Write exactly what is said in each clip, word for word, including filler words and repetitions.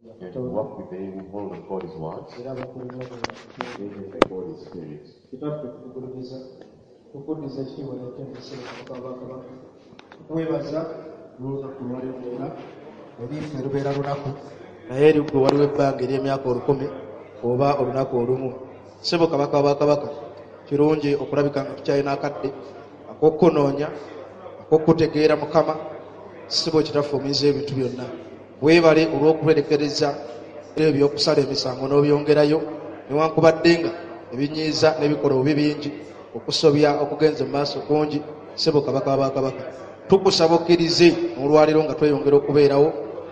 And walk with the hold of God His word, Era abakulembera aided by God His Spirit. Kitaffe, tukugulumiza, tukuddiza ekitiibwa n'eky'emisiro. Kabaka, tukwebaza olunaku lwaleero. Lwonna eri ffe lubeera lunaku, naye eri ggwe waliwo ebbanga ery'emyaka olukumi oba olunaku olumu. Ssebo kabaka wa bakabaka, kirungi okulabika nga tukyalina akadde ak'okukunoonya, ak'okutegeera. Mukama, ssebo kitaffe omuyinza ebintu byonna, weebale olw'okuberekereza ebyo by'okusala emisango n'obyongerayo, newankubadde nga ebinyiiza n'ebikola obubi bingi, okusobya okugenza mu maaso kungi. Ssebo kabaka wabakabaka, tukusaba okkirize olwaleero nga tweyongera okubeerawo,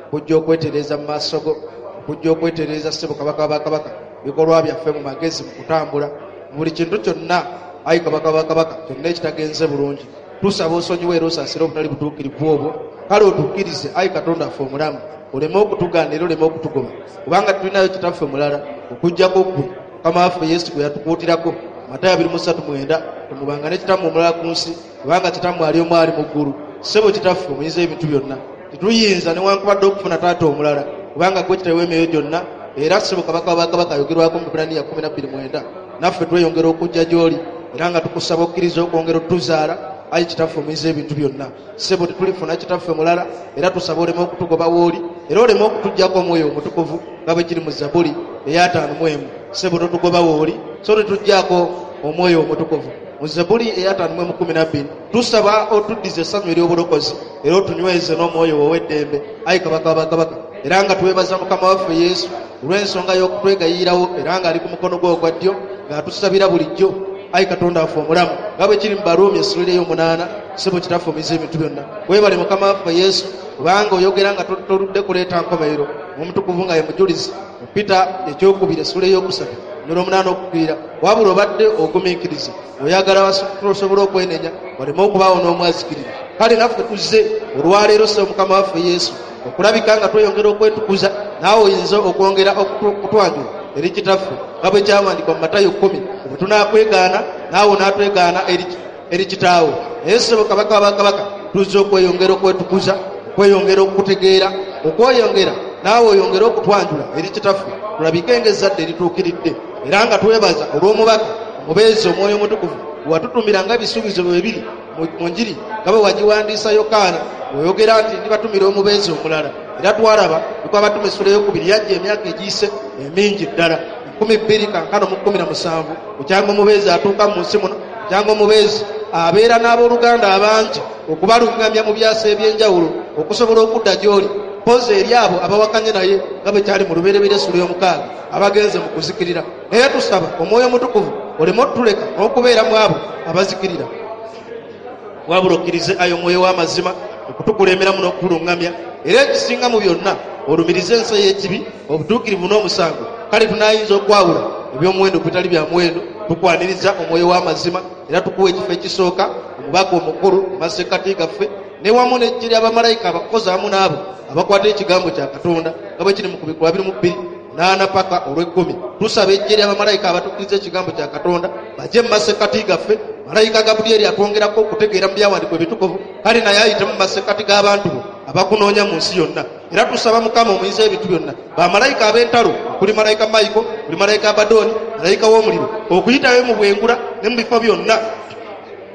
okujja okwetereeza mu maaso go, okujja okwetereeza, ssebo kabaka wabakabaka, bikolwa byaffe mu magezi, mu kutambula, mu buli kintu kyonna. Ayi kabaka wabakabaka, kyonna ekitagenze bulungi tusaba osonyiwe era osaasire obutali butuukirivu obwo. Kale otukkirize, ayi Katonda affe omulamu, oleme okutugaana era oleme okutugoba, kubanga tulinayo kitaffe mulala okuggyako ggwe. Mukama waffe Yesu gwe yatukuutirako Matayo abiri mu ssatu mwenda, temubanga ne kitammwe omulala ku nsi, kubanga kitammwe ali omu ali mu ggulu. Ssebo kitaffe omuyinza ebintu byonna, tetuyinza newankubadde okufuna taata omulala, kubanga gwe kitawe emyoyo gyonna. Era ssebo kabaka wabakabaka ayogerwako mu Bibulaniya kumi na bbiri mwenda, naffe tweyongera okujja gy'oli era nga tukusaba okkiriza okwongera otuzaala. Ayi kitaffe omuyinza ebintu byonna, ssebo tetulifuna kitaffe mulala, era tusaba oleme okutugoba wooli era oleme okutuggyako omwoyo omutukuvu nga bwe kiri mu Zabuli ey'ataano mu emu. Ssebo totugoba wooli, so tetuggyako omwoyo omutukuvu mu Zabuli ey'ataano mu emu kumi na bbiri. Tusaba otuddize essanyu ery'obulokozi era otunyweze n'omwoyo ow'eddembe, ayi kabaka wabakabaka. Era nga twebaza Mukama waffe Yesu olw'ensonga y'okutwegayirirawo, era ng'ali ku mukono gwe ogwa ddyo ng'atusabira bulijjo. Ayi Katonda waffe omulamu, nga bwe kiri mu Baruumi essula ey'omunaana, ssebo kitaffe omuyinza ebintu byonna, weebale Mukama waffe Yesu, kubanga oyogera nga toludde kuleeta nkomerero, omutukuvu nga ye mujulizi mu Pita ekyokubiri essula eyokusatu n'olwomunaana okukwira. Wabula obadde ogumiikiriza, oyagala tosobola okwenenya waleme okubaawo n'omwazikirira. Kale naffe tuzze olwaleero, ssebo Mukama waffe Yesu, okulabika nga tweyongera okwetukuza, naawe oyinza okwongera okutwanjula eri kitaffe, nga bwe kyawandikwa mu Matayo kkumi, bwe tunaakwegaana naawe onaatwegaana eri kitaawo. Naye ssebo kabaka wabakabaka, tuzze okweyongera okwetukuza, okweyongera okukutegeera, okweyongera naawe oyongere okutwanjula eri kitaffe, tulabike ng'ezzadde erituukiridde. Era nga twebaza olw'omubaka omubeezi omwoyo omutukuvu watutumira nga ebisuubizo bwe biri mu njiri nga bwe wagiwandiisa Yokaana, oyogera nti ndibatumira omubeezi omulala. Era twalaba nikwabatuma essula eyokubiri, yajja emyaka egiyise emingi ddala nkumi bbiri kankano mu kkumi na musanvu bukyanga omubeezi atuuka mu nsi muno, bukyanga omubeezi abeera n'abooluganda abangi okubaluŋŋamya mu byasa ebyenjawulo okusobola okudda gy'oli, mpozi eri abo abawakanye naye nga bwe kyali mu Lubereberye essula y'omukaaga, abagenze mu kuzikirira. Naye tusaba omwoyo omutukuvu oleme otuleka n'okubeera mu abo abazikirira, wabula okkirize ayo omwoyo w'amazima okutukulemberamu n'okutuluŋŋamya. Era ekisinga mu byonna, olumirize ensi ey'ekibi, obutuukirivu n'omusango, kale tunaayinza okwawula ebyomuwendo ku bitali bya muwendo. Tukwaniriza omwoyo w'amazima era tukuwa ekifo ekisooka, omubaka omukulu mu masekkati gaffe, ne wamu n'eggye ly'abamalayika abakozi awamu n'abo abakwata ekigambo kya Katonda, nga bwe kiri mu Kubikkulwa abiri mu bbiri naana paka olw'ekkumi. Tusaba eggye ly'abamalayika abatukkiriza ekigambo kya Katonda bajje mu masekkati gaffe. Malayika Gabulyeri atwongerako okutegeera mu byawandiikwa ebitukuvu, kale naye ayite mu masekkati g'abantu bo abakunoonya mu nsi yonna. Era tusaba Mukama omuyinza ebintu byonna, bamalayika ab'entalo okuli malayika Mayiko, kuli malayika Abadooni, malayika w'omuliro, okuyitayo mu bwengula ne mu bifo byonna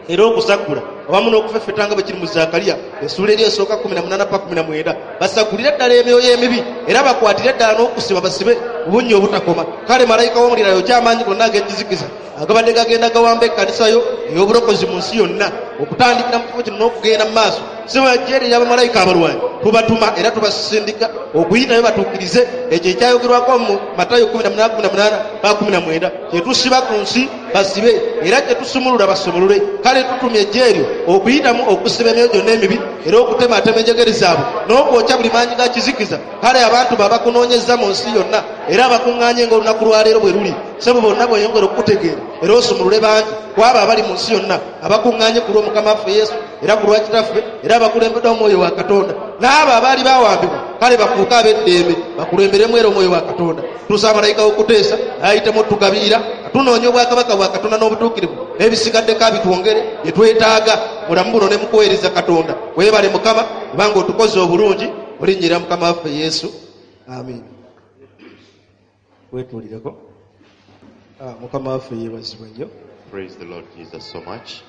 era okusaggula awamu n'okufeffeta, nga bwe kiri mu Zakaliya essuula eri esooka kumi na munaana pa kumi na mwenda, basagulire ddala emyoyo emibi era bakwatire ddala n'okusiba basibe obunnya obutakoma. Kale malayika w'omuliro ayokya amaanyi gonna ag'ekizikiza agabadde gagenda gawamba ekkanisa yo ey'obulokozi mu nsi yonna, okutandikira mu kifo kino n'okugenda mu maaso. Sibajjeeri ly'abamalayika abalwanyi tubatuma era tubasindika okuyitayo batuukirize ekyo ekyayogerwako mu Matayo kumi na munaana kumi na munaana pa kumi na mwenda, kyetusiba ku nsi basibe era kyetusumulula basumulule. Kale tutumye ejje eryo okuyitamu okusiba emyoyo gyonna emibi era okutematema enjegere zaabwe n'okwokya buli maanyi ga kizikiza. Kale abantu babakunoonyeza mu nsi yonna era abakuŋŋaanye ng'olunaku lwaleero bwe luli, sebo bonna bweyongera okukutegeera era osumulule bangi ku abo abali mu nsi yonna abakuŋŋaanye ku lw'Omukama waffe Yesu era ku lwa kitaffe era abakulembeddwa omwoyo wa Katonda, n'abo abaali bawambibwa kale bafuuke ab'eddembe, bakulemberemu era omwoyo wa Katonda. Tusaba malayika w'okuteesa ayitemu otugabirira. Tunoonya obwakabaka bwa Katonda n'obutuukirivu, n'ebisigaddeko abitwongere bye twetaaga mulamu buno ne mukuweereza Katonda. Weebale Mukama, kubanga otukoze obulungi. Olinnyira Mukama waffe Yesu, amiina. Weetuulireko. Ah, Mukama waffe yeebazibwe nnyo. Praise the Lord Jesus so much.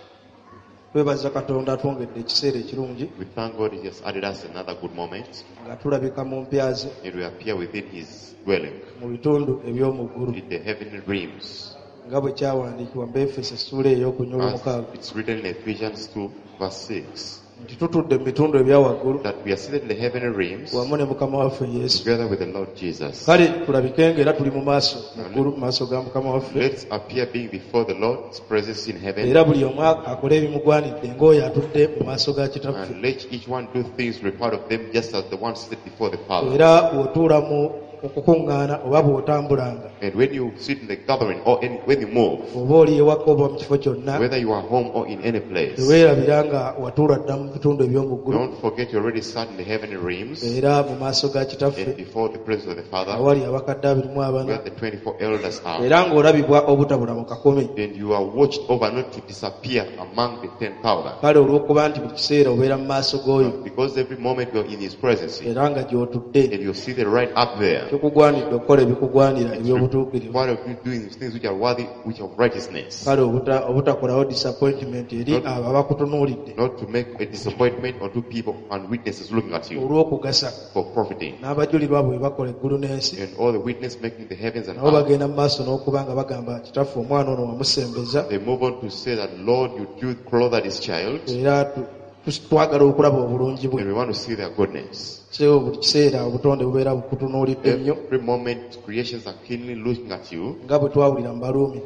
Twebaza Katonda atwongedde ekiseera ekirungi We thank God He has added us another good moment nga tulabika mu mpya ze and we appear within His dwelling mu bitundu eby'omu ggulu in the heavenly realms. nga bwe kyawandiikibwa mu Baefeso essuula ey'okunya As olw'omukaaga it's written in Ephesians two, verse six, nti tutudde mu bitundu ebya waggulu that we are seated in the heavenly realms wamu ne Mukama waffe Yesu. together with the Lord Jesus. Kale tulabike ng'era tuli mu maaso mu ggulu mu maaso ga Mukama waffe Let's appear being before the Lord's presence in heaven era buli omu akole ebimugwanidde ng'oyo atudde mu maaso ga Kitaffe. and let each one do things required of them just as the one seated before the Father. Era bw'otuula mu okukuŋŋaana oba bw'otambulanga And when you sit in the gathering or in, when you move, oba oli ewaka oba mu kifo kyonna whether you are home or in any place, teweerabira nga watuula dda mu bitundu eby'omu ggulu don't forget you already sat in the heavenly realms era mu maaso ga and Kitaffe before the presence of the Father, awali abakadde abiri mu abana where the twenty-four elders are. era ng'olabibwa obutabula mu kakumi. And you are watched over not to disappear among the ten thousand. Kale olw'okuba nti buli kiseera obeera mu maaso g'oyo Because every moment you are in His presence era nga gy'otudde and you see the right up there. kikugwanidde okukola ebikugwanira eby'obutuukirivu. Part of you doing things which are worthy, which are righteousness. Kale obuta- obutakolawo disappointment eri abo abakutunuulidde Not to make a disappointment unto people and witnesses looking at you olw'okugasa for profiting. n'abajulirwa abo bwe bakola eggulu n'ensi And all the witness making the heavens and nabo earth. bagenda mu maaso n'okuba nga bagamba Kitaffe omwana ono wamusembeza They move on to say that, Lord, you do clothe this child, era tu- tu- twagala okulaba obulungi bwe. and we want to see their goodness. So buli kiseera obutonde bubeera bukutunuulidde nnyo Every moment, creations are keenly looking at you. nga bwe twawulira mu Baruumi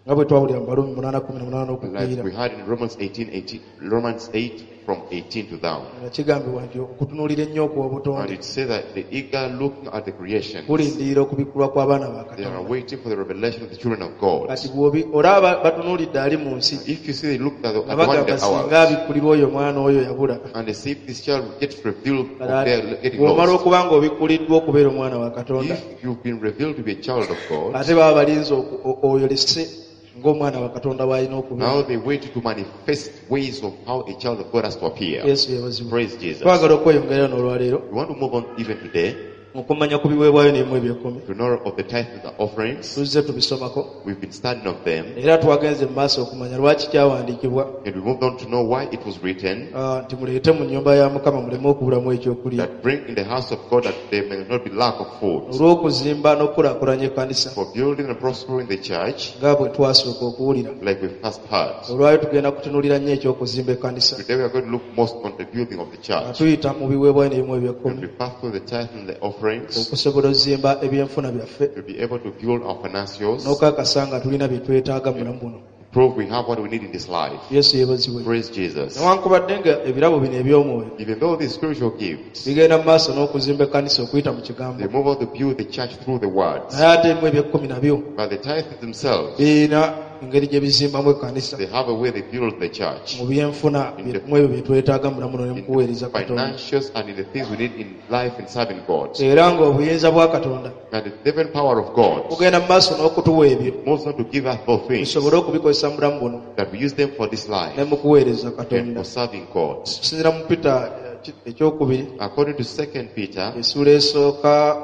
nga bwe twawulira mu Baruumi munaana kumi na munaana Like okupiira we had in Romans eighteen, eighteen, Romans eight from eighteen to down. nga kigambibwa nti okutunuulira ennyo okw'obutonde And it says that the eager looking at the creation, kulindirira okubikkulwa kw'abaana ba they are Katonda. waiting for the revelation of the children of God. Kati bw'obi olaba batunuulidde ali mu nsi If you see they look at the, nga at the one in bagamba the hour, singa abikkulirwa oyo omwana oyo yabula. and they see if this child gets revealed of their getting Bw'omala lost. okuba ng'obikkuliddwa okubeera omwana wa Katonda If you've been revealed to be a child of God, ate baba balinze oku- o- oyolese ng'omwana wa Katonda bw'alina okubeera. now they wait to manifest ways of how a child of God has to appear. Yesu yeebazibwe. Praise Jesus. Twagala okweyongerayo n'olwaleero We want to move on even today okumanya ku biweebwayo n'ebimu eby'ekkumi. to know of the tithe and the offerings. Tuzze tubisomako We've been studying of them, era twagenze mu maaso okumanya lwaki kyawandiikibwa and we moved on to know why it was written ah, nti muleete mu nnyumba ya Mukama muleme okubulamu ekyokulya. that bring in the house of God that there may not be lack of food. Olw'okuzimba n'okukulaakulanya ekkanisa For building and prospering the church, nga bwe twasooka okuwulira. like we first heard. Olwayo tugenda kutunuulira nnyo eky'okuzimba ekkanisa Today we are going to look most on the building of the nga church. tuyita mu biweebwayo n'ebimu And eby'ekkumi we pass through the tithe and the offerings okusobola ozimba ebyenfuna byaffe to be able to build our financials, n'okakasa nga tulina bye twetaaga mu bulamu buno. prove we have what we need in this life. Yesu yeebazibwe. Praise Jesus. Newankubadde nga ebirabo bino eby'omwoyo Even though these spiritual gifts, bigenda mu maaso n'okuzimba ekkanisa okuyita mu kigambo they move on to build the church through the words. naye ate emu eby'ekkumi nabyo But the tithe themselves, birina engeri gye bizimbamu ekkanisa they have a way they build the church. mu byenfuna mu ebyo bye twetaaga mu bulamu buno ne mu In kuweereza the Katonda. financials and in the things we need in life in serving God. Era ng'obuyinza bwa Katonda And the divine power of God bugenda mu maaso n'okutuwa ebyo moves on to give us both things, tusobole okubikozesa mu bulamu buno that we use them for this life ne mu kuweereza and Katonda. for serving God. Okusinziira mu Peter eh, ekyokubiri According to Second Peter essuula esooka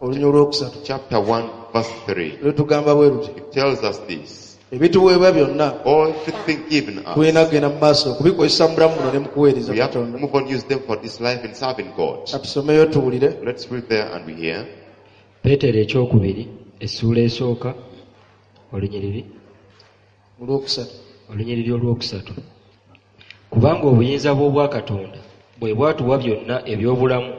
olunya olwokusatu chapter one verse three, lutugamba bwe luti it tells us this. ebituweebwa byonna Everything given us, tulina kugenda mu maaso okubikozesa mu bulamu buno ne mu kuweereza we have to Katonda. move on, use them for this life and serving God. Katusomeyo tuwulire. Let's read there and we hear. Peetero ekyokubiri essuula esooka olunyiriri olwokusatu olunyiriri olwokusatu kubanga obuyinza bw'obwakatonda bwe bwatuwa byonna eby'obulamu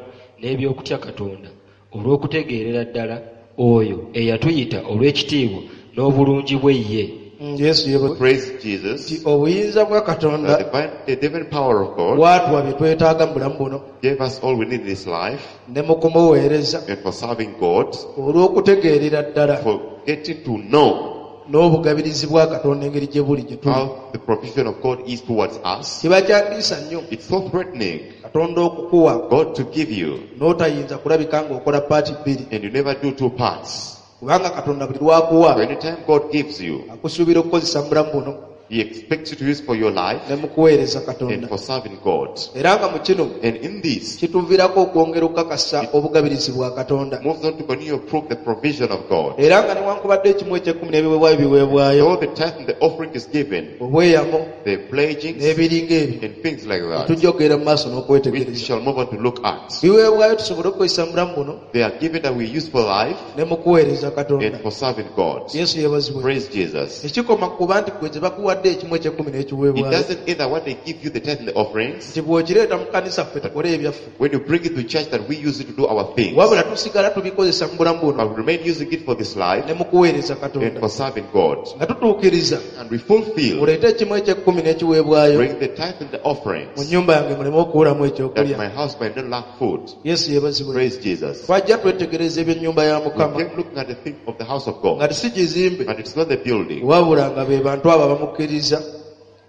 n'eby'okutya Katonda olw'okutegeerera ddala oyo eyatuyita olw'ekitiibwa n'obulungi bwe ye. Mm, Yesu yeebazibwe. Praise Nti Jesus. obuyinza bwa Katonda The divine, the divine power of God bwatuwa bye twetaaga mu bulamu buno gave us all we need in this life ne mu kumuweereza and for serving God, olw'okutegeerera ddala for getting to know n'obugabirizi bwa Katonda engeri gye buli gye tuli. how the provision of God is towards us. Kiba kyatiisa nnyo It's so threatening Katonda okukuwa God to give you n'otayinza kulabika ng'okola paati bbiri and you never do two parts. kubanga Katonda buli lw'akuwa So anytime God gives you, akusuubira okukozesa mu bulamu buno He expects you to use for your life ne mu kuweereza and Katonda. for serving God. Era nga mu kino And in this, kituviirako okwongera okukakasa obugabirizi bwa Katonda. moves on to continue to prove the provision of God. Era nga newankubadde ekimu eky'ekkumi n'ebiweebwayo biweebwayo, Though the tithe and the offering is given, obweyamo the pledgings n'ebiringa ebyo and things like that, tujja okugenda mu maaso which we n'okwetegereza. shall move on to look at. Biweebwayo tusobole okukozesa mu bulamu buno They are given that we use for life ne mu kuweereza and Katonda. for serving God. Yesu yeebazibwe. Praise Jesus. Tekikoma ku kuba nti gwe gye bakuwadde ekimu eky'ekkumi It n'ekiweebwayo doesn't either what they give you the tithe and the offerings. nti bw'okireeta mu kkanisa ffe tukole ebyaffe, When you bring it to church that we use it to do our things. wabula tusigala tubikozesa mu bulamu buno But we remain using it for this life ne mu kuweereza and Katonda for serving God. nga tutuukiriza. And we fulfill, Oleete ekimu eky'ekkumi n'ekiweebwayo bring the tithe and the mu offerings, nnyumba yange muleme okuwulamu that ekyokulya. my house might not lack food. Yesu yeebazibwe. Praise Jesus. Twajja twetegereza ebyennyumba ya We Mukama came looking at the thing of the house of nga God. si kizimbe, And it's not the building, wabula nga be bantu abo abamukkiriza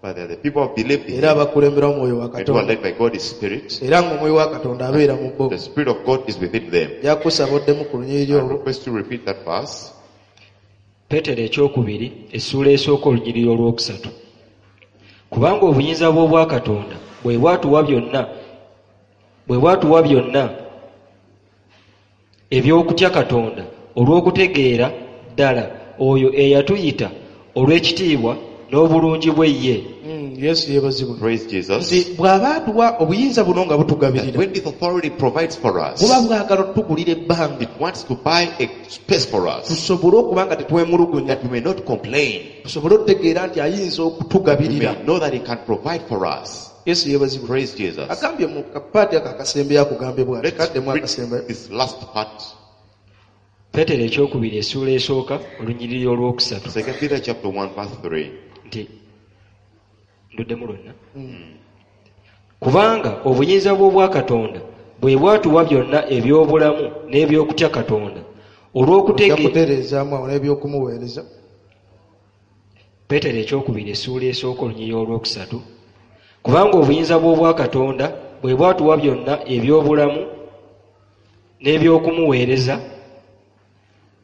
but they're the people who believe in era Him abakulemberwa omwoyo wa and who are Katonda, led by God's Spirit. era ng'omwoyo wa Katonda abeera mu bo. The Spirit of God is within them. Nja oddemu ku lunyiriri I olwo. request you to repeat that verse. Peetero ekyokubiri essuula esooka olunyiriri olwokusatu. Kubanga obuyinza bw'obwakatonda bwe bwatuwa byonna bwe bwatuwa byonna eby'okutya Katonda olw'okutegeera ddala oyo eyatuyita olw'ekitiibwa n'obulungi bwe ye. Mm, Yesu yeebazibwe. Praise Jesus. Nti bw'aba atuwa obuyinza buno nga That butugabirira, when this authority provides for us, buba bwagala otugulira ebbanga it wants to buy a space for us tusobole okuba nga tetwemulugunya, that we may not complain. tusobole okutegeera nti ayinza We okutugabirira. may know that He can provide for us. Yesu yeebazibwe. Praise Jesus. Agambye mu kapaati ako akasembeyo akugambye bw'ati, Let's kaddemu read akasembayo. this last part. Peetero ekyokubiri essuula esooka olunyiriri olwokusatu. Second Peter chapter one verse three. Nti nduddemu lwonna. Kubanga obuyinza bw'obwakatonda bwe bwatuwa byonna eby'obulamu n'eby'okutya Katonda Ojja olw'okutegeera. kutereezaamu awo n'ebyokumuweereza. Peetero ekyokubiri essuula esooka olunyiriri olwokusatu. Kubanga obuyinza bw'obwakatonda bwe bwatuwa byonna eby'obulamu n'ebyokumuweereza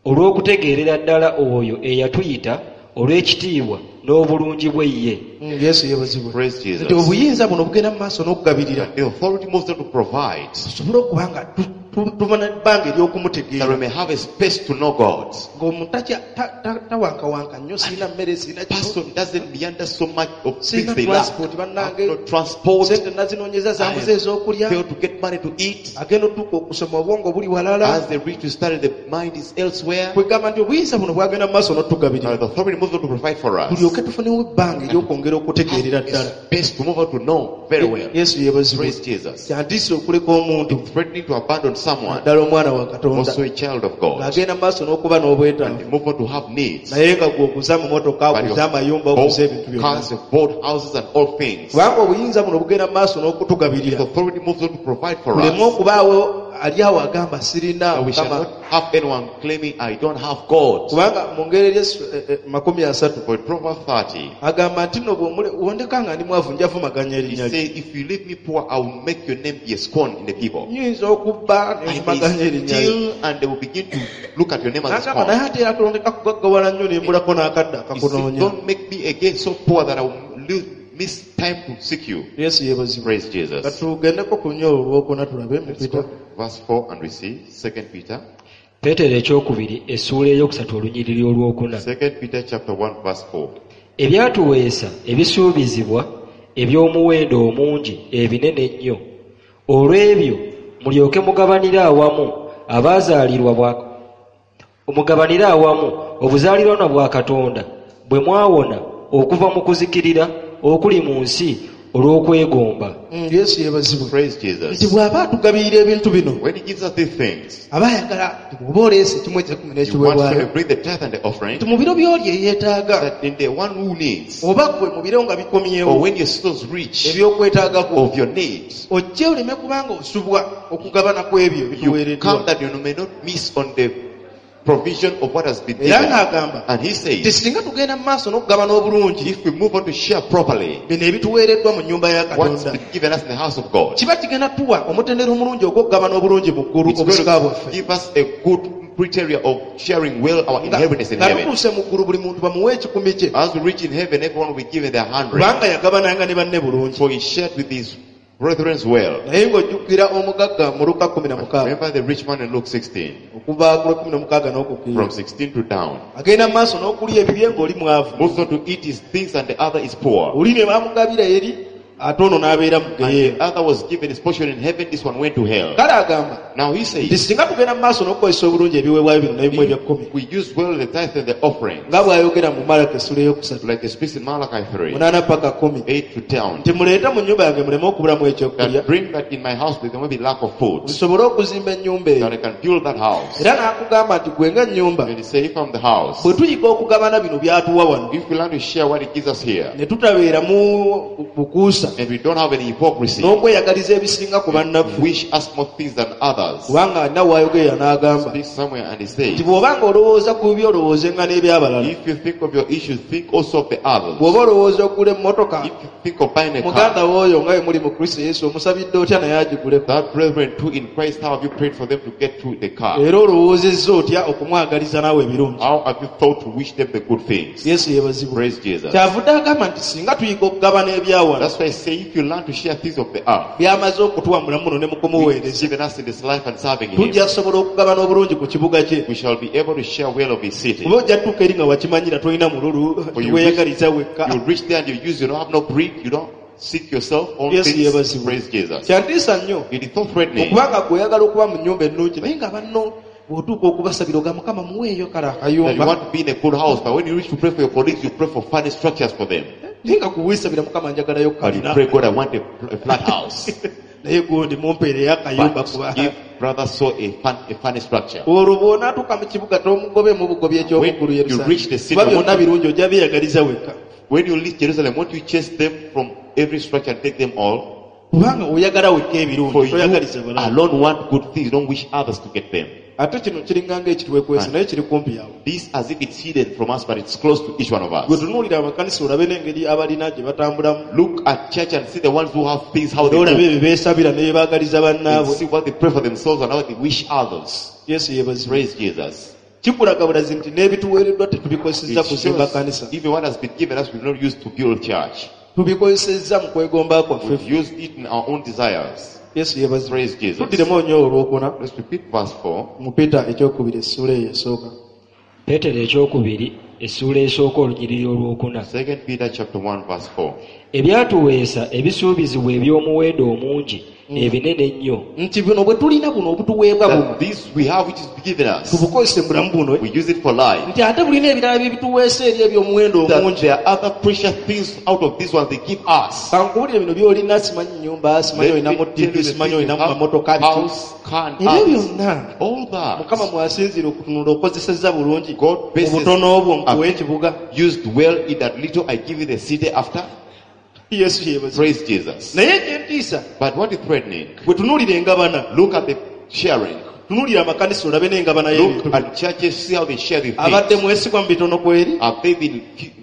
olw'okutegeerera ddala oyo eyatuyita olw'ekitiibwa n'obulungi bwe ye. Mm, Yesu yeebazibwe. Praise Jesus. Nti obuyinza buno bugenda mu maaso n'okugabirira The authority moves on to provide tusobole okuba nga tu- tu- tuva n'ebbanga that ery'okumutegeera we may have a space to know God. ng'omuntu takya- ta- ta- tawankawanka nnyo, sirina mmere, sirina kino, Person doesn't meander so much of things sirina they lack. transport bannange, No transport. sente nazinoonyeza zambuze ez'okulya, Fail to get money to eat. agenda otuuka okusoma obwongo buli walala. As they reach to study, the mind is elsewhere. Kwegamba nti obuyinza buno bwagenda mu maaso n'otugabirira Now the authority moves on to provide for us. tulyoke tufunewo ebbanga ery'okwongera okutegeerera ddala. A space to move on to know very well. Yesu yeebazibwe. Praise Jesus. Kyantiisa okuleka omuntu, Threatening to abandon someone, ddala omwana wa Katonda, also a child of God, ng'agenda mu maaso n'okuba n'obwetaavu, and move on to have needs. naye nga gwe oguze amamotoka, But oguze amayumba, you oguze ebintu bought byonna. cars, you bought houses and all things. Kubanga obuyinza buno bugenda mu maaso n'okutugabirira The authority moves on to provide for tuleme us. okubaawo ali awo agamba sirina That we shall Mukama. not have anyone claiming, I don't have God. Kubanga mu ngeri eri eh, eh, makumi asatu For in Proverbs thirty, agamba nti nno bw'omule- wondeka nga ndi mwavu nja vumaganya he erinnya lye. said, if you leave me poor, I will make your name be a scorn in the people. Nyinza okubba I may ne nvumaganya erinnya lye. steal and they will begin to look at your name as a N'agamba naye scorn. ate era tondeka kugaggawala nnyo ne mbulako n'akadde He said, akakunoonya. don't make me again so poor that I will lose, miss time to seek you. Yesu yeebazibwe. Praise Jesus. Katugendeko ku nnyo olwokuna tulabe mu Let's Peter. go. Verse four and we see Second Peter. Peetero ekyokubiri essuula eyokusatu olunyiriri olwokuna. Second Peter chapter one verse four. Ebyatuweesa ebisuubizibwa eby'omuwendo omungi ebinene ennyo. Olw'ebyo mulyoke mugabanire awamu abaazaalirwa bwa mugabanire awamu obuzaalirwana bwa Katonda bwe mwawona okuva mu kuzikirira okuli mu nsi olw'okwegomba. Mm, Yesu yeebazibwe. Praise Nti Jesus. bw'aba atugabirira ebintu bino, When he gives us these things, aba ayagala nti bw'oba oleese ekimu eky'ekkumi he wants n'ekiweebwayo, to bring the tithe and the offering, nti mu biro by'oli eyeetaaga, that in the one who needs, oba ggwe mu biro nga bikomyewo or when your souls reach eby'okwetaagako, of your needs, ojje oleme kubanga osubwa okugabana ku ebyo you ebituweereddwa. come that you may not miss on the provision of what has been Era given. ng'agamba And he nti says, singa tugenda mu maaso n'okugabana obulungi if we move on to share properly bino ebituweereddwa mu nnyumba ya what's Katonda, been given us in the house of God, kiba kigenda tuwa omutendera omulungi ogw'okugabana obulungi mu ggulu it's going obusika to bwaffe. give us a good criteria of sharing well our Nga inheritance in nga heaven. tutuuse mu ggulu buli muntu bamuwe ekikumi kye As we reach in heaven, everyone will be given their hundred. kubanga yagabananga ne banne bulungi For he shared with his brethren well. naye ng'ojjukira omugagga mu Luka kumi na mukaaga Remember the rich man in Luke sixteen, okuva ku lwekumi na mukaaga n'okukkirira from sixteen to down. agenda mu maaso n'okulya ebibye ng'oli mwavu Moves on to eat his things and the other is poor. oli ne bamugabira eri ate ono n'abeera mu And geyeena the other was given his portion in heaven, this one went to hell. kale agamba Now he nti says, singa tugenda mu maaso n'okukozesa obulungi ebiweebwayo bino n'ebimu eby'ekkumi we use well the tithe and the offering, nga bw'ayogera mu Malaki essula eyokusatu like it speaks in Malachi three, munaana paka kumi eight to ten. nti muleete mu nnyumba yange muleme okubulamu ekyokulya That bring that in my house there may be lack of food, nsobole okuzimba ennyumba eyo that I can build that house. era n'akugamba nti gwe ng'ennyumba Then he say, if I'm the house, bwe tuyiga okugabana bino by'atuwa wano if we learn to share what it gives us here, ne tutabeeramu bukuusa and we don't have any hypocrisy, n'okweyagaliza ebisinga ku bannaffe wish us more things than others. kubanga alina w'ayogerera n'agamba Speak somewhere and he says, nti bw'oba ng'olowooza ku bibi olowoozenga n'ebyabalala if you think of your issues, think also of the others. bw'oba olowooza okugula emmotoka If you think of buying a muganda car, w'oyo nga bwe muli mu Kristo Yesu omusabidde otya naye agiguleko that brethren too in Christ, how have you prayed for them to get to the car? era olowoozezza otya okumwagaliza naawe ebirungi How have you thought to wish them the good things? Yesu yeebazibwe Praise Jesus. kyavudde agamba nti singa tuyiga okugabana ebyawano That's why I say if you learn to share things of the earth, byamaze okutuwa mulamu muno ne mu which kumuweereza he's given us in this life and serving him, tujja sobola okugabana obulungi ku kibuga kye we shall be able to share well of his city. kuba ojja tutuuka eri nga wakimanyira tolina mululu For you teweeyagaliza wekka You reach there and you use, you don't have no greed, you don't seek yourself own Yesu things. yeebazibwe. Praise Jesus. Kyantiisa nnyo It is so threatening. okubanga gwe oyagala okuba mu nnyumba ennungi naye nga banno bw'otuuka okubasabira oga Mukama muweeyo kale That you akayumba want to be in a good house, but when you reach to pray for your colleagues, you pray for funny structures for them. naye nga kuweesabira Mukama njagalayo But you kalina pray, God, I want a, a flat house. naye gundi mumpeereyo akayumba But kuba give brother so a, fun, a funny structure. olwo bw'onaatuuka mu kibuga tomugobeemu bugobi ekyomuggulu When you reach the city, Yerusalemu kuba byonna birungi ojja byeyagaliza wekka When you leave Jerusalem, won't you chase them from every structure and take them all? kubanga oyagala wekka For ebirungi you toyagaliza balala alone want good things, don't wish others to get them. ate kino kiringa ng'ekitwekwese naye kiri kumpi yawe This as if it's hidden from us, but it's close to each one of gwe us. tunuulira amakanisa olabe n'engeri abalina gye batambulamu Look at church and see the ones who have things, how they era olabe move. ebyo beesabira ne bye baagaliza And bannaabwe see what they pray for themselves and how they wish others. Yesu yeebazibwe Praise Jesus. kikulaga bulazi nti n'ebituweereddwa tetubikozesezza It kuzimba shows kanisa even what has been given us, we've not used to build church. tubikozesezza mu kwegomba kwaffe We've used it in our own desires. Yesu yeebazibwe Praise Jesus. tuddiremu nnyo olwokuna Let's repeat verse four. mu Peter ekyokubiri essuula eyo esooka Peetero ekyokubiri essuula esooka olunyiriri olwokuna Second Peter chapter one verse four. Ebyatuweesa ebisuubizibwa eby'omuwendo omungi ebinene ennyo nti buno bwe tulina buno obutuweebwa buno That this we have which is given us, tubukozese mu bulamu buno we use it for life. nti ate bulina ebirala byebituweesa eri eby'omuwendo That omungi there are other precious things out of these ones they give us. kankubuulire bino by'olina simanyi nnyumba simanyi Let me olinamu tell you T V the simanyi things you olinamu have, mamotoka biki house, car, and ebyo others. byonna All that Mukama mwasinziira okutunula okozesezza bulungi God bases obutono obwo nkuwa have ekibuga used well in that little I give you the city after. Yesu yeebazibwe Praise Jesus. naye ekyentiisa But what is threatening? bwe tunuulira engabana Look at the sharing. tunuulira amakanisa olabe n'engabana y'ebintu Look at churches, see how they share the abadde things. mwesigwa mu bitono kweri Have they been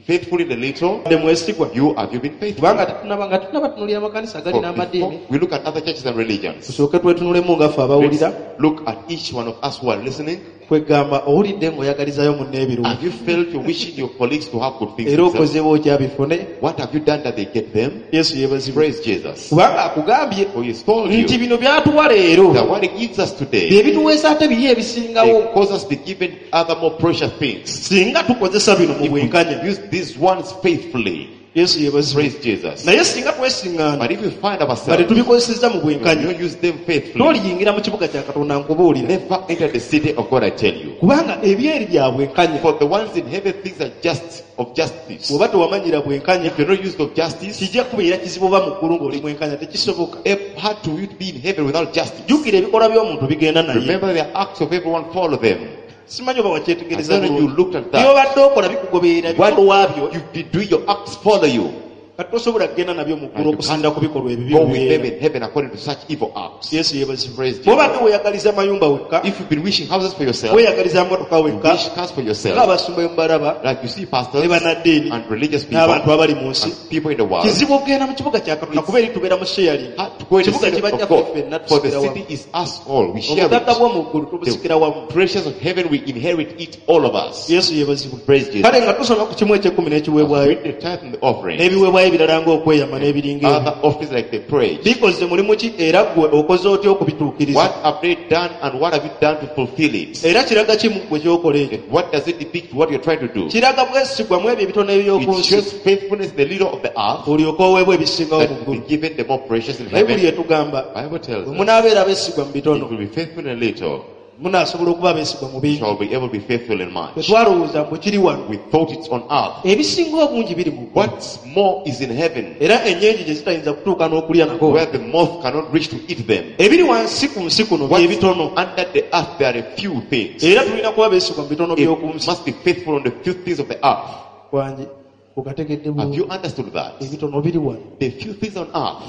faithful in the little? abadde mwesigwa You have you been faithful? kubanga tetunaba nga tetunaba tunuulira amakanisa For agalina amadiini before we look at other churches and religions. tusooke twetunulemu nga ffe Let's abawulira look at each one of us who are listening. kwegamba owulidde ng'oyagalizayo munno ebirungi Have you felt you're wishing your colleagues to have good things era themselves? okozeewo okyabifune What have you done that they get them? Yesu yeebazibwe Praise Jesus. kubanga akugambye For he's told nti you bino byatuwa leero that what he gives us today, bye bituweesa ate biri ebisingawo they cause us to be given other more precious things. singa tukozesa bino mu If we bwenkanya use these ones faithfully, Yesu yeebazibwe praise Jesus. naye singa twesiŋŋaana But if we find nga ourselves, tetubikozesezza mu we bwenkanya don't use them faithfully, toliyingira mu kibuga kya Katonda nkubuulira never enter the city of God, I tell you. kubanga ebyeri bya bwenkanya For the ones in heaven, things are just of justice. bw'oba tewamanyira bwenkanya If you're not used of justice, kijja kubeera kizibu oba mu ggulu ng'oli mwenkanya tekisoboka it's hard to you to be in heaven without justice. jjukira ebikolwa by'omuntu bigenda naye Remember the acts of everyone follow them. simanyi oba wakyetegereza As long as you bulungi looked at that, by'obadde okola bikugoberera what bikolwa byo you did do, your acts follow you. Kati tosobola kugenda nabyo mu ggulu And you okusinziira ku bikolwa ebibi Go with them bibeera. in heaven according to such evil acts. Yesu yeebazibwe. Praise Jesus. Bw'obadde weeyagaliza mayumba wekka, If you've been wishing houses for yourself, weeyagaliza motoka you wekka, wish cars for yourself, ng'abasumba bemubalaba like you see pastors ne bannaddiini and religious people n'abantu abali mu nsi, and people in the world, kizibu okugenda mu kibuga kya Katonda kuba eri tubeera mu sharing. hard to go in the Kibuga city kibajja of God. ffenna For the tusikira wamu. city is us all. We share Obugagga it. bw'omu ggulu tubusikira wamu. The treasures of heaven, we inherit it, all of us. Yesu yeebazibwe. Praise Jesus. Kale nga tusoma ku kimu eky'ekkumi n'ekiweebwayo Read the tithe and the offering. n'ebiweebwayo ebirala ng'okweyama n'ebiringa ebyo. Other offerings like the praise. Bikoze mulimu ki era ggwe okoze otya okubituukiriza? What have they done and what have you done to fulfill it? Era kiraga ki mu ggwe ky'okola ekyo? And what does it depict what you're trying to do? Kiraga bwesigwa mu ebyo ebitono eby'oku It nsi shows faithfulness in the little of the earth olyoke oweebwa ebisingawo that mu will ggulu. be given the more precious in Bayibuli heaven. etugamba Bible tells bwe us munaabeera abeesigwa mu if bitono we be faithful in little, munaasobola okuba abeesigwa mu bingi. shall be able to be faithful in much. Tetwalowooza mbu kiri wano. We thought it's on earth. Ebisinga obungi biri mu ggulu. What's more is in heaven, Era ennyenje gye zitayinza kutuuka n'okulya nako. where the moth cannot reach to eat them. Ebiri wansi ku nsi kuno What's byebitono. under the earth, there are a few things. Era tulina kuba beesigwa mu bitono by'oku It nsi. must be faithful on the few things of the earth. Wangi okategedde Have bulungi. you understood that? Ebitono biri wano. The few things on earth.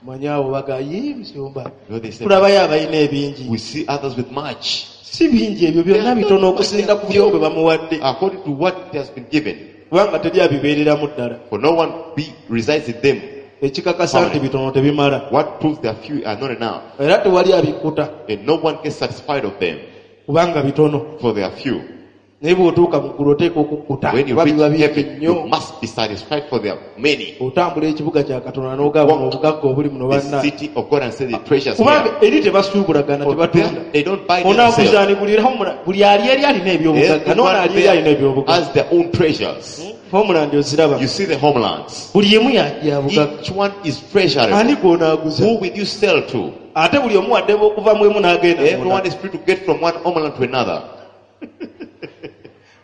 Manyi abo bagaye musumba. You know, they say, Tulabayo abalina ebingi. we see others with much. Si bingi ebyo byonna bitono okusinziira ku byo bwe bamuwadde. According to what has been given. Kubanga teri abibeereramu ddala. For no one be, resides in them. Ekikakasa nti bitono tebimala. What proves they are few are not enough. Era tewali abikkuta And no one gets satisfied of them, kubanga bitono. for they are few. Naye bw'otuuka mu ggulu oteeka okukkuta When you kuba biba reach bingi heaven, you nnyo. must be satisfied for there are many. Otambula ekibuga kya Katonda n'ogaba buno obugagga obuli muno The banna. city of God and say the treasures here. Kubanga eri tebasuubulagana For tebatunda. them, they don't buy themselves. Onaaguzaani buli era buli ali eri alina ebyobugagga n'ono Everyone ali eri alina there ebyobugagga. has their own treasures. Homeland oziraba. You see the homelands. Buli emu ya ya bugagga. Each one is treasurable. Ani gw'onaaguza? Who will you sell to? Ate buli omu wadde okuva mu emu n'agenda mu Everyone ndala. is free to get from one homeland to another.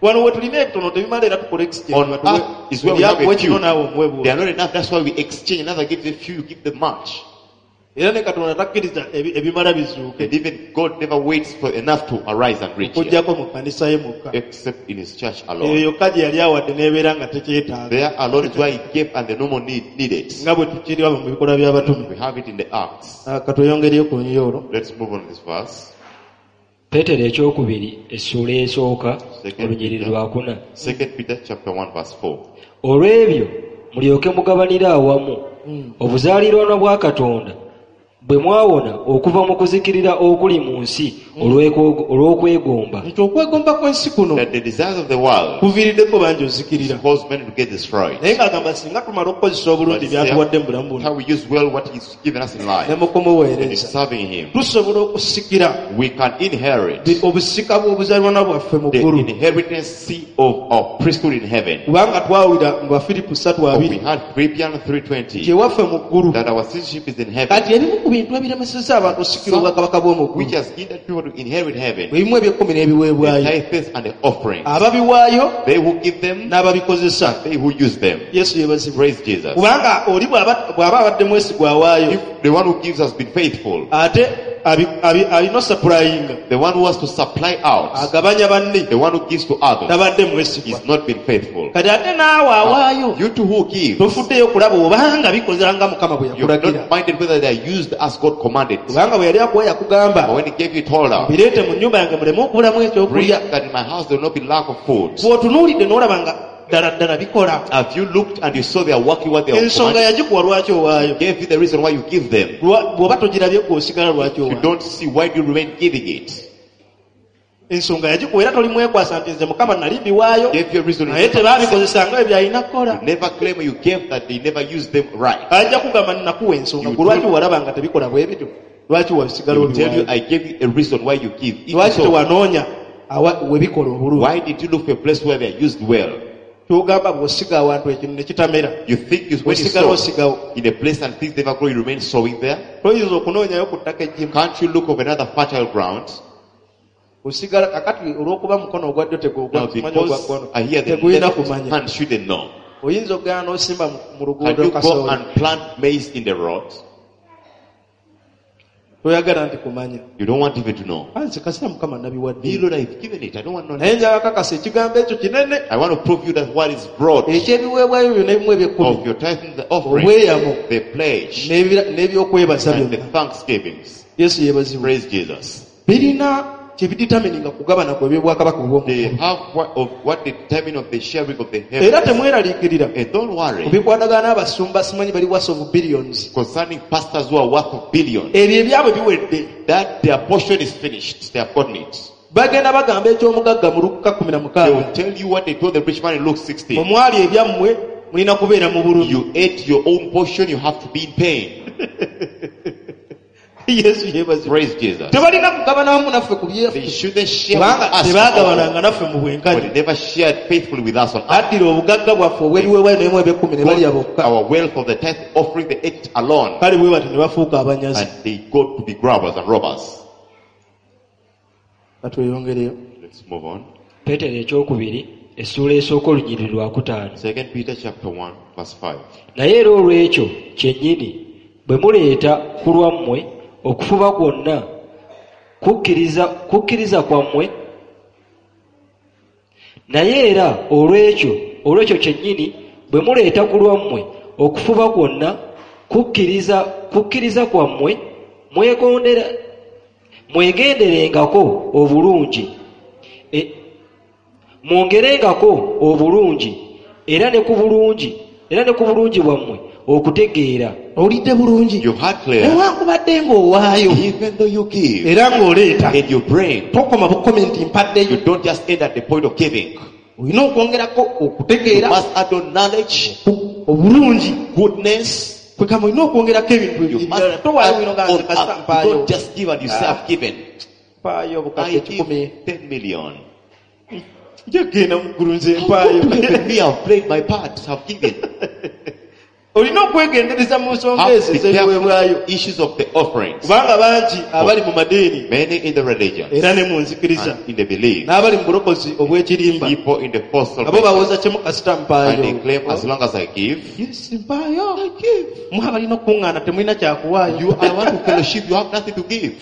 Wano we tulina ebitono tebimala era tukola exchange. On Batuwe- earth is where we have buli a few. kino naawe omuwe They are bw'oti. not enough. That's why we exchange. Another gives a few, you give them much. Era ne Katonda takkiriza ebi- ebimala bizuuke. And even God never waits for enough to arise and reach here, Okuggyako mu kkanisa ye mwokka. except in his church Eyo alone. yokka gye yali awadde n'ebeera nga tekyetaaga. There alone is where he gave and the no more need needed. Nga bwe tukiraba mu bikolwa by'abatume. We have it in the Acts. Ah, Ka tweyongereyo ku lunyiriri olwo. Let's move on to this verse. Peetero ekyokubiri essuula esooka Second olunyiriri Peter. lwakuna. Second Peter chapter one verse four. Olw'ebyo mulyoke mugabanire awamu obuzaaliranwa bwa Katonda bwe mwawona okuva mu kuzikirira okuli mu nsi olw'ekwo- olw'okwegomba. Nti okwegomba kw'ensi kuno That the desires of the world kuviiriddeko bangi ozikirira. cause men to get destroyed. Naye ng'agamba singa tumala okukozesa obulungi But by'atuwadde mu bulamu buno how we use well what he's given us in life ne mu and in kumuweereza serving him, tusobola okusikira we can inherit bi- obusika bw'obuzaalirwana bwaffe mu the ggulu. inheritance of our priesthood in heaven. Kubanga twawulira mu Bafiripo ssatu For we abiri had Philippians three twenty gyewaffe mu ggulu. that our citizenship is in heaven, Kati ebimu ku bintu ebiremesezza abantu okusikira obwakabaka bw'omu ggulu which has hindered people to inherit heaven, ebimu eby'ekkumi the n'ebiweebwayo. tithes and the offerings. Ababiwaayo They who give them, n'ababikozesa. they who use them. Yesu yeebazibwe. Praise Jesus. Kubanga oli bw'aba bw'aba abadde mwesigwa awaayo If the one who gives has been faithful, ate abi- abi- alina osappulayinga the one who has to supply out, agabanya banne the one who gives to others, tabadde mwesigwa. is not been faithful. Kati ate naawe awaayo You two who give, tofuddeyo okulaba obanga bikoze nga Mukama bwe you're yakulagira. not minded whether they are used as God commanded. Kubanga bwe yali akuwa yakugamba But when he gave you, he told her, bireete mu nnyumba yange muleme okubulamu bring ekyokulya. that in my house there will not be lack of food. Bw'otunuulidde n'olaba nga ddala ddala bikola. Have you looked and you saw they are working what they are Ensonga commanded? yagikuwa lwaki owaayo? Gave you the reason why you give them. Lwa- Bw'oba togirabye gwe osigala lwaki You owaayo? don't see why do you remain giving it. Ensonga yagikuwa era toli mwekwasa nti nze Mukama nali mbiwaayo Gave you a reason. naye tebabikozesanga bwe byalina kukola. You never claim you gave that they never used them right. Ajja kugamba nnakuwa ensonga You gwe lwaki do- walaba nga tebikola bwe bityo? Lwaki He wasigala will tell you, obiwaayo? I gave you a reason why you give. If Lwaki so, tewanoonya awa- we bikola obulungi? why did you look for a place where they are used well? Ky'ogamba bw'osiga awantu ekintu ne kitamera You think you, when you osigala sow osigawo. in a place and things never grow, you remain sowing there? Toyinza okunoonyayo ku ttaka eggimu. Can't you look of another fertile ground? Osigala kakati olw'okuba mukono ogwa ddyo Now, tegumanya ogwa because kkono I hear the tegulina left kumanya. hand shouldn't know. Oyinza okugenda n'osimba mu- mu Can luguudo you go kasooli. and plant maize in the road? Toyagala nti kumanya. You don't want even to know. Nze kasita Mukama Me, nabiwadde. Lord, I've given it. I don't want Naye knowledge. njagala kakasa ekigambo ekyo kinene. I want to prove you that what is broad Ekyebiweebwayo byonna ebimu eby'ekkumi. of your tithe and the offering, Obweyamo. the pledge, N'ebira- n'ebyokwebaza and the byonna. thanksgivings. Yesu yeebazibwe. Praise Jesus. Birina kye biditamininga kugabana kwe eby'obwakabaka obw'omu They ggulu. have what of what the determine of the sharing of the Era heavens. temweraliikirira. And don't worry Ku bikwatagana n'abasumba simanyi bali worth of billions. concerning pastors who are worth of billions. Ebyo ebyabwe biwedde. That their portion is finished. They have gotten it. Bagenda bagamba eky'omugagga mu Luka kkumi na They mukaaga. will tell you what they told the rich man in Luke sixteen. Bwe mwali ebyammwe mulina kubeera mu bulumi. You ate your own portion, you have to be in pain. Yesu yeebazibwe. Praise Jesus. Tebalina kugabana wamu naffe ku They byaffe. shouldn't share with Kubanga us. tebaagabananga naffe mu But bwenkanya. they never shared faithfully with us on earth. Baddira obugagga bwaffe obw'ebiweebwayo n'emu eby'ekkumi ne balya bokka. Our wealth of the tithe offering, they ate alone. Kale bwe batyo ne bafuuka abanyazi. And they go to be grabbers and robbers. Katweyongereyo. Let's move on. Peetero ekyokubiri essuula esooka olunyiriri lwa kutaano. Second Peter chapter one verse five. Naye era olw'ekyo kyennyini bwe muleeta ku lwammwe okufuba kwonna kukkiriza, kukkiriza kwammwe. Naye era olw'ekyo, olw'ekyo kyennyini bwe muleeta ku lwammwe okufuba kwonna kukkiriza, kukkiriza kwammwe mwegondera, mwegenderengako obulungi. E, mwongerengako obulungi era ne ku bulungi, era ne ku bulungi bwammwe okutegeera. Owulidde bulungi. You heard clear. Newankubadde ng'owaayo. Even though you give Era ng'oleeta. and you bring, Tokoma bukomi nti mpaddeyo. you don't just end at the point of giving. Olina okwongerako okutegeera. You must add on knowledge, Obulungi. goodness. Kwegamba olina okwongerako ebintu You must ebirala. Towaayo add bino nga on nze kasita up. You mpaayo. don't just give and you say I've given. Mpaayo obukadde I kikumi. give ten million. Nja kugenda mu ggulu nze How mpaayo. come to heaven? Me, I've played my part. I've given. Olina okwegendereza mu nsonga Have ezo to be ez'ebiweebwayo. careful issues of the offerings. Kubanga bangi abali mu madiini Many in the religion era ne mu nzikiriza and in the belief. n'abali mu bulokozi obw'ekirimba People in the false abo salvation. bawoza kimu kasita And they mpaayo. claim as long as I give. Yes, mpaayo. Mwe abalina okukuŋŋaana temulina kyakuwaayo. You, I want to fellowship, you have nothing to give.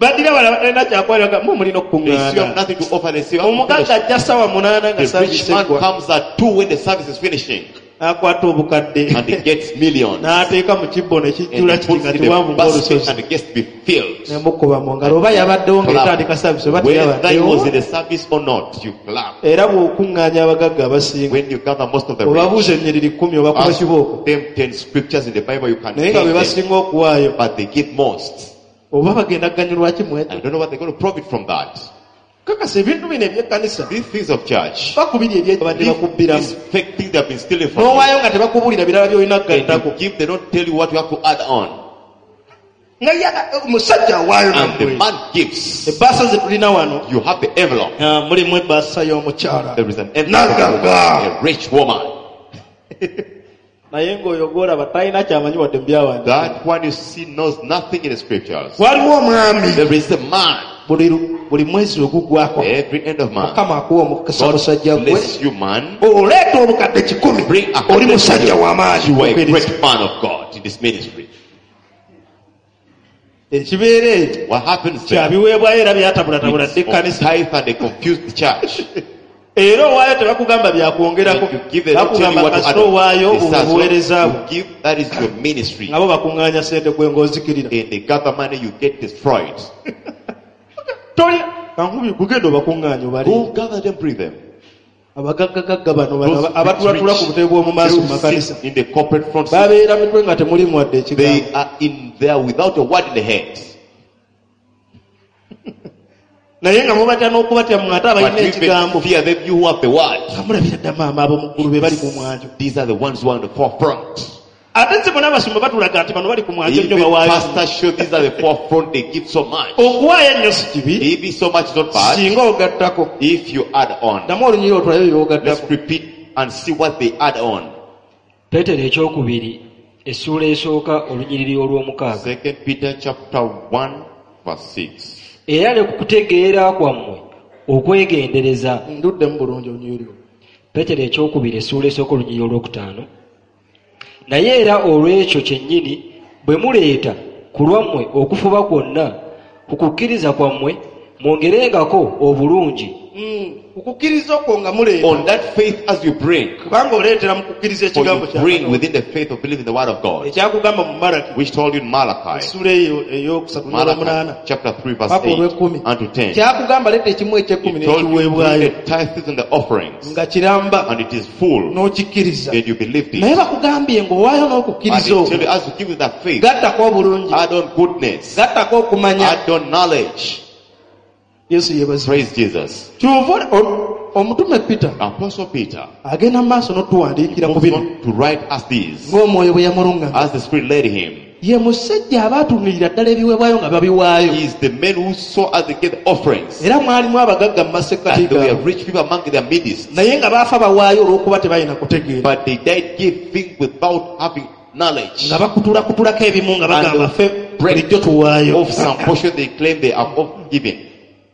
Baddira bala batalina kyakuwaayo bagamba, mwe mulina They say you have okukuŋŋaana. nothing to offer. They say you have to Omugagga fellowship. ajja ssaawa munaana nga The rich service man eggwa. comes at two when the service is finishing. N'akwata obukadde. And he gets millions. N'ateeka mu kibbo ne And kijjula he kiti puts nga in the kiwanvu basket ng'olusozi. and it gets to be filled. Ne mukuba mu ngalo oba yabaddewo ng'etandika service oba Whether he was teyabaddewo. in the service or not, you clap. Era bw'okuŋŋaanya abagagga abasinga When you gather most of the rich, obabuuza ennyiriri kkumi obakuba ask kibooko. them ten scriptures in the Bible, you can Naye nga tell be them, basinga okuwaayo. but they give most. Oba bagenda kuganyulwa ki mu ekyo? I don't know what they're going to profit from that. Kakasa ebintu bino eby'ekkanisa These things of church, bakubiri eby'ebadde these, bakubbiramu. these fake things they have been stealing from you. N'owaayo nga tebakubuulira birala by'olina And kugattako. you give, they don't tell you what you have to add on. Nga ye omusajja awaayo And the nammwe. man gives. Ebbaasa ze tulina wano, You have the envelope. ah, mulimu ebbaasa y'omukyala. There is an envelope of Nagagga. a rich woman. Naye ng'oyo gw'olaba talina kyamanyi wadde mu byawandiikibwa. That one you see knows nothing in the scriptures. Waliwo omwami. There is a man. Buli lu-, buli mwezi oguggwako. Every end of month. Mukama akuwa omukisa God musajja gwe. bless you, man. Oleeta obukadde kikumi. Bring a Oli hundred musajja w'amaanyi. You are a great man of God in this ministry. Ekibeera ekyo What happens there? kyabiweebwayo era byatabulatabula It's dda of ekkanisa. tithe and they confuse the church. Era owaayo tebakugamba byakwongerako. And you give, they don't tell you Bakugamba what to add kasita on. owaayo They say, as long obuweereza bwo. you give, that is your ministry. Nabo bakuŋŋaanya ssente gwe ng'ozikirira. And they gather money, you get destroyed. Toli kankubi gugenda obakuŋŋaanya obale. Go gather them, bring them. Abagaggagagga bano bano Those abatulatula rich, ku butebe bw'omu maaso mu those makanisa. sit in the corporate front seat, Babeera mitwe nga temulimu wadde ekigambo. they are in there without a word in the head. Naye nga mubatya n'okubatya mmwe ate abalina But you ekigambo. even fear them, you who have the word. Nga mulabira dda maama abo mu ggulu be bali ku mwanjo. These are the ones who are on the forefront. Ate si bonna abasumba batulaga nti bano bali ku mwanjo nnyo Even bawaayo. pastors show these are the forefront, they give so much. Okuwaayo ennyo si kibi. Giving so much is not bad. Singa ogattako. If you add on. Ddamu olunyiriri otulabe Let's by'ogattako. repeat and see what they add on. Peetero ekyokubiri essuula esooka olunyiriri olw'omukaaga. Second Peter chapter one verse six. Era ne ku kutegeera kwammwe okwegendereza. Nduddemu bulungi olunyiriri olwo. Peetero ekyokubiri essuula esooka olunyiriri olwokutaano. Naye era olw'ekyo kyennyini bwe muleeta ku lwammwe okufuba kwonna ku kukkiriza kwammwe mwongerengako obulungi. Mm, okukkiriza okwo nga muleeta On that faith as you bring, kubanga oleetera mu kukkiriza for ekigambo you kya bring Katonda. within the faith of believing the word of God, ekyakugamba mu Malaki which told you in Malachi, essuula eyo eyokusatu n'olwomunaana Malachi chapter three verse paka eight olw'ekkumi and to ten. kyakugamba leeta ekimu eky'ekkumi It told you bring n'ekiweebwayo the tithes and the offerings, nga kiramba and it is full, n'okikkiriza then you believed naye it. bakugambye ng'owaayo And n'okukkiriza they tell okwo you as you give you that faith, gattako obulungi add on goodness, gattako okumanya add on knowledge. Yesu yeebazibwe. Praise Jesus. Kyova o- omutume Peter Apostle Peter agenda mu maaso n'otuwandiikira ku moves bino on to write us these ng'omwoyo bwe yamulungamya. as the Spirit led him. Ye musajja abaatunuulira ddala ebiweebwayo nga babiwaayo. He is the man who saw as they gave the offerings. Era mwalimu abagagga mu masekkati And there were gaabwe. rich people among their midst. Naye nga baafa bawaayo olw'okuba tebalina kutegeera. But they died giving without having knowledge. Nga bakutulakutulako ebimu nga bagamba And ffe break bulijjo tuwaayo. Of some portion they claim they are of giving.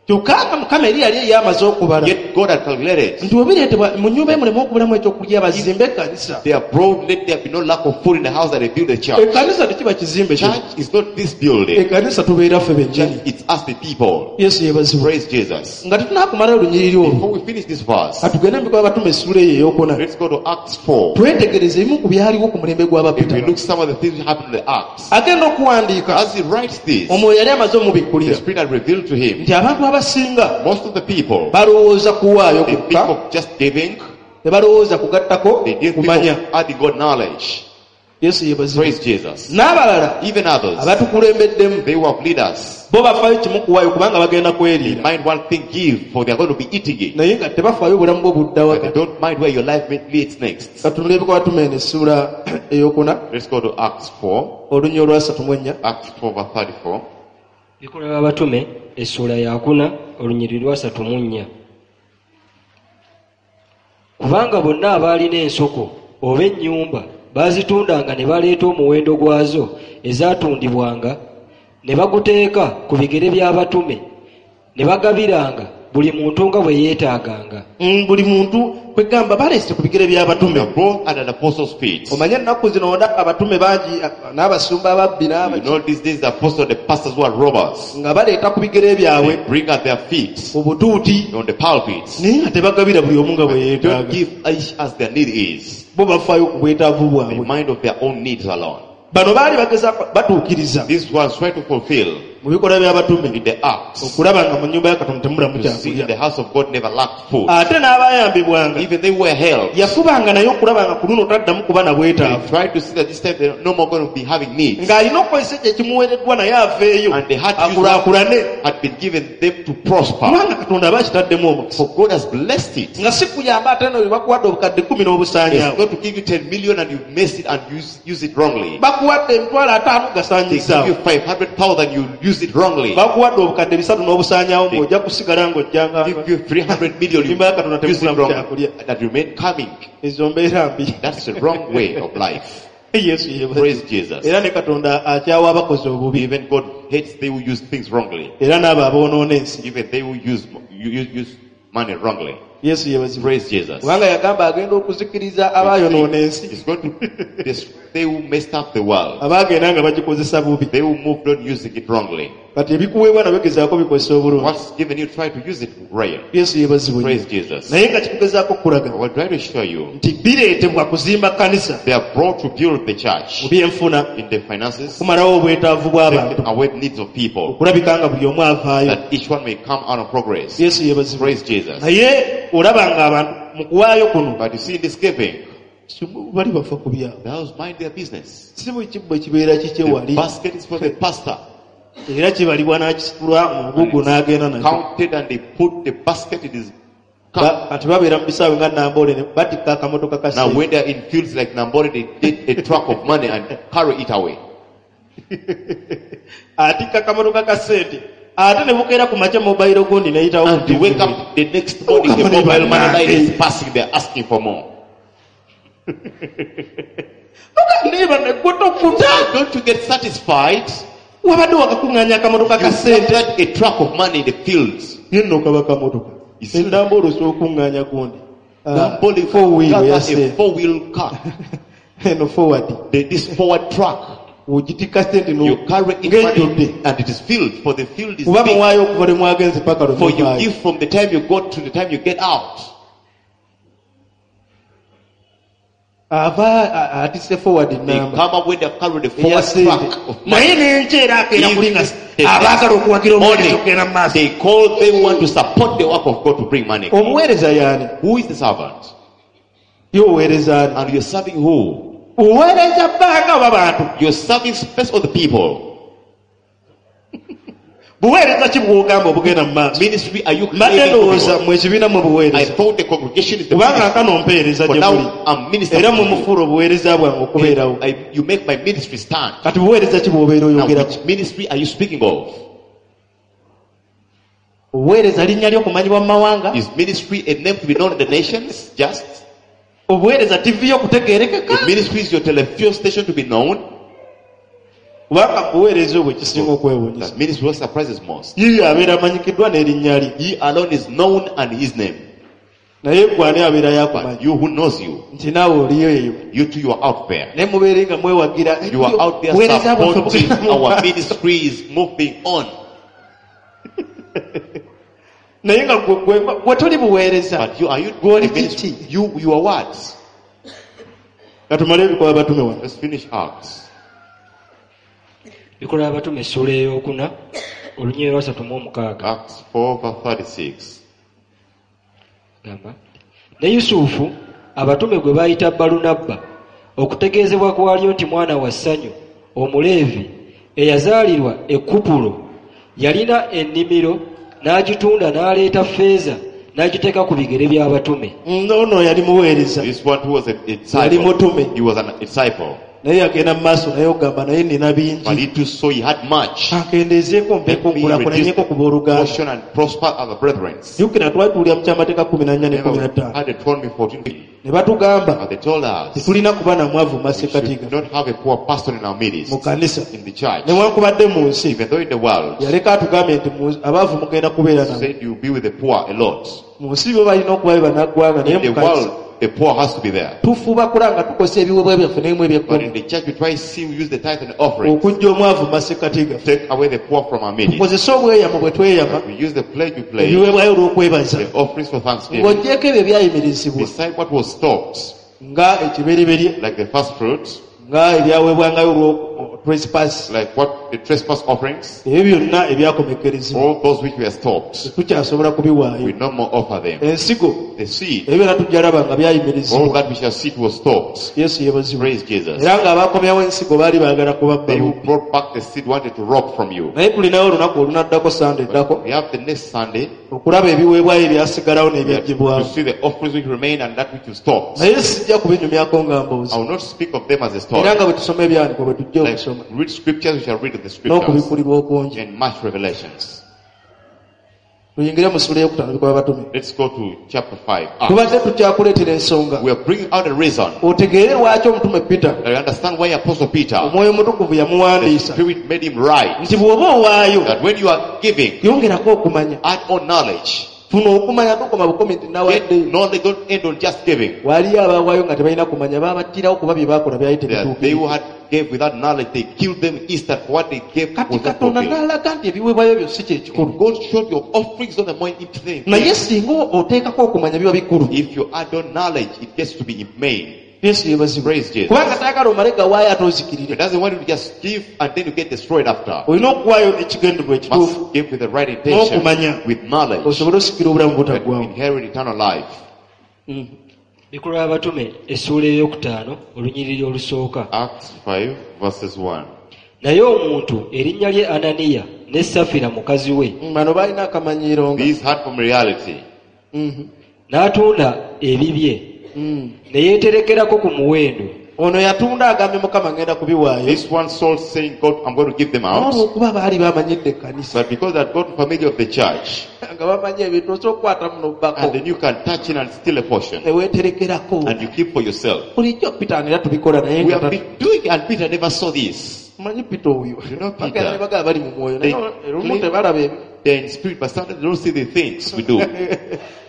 Kyokka nga Mukama eri yali eyamaze okubala. Yet God had calculated. Nti bwe bireetebwa mu nnyumba ye muleme okubulamu ekyokulya bazimbe ekkanisa. They are brought, let there be no lack of food in the house that they build the church. Ekkanisa tekiba kizimbe kino. Church is not this building. Ekkanisa tubeera ffe bennyini. Church, it's us the people. Yesu yeebazibwe. Praise Jesus. Nga tetunaakumalayo olunyiriri olwo. Before we finish this verse, Katugende mu Bikolwa Abatume essuula eyo ey'okuna. let's go to Acts four. Twetegereze ebimu ku byaliwo ku mulembe If gw'Abapita. we look some of the things that happened in the Acts. Agenda okuwandiika. As he writes this, Omwoyo yali amaze the omubikkulira. Spirit had revealed to him Nti abantu abasinga most of the people, balowooza kuwaayo they think kwokka, of just giving, tebalowooza kugattako they didn't think kumanya. of adding God knowledge. Yesu yeebazibwe. Praise Jesus. N'abalala Even others, abatukulembeddemu they were leaders. bo bafaayo kimu kuwaayo kubanga bagenda They kweriira. mind one thing, give, for they are going to be eating it. Naye nga tebafaayo obulamu bwo budda But they waka. don't mind where your life may- leads next. Katunule Ebikolwa Abatume eno essuula ey'okuna Let's go to Acts four. olunya olwasatu mu ennya. Acts four verse thirty-four. Bikolwa by'Abatume essuula yakuna olunyiriri lwasatu mu nnya. Kubanga bonna abaalina ensoko oba ennyumba baazitundanga ne baleeta omuwendo gwazo ezaatundibwanga ne baguteeka ku bigere by'abatume ne bagabiranga buli muntu nga bwe yeetaaganga. Mm, buli muntu kwegamba baleese ku bigere by'abatume. They brought at an apostle's feet. Omanye ennaku zino wonna abatume bangi n'abasumba ababbi You n'abaki know these days the apostles, the pastors who are robbers, nga baleeta ku bigere byabwe they bring at their feet mu butuuti on the pulpits. naye nga tebagabira buli omu nga bwe Don't yeetaaga. give each as their need is. Bo bafaayo ku bwetaavu They bwabwe. mind of their own needs alone. Bano baali bagezaako batuukiriza This was trying to fulfill mu bikolwa by'abatume in the Acts. okulaba nga mu nnyumba ya Katonda temulamu To see kyakulya. the house of God never lacked food. Ate n'abayambibwanga Even they were helped. yafubanga naye okulaba nga ku luno taddamu kuba na They bwetaavu. tried to see that this time they're no more going to be having needs. Ng'alina okukozesa ekyo ekimuweereddwa naye aveeyo And they had to use what akulaakulane. had been given them to prosper. Kubanga Katonda aba akitaddemu omukisa. For God has blessed it. Nga si kuyamba ate no bye bakuwadde obukadde kkumi n'obusaanyaawo. It's not to give you ten million and you mess it and use, use it wrongly. Bakuwadde emitwalo ataano They give gasaanyizaawo. you five hundred thousand, you use it wrongly. Bakuwadde obukadde bisatu n'obusaanyaawo ng'ojja kusigala ng'ojjanga. Give you three hundred million, you Nyumba ya Katonda use it temukulamu wrongly. kyakulya. That remain coming. Ezo mbeera mbi. That's the wrong way of life. Yesu yeebazibwe. Praise Jesus. Era ne Katonda akyawa abakozi obubi. Even God hates they who use things wrongly. Era n'abo aboonoona ensi. Even they who use, use, use money wrongly. Yesu yeebazibwe. Praise Jesus. Kubanga yagamba agenda okuzikiriza abaayonoona ensi. He's going to destroy they who messed up the world. Abaagenda nga bagikozesa bubi. They who moved on using it wrongly. Kati ebikuweebwa nabyo gezaako bikozesa obulungi. What's given you, try to use it right. Yesu yeebazibwe. Praise Jesus. Naye nga kikugezaako okukulaga I will try to show you. nti bireetebwa kuzimba kkanisa They are brought to build the church mu byenfuna in the finances, kumalawo obwetaavu bw'abantu taking away the needs of people, okulabika nga buli omu avaayo. that each one may come out of progress. Yesu yeebazibwe. Praise Jesus. Naye olaba ng'abantu mu kuwaayo kuno But you see, in this giving, si bali bafa ku byabwe. those mind their business. Si buli kibbo ekibeera kikye The wali basket is for the pastor. era kibalibwa n'akisitula mu mugugu n'agenda nakyo. Counted and they put the basket in his cup. Ba- kati babeera mu bisaawe nga Namboole ne batikka akamotoka ka Now ssente. when they're in fields like Nambole, they take a truck of money and carry it away. Atikka akamotoka ka ssente ate ne bukeera ku makya mobile gundi n'eyitawo ku And they T V. wake up the next morning, the mobile money line is passing, they're asking for more. Niba ne gwe tokuta. Don't you get satisfied? Wabadde wakakuŋŋaanya akamotoka ka You ssente. gathered a truck of money in the fields. Ye nno kaba kamotoka. You see- Enamboole osobola okuŋŋaanya gundi. Ah, Nambole four wheel gather eya a ssente. four-wheel car. Eno forward. The, this forward truck. Ogitikka sente You carry it ng'ejjudde money and it is filled, for the field is kuba big. muwaayo okuva lwe mwagenze paka lwe For you muvaayo. give from the time you got to the time you get out. Ava a- atisse forward They namba come up when they have carried the eya forward sente track of money. naye n'enkyera akeera kuli nga The abaagala okuwagira omuweereza morning, okugenda mu maaso they call they want to support the work of God to bring money. Omuweereza yaani? Who is the servant? Ye oweereza ani? And you're serving who? Oweereza bbanga oba bantu? You're serving first of the people. Buweereza ki bw'ogamba obugenda mu maaso? Ministry are you Mbadde claiming for ndowooza people? mwe ekibiina mwe I buweereza thought the congregation is the kubanga ministry. nkano mpeereza For gye muli now I'm minister. era to mwe you. mufuula obuweereza bwange okubeerawo. I, you make my ministry stand. Kati buweereza ki bw'obeera Now, oyogerako? which ministry are you speaking of? Obuweereza linnya ly'okumanyibwa mu mawanga? Is ministry a name to be known in the nations? Just Obuweereza T V y'okutegeerekeka? the ministry is your television station to be known. Kubanga buweereza obwo ekisinga okwewuunyisa That ministry what surprises most. Yiyo abeera amanyikiddwa n'erinnya lye. He alone is known and his name. Naye gwe ani abeera yakumanyi But you who knows you, nti naawe oliyo eyo you too you are out there. naye mubeere nga mwewagira You are out there buweereza bwaffe supporting bugenda mu our maaso. ministry is moving on. Naye nga gwe- gwe- gwe toli buweereza. But you are you Gwe oli the ministry? kiki? You you are what? Katumale ebikolwa batume wano. Let's finish Acts. Bikolwa abatume essuula ey'okuna olunyiriri lwa ssatu mu omukaaga. Acts four verse thirty-six. Gamba ne Yusufu abatume gwe bayita Balunabba okutegeezebwa kwalyo nti mwana wa ssanyu omuleevi eyazaalirwa e Kupulo yalina ennimiro n'agitunda n'aleeta ffeeza n'agiteeka ku bigere by'abatume. Ono yali muweereza. This one who was a Yali disciple. mutume. He was an disciple. Naye yagenda mu maaso naye ogamba naye nina But bingi he too saw he had much. akendeezeeko mpeeko Let me reduce nkulaakulanyeko ku the booluganda. portion and prosper other brethren. Jjukira twali tuwulira mu kyamateeka kumi na nnya ne Remember kumi na we ttaano had Deuteronomy fourteen. ne batugamba But they told us tetulina kuba na mwavu mu we masekkati should gaffe not have a poor pastor in our midst, mu kanisa in the church. newankubadde mu nsi Even though in the world, yaleka atugambye nti mu- abaavu mugenda kubeera nabo said you'll be with the poor a lot. mu nsi bo balina okuba be bannaggwanga naye In the mu kanisa world, the poor has to be there. tufuba kulaba nga tukozesa ebiweebwa byaffe n'ebimu But ebyekkumi in the church, we try to see we use the tithe and offering. okuggya omwavu mu masekkati gaffe Take away the poor from our midst. tukozese obweyamo bwe tweyama We use the pledge we pledge, ebiweebwayo olw'okwebaza the offerings for thanksgiving. ng'oggyeko ebyo ebyayimirizibwa Beside what was stopped, nga ekibereberye like the first fruit, nga ebyaweebwangayo olwo trespass like what the trespass offerings, ebyo byonna ebyakomekkerezebwa all those which were stopped, tetukyasobola we kubiwaayo no more offer them. Ensigo The seed, ebyo byonna tujja laba nga all byayimirizibwa. that we shall see it was stopped. Yesu yeebazibwe. Praise Jesus. Era ng'abakomyawo ensigo baali baagala kubabba They who bubbi. brought back the seed wanted to rob from you. Naye tulinayo olunaku olunaddako sande eddako But we have the next Sunday okulaba ebiweebwayo ebyasigalawo we have n'ebyaggyibwawo to see the offerings which remain and that which you stopped. naye sijja kubinyumyako nga mboozi I will not speak of them as a story. era nga bwe tusoma ebyawandiikibwa bwe tujja Like okusoma read scriptures, we shall read the scriptures n'okubikkulirwa okungi and much revelations. Tuyingire mu ssuula ey'okutaano bikolwa batume. Let's go to chapter five. Acts. Tubadde tukyakuleetera ensonga We are bringing out a reason otegeere lwaki omutume Peter that you understand why Apostle Peter, omwoyo omutukuvu the yamuwandiisa Spirit made him write nti bw'oba owaayo that when you are giving, yongerako okumanya add on knowledge. Funa okumanya tokoma bukomi nti Get nawaddeyo knowledge, don't end on just giving. Waliyo abaawaayo nga tebalina kumanya baabattirawo kuba bye baakola byali They, they tebituukirira who had gave without knowledge, they killed them instant for what they gave Kati was not Katonda fulfilled. n'alaga nti ebiweebwayo byo si kyekikulu God showed your offerings on the more important naye thing. singa oteekako okumanya biba bikulu. If you add on knowledge, it gets to be main. Yesu yeebazibwe. Praise Jesus. Kubanga tayagala omale gawaayo ate ozikirire He doesn't want you to just give and then you get destroyed after. olina okuwaayo ekigendererwa ekituufu Must give with the right intention, n'okumanya with knowledge, osobole osikira obulamu that butaggwawo. you inherit eternal life. Bikolwa abatume essuula ey'okutaano olunyiriri olusooka. Acts five verses one. Naye omuntu erinnya lye Ananiya ne Safira mukazi we Bano balina akamanyiiro nga These had familiarity. Mhm. n'atunda ebibye Mm. ne yeeterekerako ku muwendo. Ono yatunda agambye Mukama ngenda kubiwaayo This one sold saying, God, I'm going to give them out. olwokuba baali bamanyidde ekkanisa But because they had gotten familiar of the church, nga bamanyi ebintu osobola okukwata muno and bbako then you can touch in and steal a portion, ne weeterekerako and you keep for yourself. Bulijjo Peter era tubikola naye We nga have been doing it, and Peter never saw this. Manyi Peter oyo You know Peter. bagenda ne bagamba bali mu mwoyo naye They- olumu tebalaba ebyo They're in spirit, but sometimes they don't see the things we do.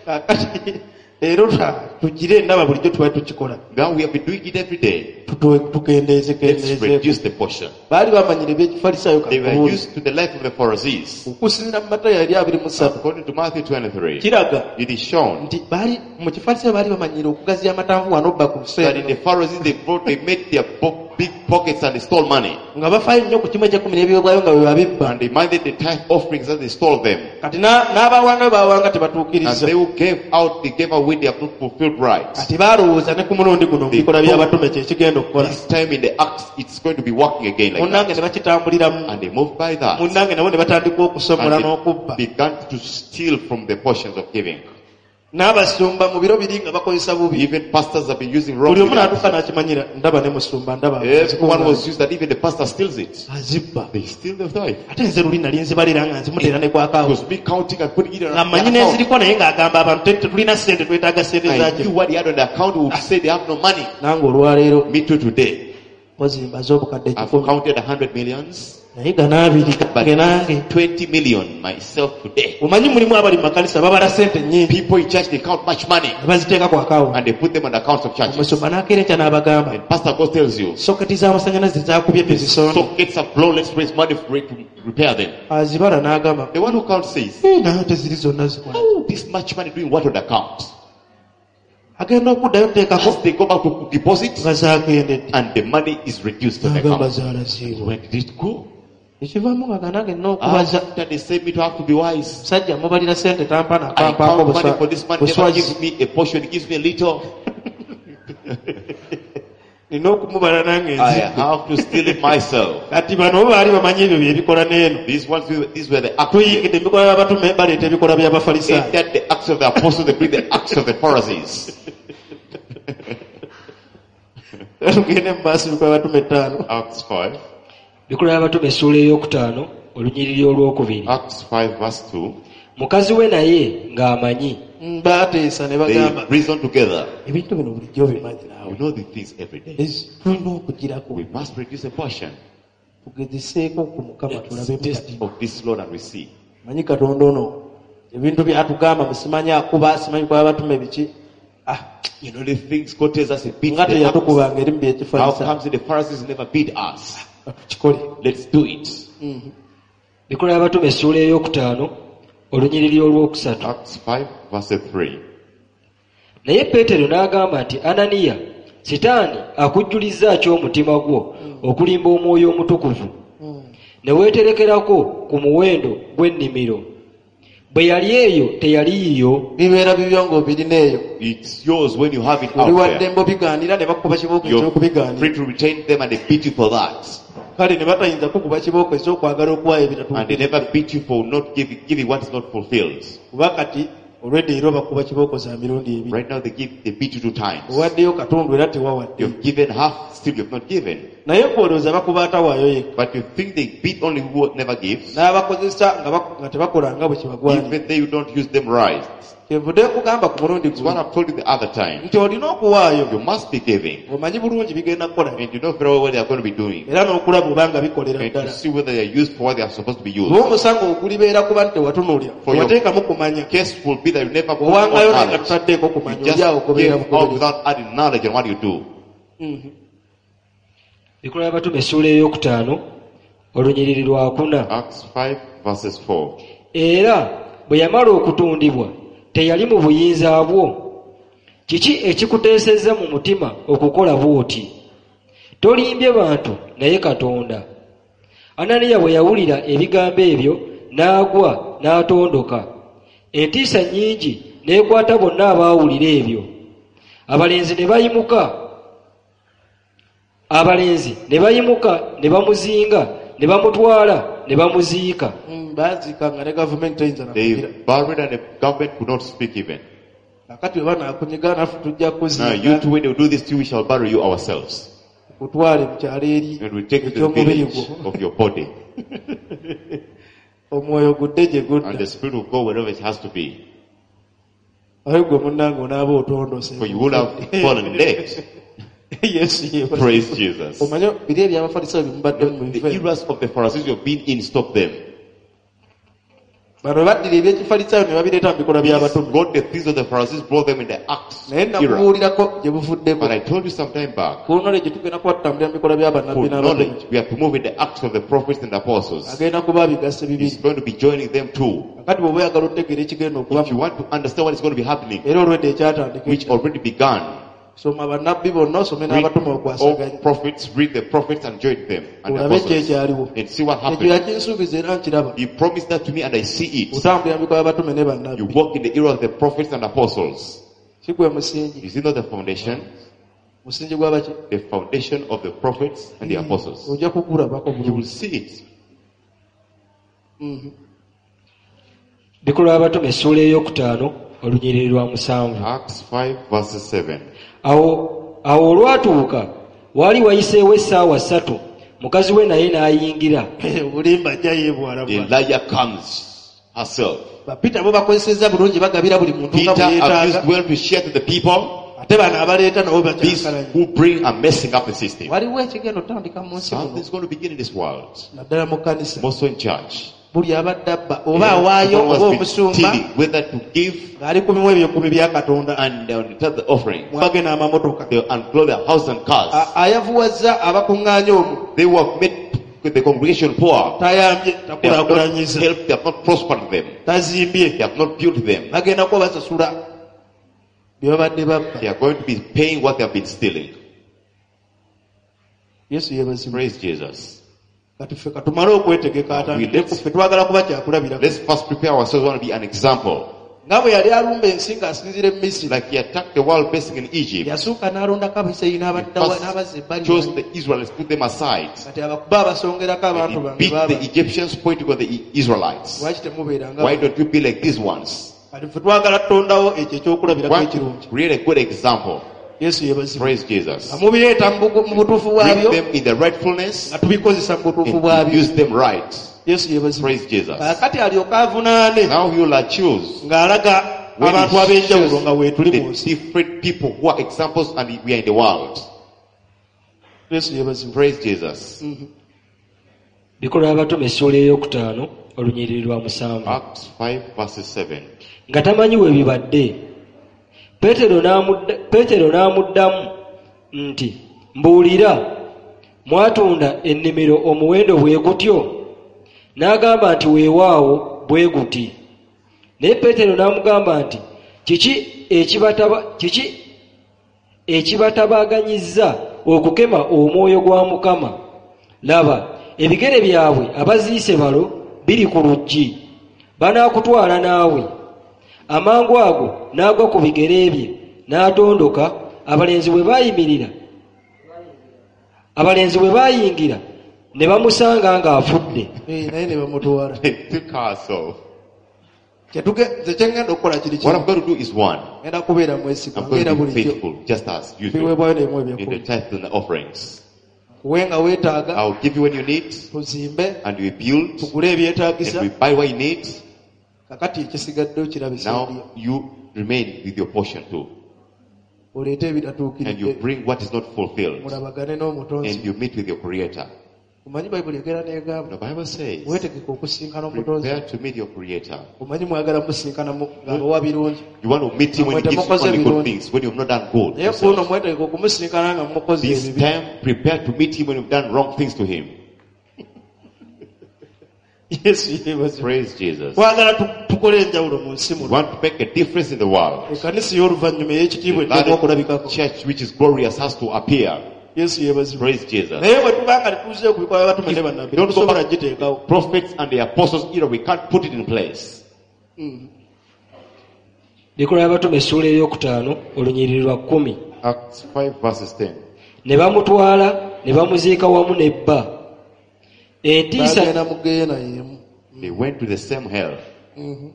Kaakati Leero ta- tugire ndaba bulijjo tubadde tukikola. Now we have been doing it every day. Tutu- tukendeeze Let's kendeeze. reduce the portion. Baali bamanyire ebyekifalisaayo They were kakubuuli. used to the life of the Pharisees. Okusinziira mu Matayo eri abiri mu ssatu According to Matthew twenty-three, kiraga it is shown nti baali mu kifalisaayo baali bamanyire okugaziya amatanvu wano obba ku that in buseere the Pharisees they brought, they made their bo- big pockets and they stole money. nga bafaayo nnyo ku kimu eky'ekkumi n'ebiweebwayo nga bwe babibba. And they minded the tithe offerings and they stole them. Kati na- n'abawangayo baawanga And tebatuukiriza. they who gave out, they gave away their not fulfilled rights. Kati baalowooza ne ku mulundi guno mu bikolwa by'abatume kye kigenda okukola. This time in the Acts, it's going to be working again like Munnange that. ne bakitambuliramu. And they moved by that. Munnange nabo ne batandika okusomola And n'okubba. they began to steal from the portions of giving. N'abasumba mu biro biri nga bakozesa bubi. Even pastors have been using wrong. Buli omu n'atuuka n'akimanyira ndaba ne musumba ndaba Everyone was used that even the pastor steals it. azibba. They steal the tithe. Ate nze luli nali nzibalira nga nzimuteera ne kwakaawo. Because me counting and putting it on Nga mmanyi the account. n'enziriko naye ng'agamba abantu te- tetulina ssente twetaaga ssente I zaakyo. knew what he had on the account, would say they have no money. Nange olwaleero Me too today. mpozi mbaze obukadde I've kikumi. counted a hundred millions, Naye gano abiri but gange nange. twenty million myself today. Omanyi mulimu abali mu makanisa babala ssente nnyingi People in church, they count much money ne baziteeka ku akawunti. and they put them on the accounts of churches. Omusumba n'akeera enkya n'abagamba And Pastor God tells you, soketi z'amasannyalaze zaakubye tuzisonde. sockets are blown, let's raise money for it to repair them. Azibala n'agamba The one who counts says, "Eh, naye teziri zonna zikola. oh, this much money doing what on the account? Agenda okuddayo nteekako As they go back to deposit, nga zaakendedde. and the money is reduced on the N'agamba account. zaalaziibwa. Where did it go? Ekivaamu nga ganange nina okubaza. After they say me to have to be wise. Musajja mubalira ssente tampana I akampaako count money for this man, never buswazi. gives me a portion, he gives me a little. Nina okumubala nange I nzibbe. have to steal it myself. Kati bano bo baali bamanyi ebyo bye bikola n'eno. These ones, these were the acts. Tuyingidde ebikolwa by'abatume baleeta ebikolwa by'abafalisaayo. Entered the acts of the apostles, they bring the acts of the Pharisees. Tugende mu maaso ebikolwa by'abatume ettaano. Acts five. Bikolwa by'abatume essuula ey'okutaano olunyiriri olwokubiri. Acts five verse two. Mukazi we naye ng'amanyi. Mm, baateesa ne They bagamba reason together. ebintu bino bulijjo obimanyi naawe. We know these things every day. Ezi- tulina okugirako. We must reduce a portion. Tugezeseeko ku Mukama Let's tulabe test mukati. of this Lord and we see. Manyi Katonda ono ebintu byatugamba musimanyi akuba simanyi kwa batume biki. Ah, You know the things God tells us, he beats nga the acts. teyatukubanga eri mu How byekifalisa. comes it the Pharisees never beat us? Tukikole. Let's do it. Bikolwa by'abatume essuula ey'okutaano olunyiriri olwokusatu. Acts five verse three. Naye Peetero n'agamba nti Ananiya, Sitaani akujjulizza ki omutima gwo okulimba omwoyo omutukuvu ne weeterekerako ku muwendo gw'ennimiro. Bwe yali eyo teyali yiyo. Bibeera bibyo ng'obirina eyo. It's yours when you have it Oli out wa there. ddembe obigaanira ne bakuba kibooko You're eky'okubigaanira. free to retain them and they beat you for that. Kale ne batayinza kukuba kibooko eky'okwagala okuwaayo And they ebitatuukiriddwa. never beat you for not giving, giving what is not fulfilled. Kuba kati olwedde era bakuba kibooko za mirundi ebiri. Right now they give, they beat you two times. Owaddeyo katundu era tewawadde. You've given half, still you've not given. Naye gw'olowooza bakuba atawaayo yekka. But you think they beat only who never gives. N'abakozesa nga bak- nga tebakola nga bwe kibagwanira. Even they who don't use them right. Kyenvudde nkugamba ku mulundi It's what guno I've told you the other time. nti olina okuwaayo. You must be giving. Omanyi bulungi bigenda kukola. And you know very well what they are going to be doing. Era n'okulaba oba nga bikolera And to ddala. see whether they are used for what they are supposed to be used. Oba omusango ogulibeera kuba nti tewatunuulira. For your Tewateekamu kumanya. Case will be that you never put on Owangayo naye nga knowledge. tutaddeeko You kumanya. just Oli awo ogoberera give out bugoberezi. without adding knowledge on what you do. Bikolwa by'abatume essuula ey'okutaano olunyiriri lwakuna. Acts five verses four. Era bwe yamala okutundibwa teyali mu buyinza bwo. Kiki ekikuteesezza mu mutima okukola bw'oti? Tolimbye bantu naye Katonda. Ananiya bwe yawulira ebigambo ebyo n'agwa n'atondoka. Entiisa nnyingi n'ekwata bonna abaawulira ebyo. Abalenzi ne bayimuka. Abalenzi ne bayimuka ne bamuzinga ne bamutwala ne bamuziika. Mm, baaziika nga ne gavumenti teyinza na They kugira. buried and the government could not speak even. Kakati bwe banaakunyiga naffe tujja Now you kuziika. two, when they do this to you, we shall bury you ourselves. Kutwale mu kyalo eri And we take you to the eky'omubiri village gwo. of your body. Omwoyo gudde gye And gudda. the spirit will go wherever it has to be. Aye gwe munnange onaaba otondose. For you will have fallen dead. Yesu yeebazibwe. Praise Jesus. Omanyi biri eby'abafalisaayo bye mubadde mu The bive. eras of the Pharisees you have been in, stop them. Bano baddira ebyekifalisaayo ne babireeta mu bikolwa by'abatume. Got the things of the Pharisees, brought them in the Acts Naye era. nakubuulirako gye buvuddeko. But I told you some time back, Ku knowledge tugenda kuba tutambulira mu bikolwa by'abannabbi for n'abatume. knowledge, we have to move in the Acts of the prophets and the apostles. Agenda kuba abigasse He's bibiri. going to be joining them too. Kakati bw'oba oyagala otegeera ekigenda okuba If you want to understand what is going to be happening, era olwedde ekyatandika which already began, soma bannabbi bonna osome read n'abatume all okwasaganya. prophets, read the prophets and join them and the Olabe ki apostles ekyaliwo. and see what Ekyo happened. yakinsuubiza era nkiraba. He promised that to me and I see it. Otambulira mu bikolwa by'abatume ne You bannabbi. walk in the era of the prophets and apostles. Si gwe musingi. Is it not the foundation? Musingi gw'abaki? The foundation of the prophets and the apostles. Ojja kugulabako You bulungi. will see it. Bikolwa by'abatume essuula ey'okutaano olunyiriri lwa musanvu. Acts five verses seven. Awo awo olwatuuka waali wayiseewo essaawa ssatu mukazi we naye n'ayingira. Obulimba ajja yeebwala bwala. Elijah comes herself. Ba Peter bo bakozesezza bulungi bagabira buli muntu nga Peter bwe yeetaaga. abused well to share to the people. Ate bano abaleeta nabo These bakyankalanya. who bring are messing up the system. Waliwo ekigenda otandika mu nsi muno. Something's going to begin in this world. Naddala mu kkanisa. More so in church. Buli abadde abba oba awaayo Someone oba has been omusumba stealing, whether to give ng'ali ku bimu ebyekumi bya Katonda. and they will tell the offering. Mwage n'amamotoka. They will unclothe their house and cars. A- Ayavuwazza abakuŋŋaanya omwo. They who have made the congregation poor. Tayambye, They have not takulaakulanyiza. helped, they have not prospered them. Tazimbye. They have not built them. Bagenda kuba basasula bye babadde babba. They are going to be paying what they have been stealing. Yesu yeebazibwe. Praise Jesus. Kati ffe katumale okwetegeka atandike We- ku ffe twagala kuba kyakulabirako. Let's first prepare ourselves. We want to be an example. Nga bwe yali alumba ensi ng'asinziira e Misiri. Like he attacked the world basing in Egypt. Yasooka n'alondako Abisirayiri n'abaddawa First n'abazza ebbali. chose the Israelites, put them aside. Kati abakuba abasongerako And abantu he bange beat baaba. the Egyptians, pointing on the Israelites. Lwaki temubeeranga Why don't you be like these ones? Kati ffe twagala tutondawo ekyo ekyokulabirako Want ekirungi. to create a good example. Yesu yeebazibwe. Praise Jesus. Nga mubireeta mu bugu- mu butuufu Bring bwabyo, them in the rightfulness nga tubikozesa mu butuufu and bwabyo. use them right. Yesu yeebazibwe. Praise Jesus. Kaakati alyoke avunaane Now he will accuse ng'alaga when abantu he ab'enjawulo shows nga weetuli mu the nsi. different people who are examples and we are in the world. Yesu yeebazibwe. Praise Jesus. Bikolwa by'abatume essuula ey'okutaano olunyiriri lwa musanvu. Acts five verses seven. Nga tamanyi we bibadde. Peetero n'amudda-, Peetero n'amuddamu nti mbuulira mwatunda ennimiro omuwendo bwe gutyo? N'agamba nti weewaawo bwe guti. Naye Peetero n'amugamba nti kiki ekibataba-, kiki ekibatabaganyizza okukema omwoyo gwa Mukama? Laba ebigere byabwe abaziise balo biri ku luggi, banaakutwala naawe. Amangu ago n'agwa ku bigere bye n'atondoka. Abalenzi bwe baayimirira, abalenzi bwe baayingira ne bamusanga ng'afudde. Eh, naye ne bamutwala. They took herself. Kyetuge-, nze kye ŋŋenda okukola kiri What kimu. I'm going to do is one. Ŋŋenda kubeera mwesigwa, I'm going ng'era to be bulijjo. faithful, just as usual, Biweebwayo n'ebimu in the eby'ekkumi. tithes and the offerings. Nkuwe nga weetaaga, I'll give you when you need, tuzimbe, and we build, tugule ebyetaagisa. and we buy what you need. Kakati ekisigadde okirabisa Now ddi? you remain with your portion too. Oleete ebitatuukiridde. And you bring what is not fulfilled. Mulabagane n'omutonzi. And you meet with your creator. Omanyi Bayibuli egera n'egamba, The Bible says, weetegeke okusinkana omutonzi. prepare to meet your creator. Omanyi mwagala musinkana mu-, ng'abawa birungi. You want to meet him when he gives you only good things, when you've not done good. Naye ku luno mwetegeke okumusinkana nga mukoze This ebibi. time, prepare to meet him when you've done wrong things to him. Yesu yeebazibwe. Praise Jesus. Twagala tu-, tukole enjawulo mu nsi We muno. want to make a difference in the world. Ekkanisa ey'oluvannyuma ey'ekitiibwa The eteekwa okulabikako. church which is glorious has to appear. Yesu yeebazibwe. Praise Jesus. Naye bwe tuba nga tetuzeeyo ku bikolwa by'abatume ne bannabbi, Don't go tetusobola back. giteekawo. Prophets and the apostles era, we can't put it in place. Mm. Bikolwa by'abatume essuula ey'okutaano olunyiriri lwa kkumi. Acts five verses ten. Ne bamutwala ne bamuziika wamu ne bba. Entiisa Bagenda mu ggeyeena y'emu. They went to the same hell. Mm-hmm.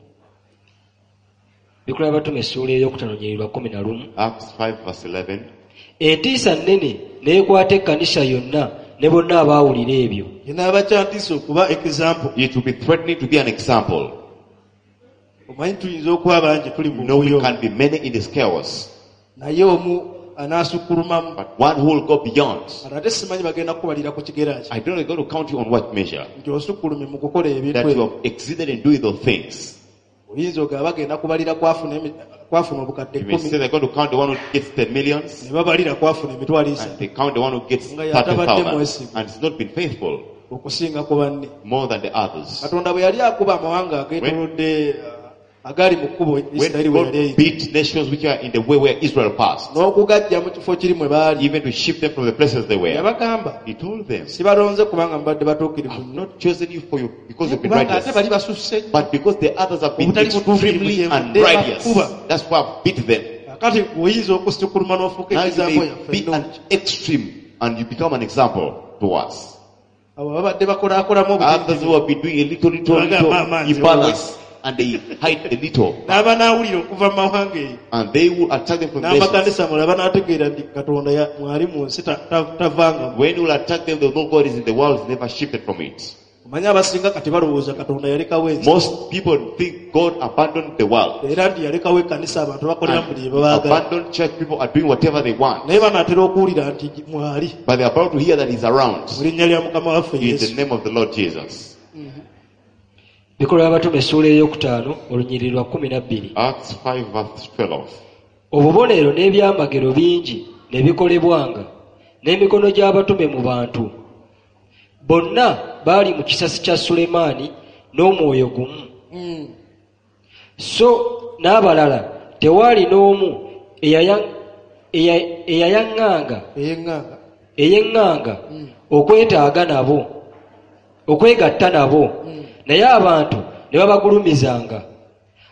Bikolwa by'abatume essuula ey'okutaano olunyiriri lwa kkumi na lumu. Acts five verse eleven. Entiisa nnene n'ekwata ekkanisa yonna ne bonna abaawulira ebyo. Kinaaba kya ntiisa okuba example. It will be threatening to be an example. Omanyi tuyinza okuba bangi tuli mu No, we buyo. can be many in this chaos. Naye omu anaasukkulumamu but one who will go beyond. Kati ate simanyi bagenda kukubalira ku kigera ki I don't know, they're going to count you on what measure nti osukkulumye mu kukola ebintu that you ebyo have exceeded in doing those things. oyinza ogaba bagenda kubalira kwafuna emi- kwafuna obukadde You may say ekkumi they're going to count the one who gets ten millions, ne babalira kwafuna emitwalo and esatu they count the one who gets Nga yatabadde thirty thousand, mwesigwa. and it's not been faithful okusinga ku banne more than the others. katonda bwe yali akuba amawanga ageetoolodde uh, agaali mu kkubo When isirayiri we God yali eyita beat nations which are in the way where Israel passed, n'okugaggya mu kifo kiri mwe baali even to shift them from the places they were, yabagamba He told them, sibalonze kubanga mubadde batuukirivu I've nnyo not chosen you for you because you've been kubanga ate righteous, bali basusse nnyo but because the others have been Obutali butuukirivu extremely kyenvudde unrighteous. bakuba. That's why I've beat them. kakati oyinza okusukkuluma n'ofuuka Now you ekizaako may yaffe be an ennungi extreme and you become an example to us. abo babadde bakolaakolamu Others who obutindi have been doing a little, little, little imbalance and they hide a little n'abanaawulira okuva mu mawanga eyo and they will attack them from nations. n'amakanisa mulala banaategeera nti katonda ya- mwali mu nsi ta- ta- tavangamu When you will attack them, they'll know God is in the world, never shifted from it. omanyi abasinga kati balowooza katonda yalekawo ensi Most people think God abandoned the world. era nti yalekawo ekkanisa abantu bakolera And buli bye baagala abandoned church people are doing whatever they want. naye banaatera okuwulira nti mwali But they are about to hear that he's around. mu linnya lya mukama waffe In the yesu name of the Lord Jesus. bikolwa by'abatume essuula eyokutaano olunyiriri lwa kkumi na bbiri Acts five verse twelve. obubonero n'ebyamagero bingi ne bikolebwanga n'emikono gy'abatume mu bantu bonna baali mu kisasi kya sulemaani n'omwoyo gumu Mm. so n'abalala tewaali n'omu eyaya- eya- eyayaŋŋanga eyeŋŋanga eyeŋŋanga okwetaaga nabo okwegatta nabo naye abantu ne babagulumizanga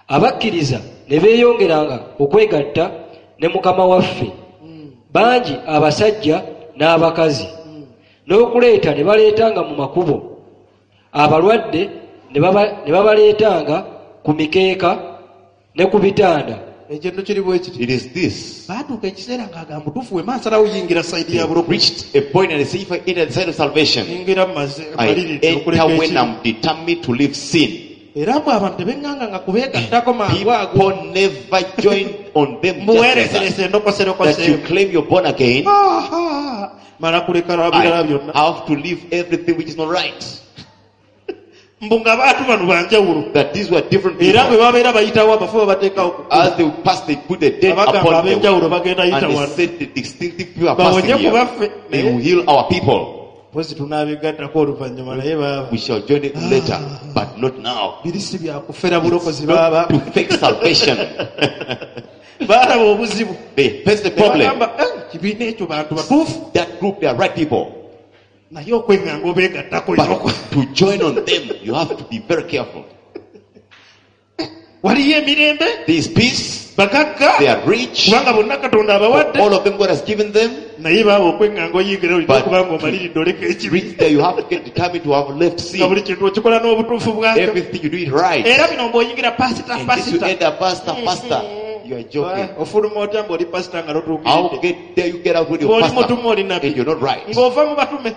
abakkiriza ne beeyongeranga okwegatta ne mukama waffe bangi abasajja n'abakazi n'okuleeta ne baleetanga mu makubo abalwadde ne baba- ne babaleetanga ku mikeeka ne ku bitanda ekintu kiri bwe kiti It is this. baatuuka ekiseera ng'agamba butuufu we mansalawo yingira sayidi ya They bulokozi reached a point and they say, if I enter the side of salvation, yingira mumaze I maliridde enter okuleka when ekibi I'm determined to leave sin. era mwe abantu tebeŋŋanga nga kubeegattako mangu ago People never join on them just like that. mbuweereserese That you endokoserokoseemu claim you're born again. Aha! mala kuleka birala I byonna have to leave everything which is not right. mbu nga baatu bano banjawulo That these were different era bwe people. babeera bayitawo abafu babateekawo ku kkubo. As they pass, they put the dead Abagamba upon them. ab'enjawulo bagenda yita And they wano said the distinctive people are passing Bawonye ku here. baffe. They will heal our people. mpozi tunaabegattako oluvannyuma naye baaba We shall join it later, but not now. biri si byakufera bulokozi It's not baaba to fake salvation. baalaba obuzibu They face the Ne problem. bagamba "Eh, kibiina ekyo bantu batuufu That group, they are right people. naye okweŋŋanga obeegattako But olina to join on them, you have to be very careful. waliyo emirembe There is peace, bagagga they are rich, kubanga bonna katonda abawadde all of them God has given them. naye baaba okweŋŋanga oyingira olina But okuba nga omaliridde oleka ekibi Reach there, you have to get determined to have left nga buli sin. kintu okikola n'obutuufu bwakyo Everything you do it right. era bino mbw'oyingira pasita And this you pasita end up pastor, pastor. You are joking. ofuluma otya ng'oli pasita nga How totuukiridde get there you get out with your ng'oli pastor mutume oli nabbi and you're not right. ng'ova mu batume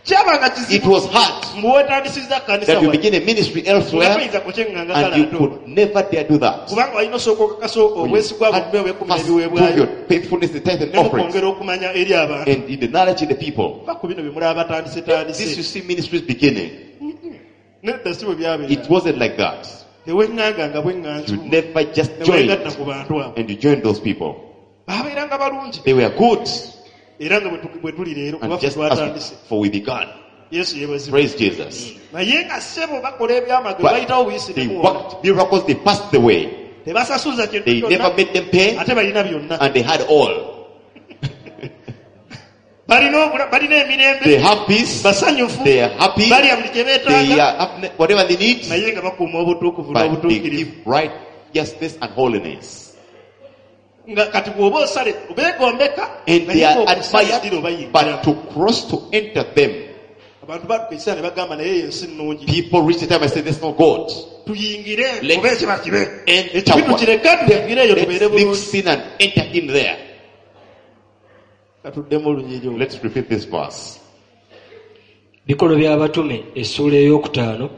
kyabanga It kizibu was hard mbu weetandisizza kkanisa that you wano begin a ministry nga elsewhere toyinza kukyeŋŋanga and you kalato could never dare do that. kubanga walina osooka okakasa You obwesigwa had bwonna obwekumi first prove n'ebiweebwayo your faithfulness, the tithe and ne offerings, mukwongera okumanya eri abantu and in the knowledge in the people. va ku bino bye mulaba batandise This you tandise see ministries beginning. nedda si bwe byabeera It wasn't like that. teweŋŋanga nga You bweŋŋanzi never just ne joined weegatta ku bantu abo and you joined those people. baabeeranga balungi They were good. era nga bwe tu- bwe tuli leero And kuba ffe just as twatandise we, for we began. yesu yeebazibwe Praise Jesus. naye nga ssebo bakola ebyamagero But bayitawo buyisi they ne muwona worked miracles, they passed the way. tebasasuza kintu They never kyonna made them pay ate balina byonna and they had all. balina obula- balina emirembe They have peace, basanyufu they are happy, balya buli kye they beetaaga are have whatever they need, naye nga bakuuma obutuukuvu but they n'obutuukirivu give righteousness and holiness. nga kati bw'oba osale beegombeka And they naye are ng'okusala ddiro admired, bayingira but to cross to enter them, abantu batuuka ekiseera ne bagamba naye eyo ensi nnungi people reach the time and say, There's no God. tuyingire Let's oba ekiba kibe Enter ekibi what? tukireke tuyingire eyo tubeere Let's leave bulungi sin and enter in there. katuddemu olunyiriri olwo Let's repeat this verse. bikolwa by'abatume essuula eyokutaano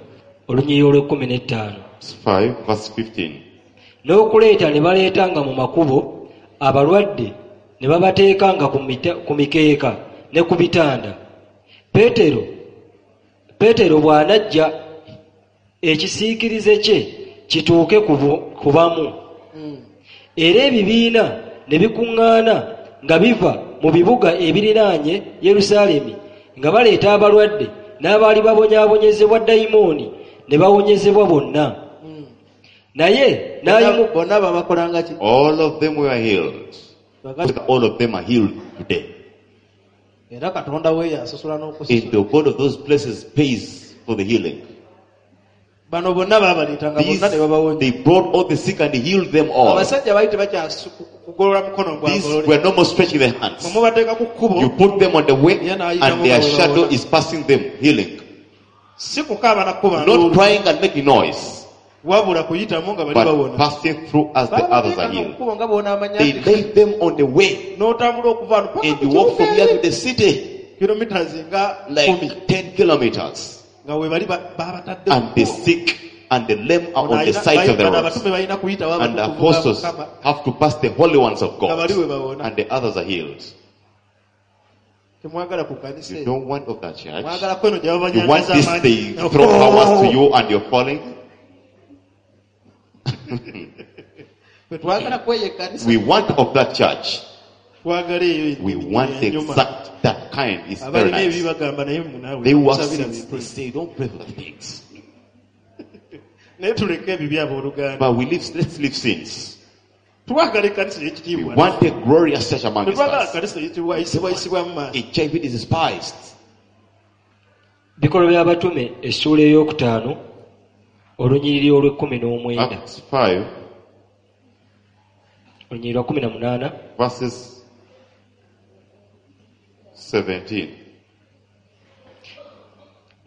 olunyiriri olw'ekkumi n'ettaano Acts five, verse fifteen. n'okuleeta ne baleetanga mu makubo abalwadde ne babateekanga ku mita- ku mikeeka ne ku bitanda. Peetero Peetero bw'anajja ekisiikirize kye kituuke ku bu- ku bamu. Era ebibiina ne bikuŋŋaana nga biva mu bibuga ebiriraanye Yerusaalemi nga baleeta abalwadde n'abaali babonyaabonyezebwa dayimooni ne bawonyezebwa bonna. Naye n'ayimu Bonna babakolanga ki? All of them were healed. All of them are healed today. Era Katonda we yasasula And n'okusasula. the God of those places pays for the healing. Bano bonna baabaleetanga These, bonna ne babawonya. they brought all the sick and healed them all. Abasajja baali tebakyasu- kugolola mukono These gwagolole. were no more stretching their hands. Mubateeka ku kkubo You put them on the way Yeah, no, you and don't their go shadow alone. is passing them, healing. Si kukaaba na kukuba Not nduulu, crying and making noise, wabula kuyitamu nga bali but bawona. passing through as the others are Babateekanga ku healed. kkubo nga bw'onaamanya They nti laid them on the way n'otambula okuva wano paka and ku you walk from kibuga here to eri. the city Kilometers nga kumi like ten kilometers. nga we bali ba- babatadde ku And the kkubo. sick and the lame are Ono on the alina- sides of the bano roads. abatume balina kuyitawo And the abatukuvu ba apostles Mukama have to pass the holy ones of nga God. bali we bawona. And the others are healed. Temwagala ku kkanisa You eyo. don't want of that church. Mwagala kweno gye You want babanyanyaza this, amaanyi. they throw powers to you and you're falling. Ffe twagala kweyo ekkanisa. We want of that church. Twagala eyo We want the enyuma. exact that kind. It's very Abalina ebibi nice. bagamba naye munaawe They work tusabira sins. They bintu. say, don't pray for the things. Naye tuleke ebibi abooluganda. But we live, let's leave sins. Twagala ekkanisa We ey'ekitiibwa. want a glorious church among Tetwagala us. ekkanisa eyitibwa eyisibwayisibwa mu maaso. H I V is despised. Bikolwa by'Abatume essuula ey'okutaano olunyiriri olw'ekkumi n'omwenda. Acts five, Olunyiriri lwa kkumi na munaana. Verses seventeen.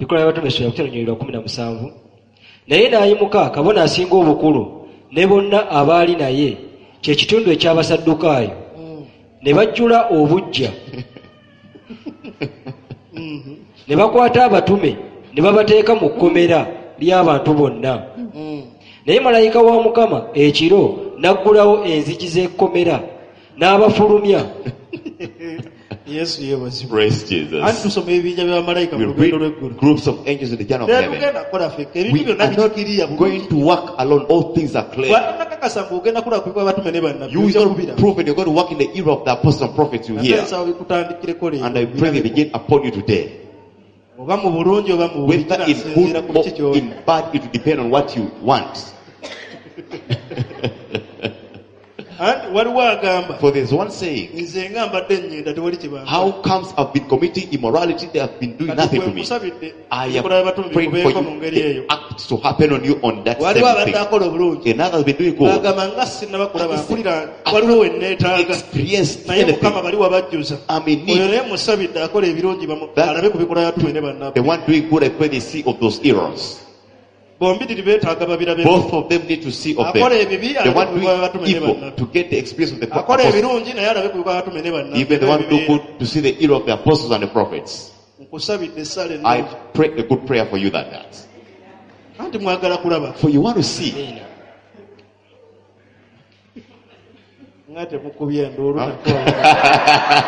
Bikolwa by'Abatume essuula yakutaano olunyiriri lwa kkumi na musanvu. Naye n'ayimuka kabona asinga obukulu ne bonna abaali naye kye kitundu eky'Abasaddukaayo ne bajjula obuggya ne bakwata abatume ne babateeka mu kkomera ly'abantu bonna. Naye malayika wa Mukama ekiro n'aggulawo enzigi z'ekkomera n'abafulumya. Yesu yeebazibwe. Praise Anti Jesus. tusoma ebibinja bya bamalayika We mu lugendo read lw'eggulu. Groups of angels in the journey of heaven. Tetugenda kukola ffekka ebintu We byonna are not bikiriya going to work alone. All things are clear. bw'atanakakasa ng'ogenda kulaba ku batume ne bannabbi You will ojja not kubira. Prove you're going to work in the era of the apostles and prophets you Ate hear. nsaba bikutandikireko leero. And I pray they begin upon you today. Oba mu bulungi oba mu bubi Whether in kinasinziira good ku kiki or ky'oli. in bad, it will depend on what you want. Anti waliwo agamba For there's one saying, nze nga mbadde nnyenda tewali kye how comes I've been committing immorality, they have been doing Kati nothing gwe to me. nkusabidde I ebikola am by'abatume praying for bikubeeko mu ngeri you, eyo. the act to happen on you on that Waliwo same abadde thing. akola obulungi Another has been doing good. agamba nga sinnaba kulaba mpulira waliwo we neetaaga Experienced naye Mukama anything. bali wabajjuza. I'm in Oyo need. naye musabidde akola ebirungi bamu- That- alabe ku bikola by'abatume ne bannabbi. The one doing good, I pray they see of those errors. Bombiriri beetaaga babirabe. Both of them need to see of them. Akola ebibi The alabe one ku bikola by'abatume doing ne evil bannabbi. to get the experience of the Akola apostles. ebirungi naye alabe ku bikola by'abatume ne bannabbi. Even the one do good to see the error of the apostles and the prophets. Nkusabidde essala I ennungi. Pray a good prayer for you that that. Anti mwagala kulaba. For you want to see. Amiina. Nga temukubye enduulu. Huh? Nako.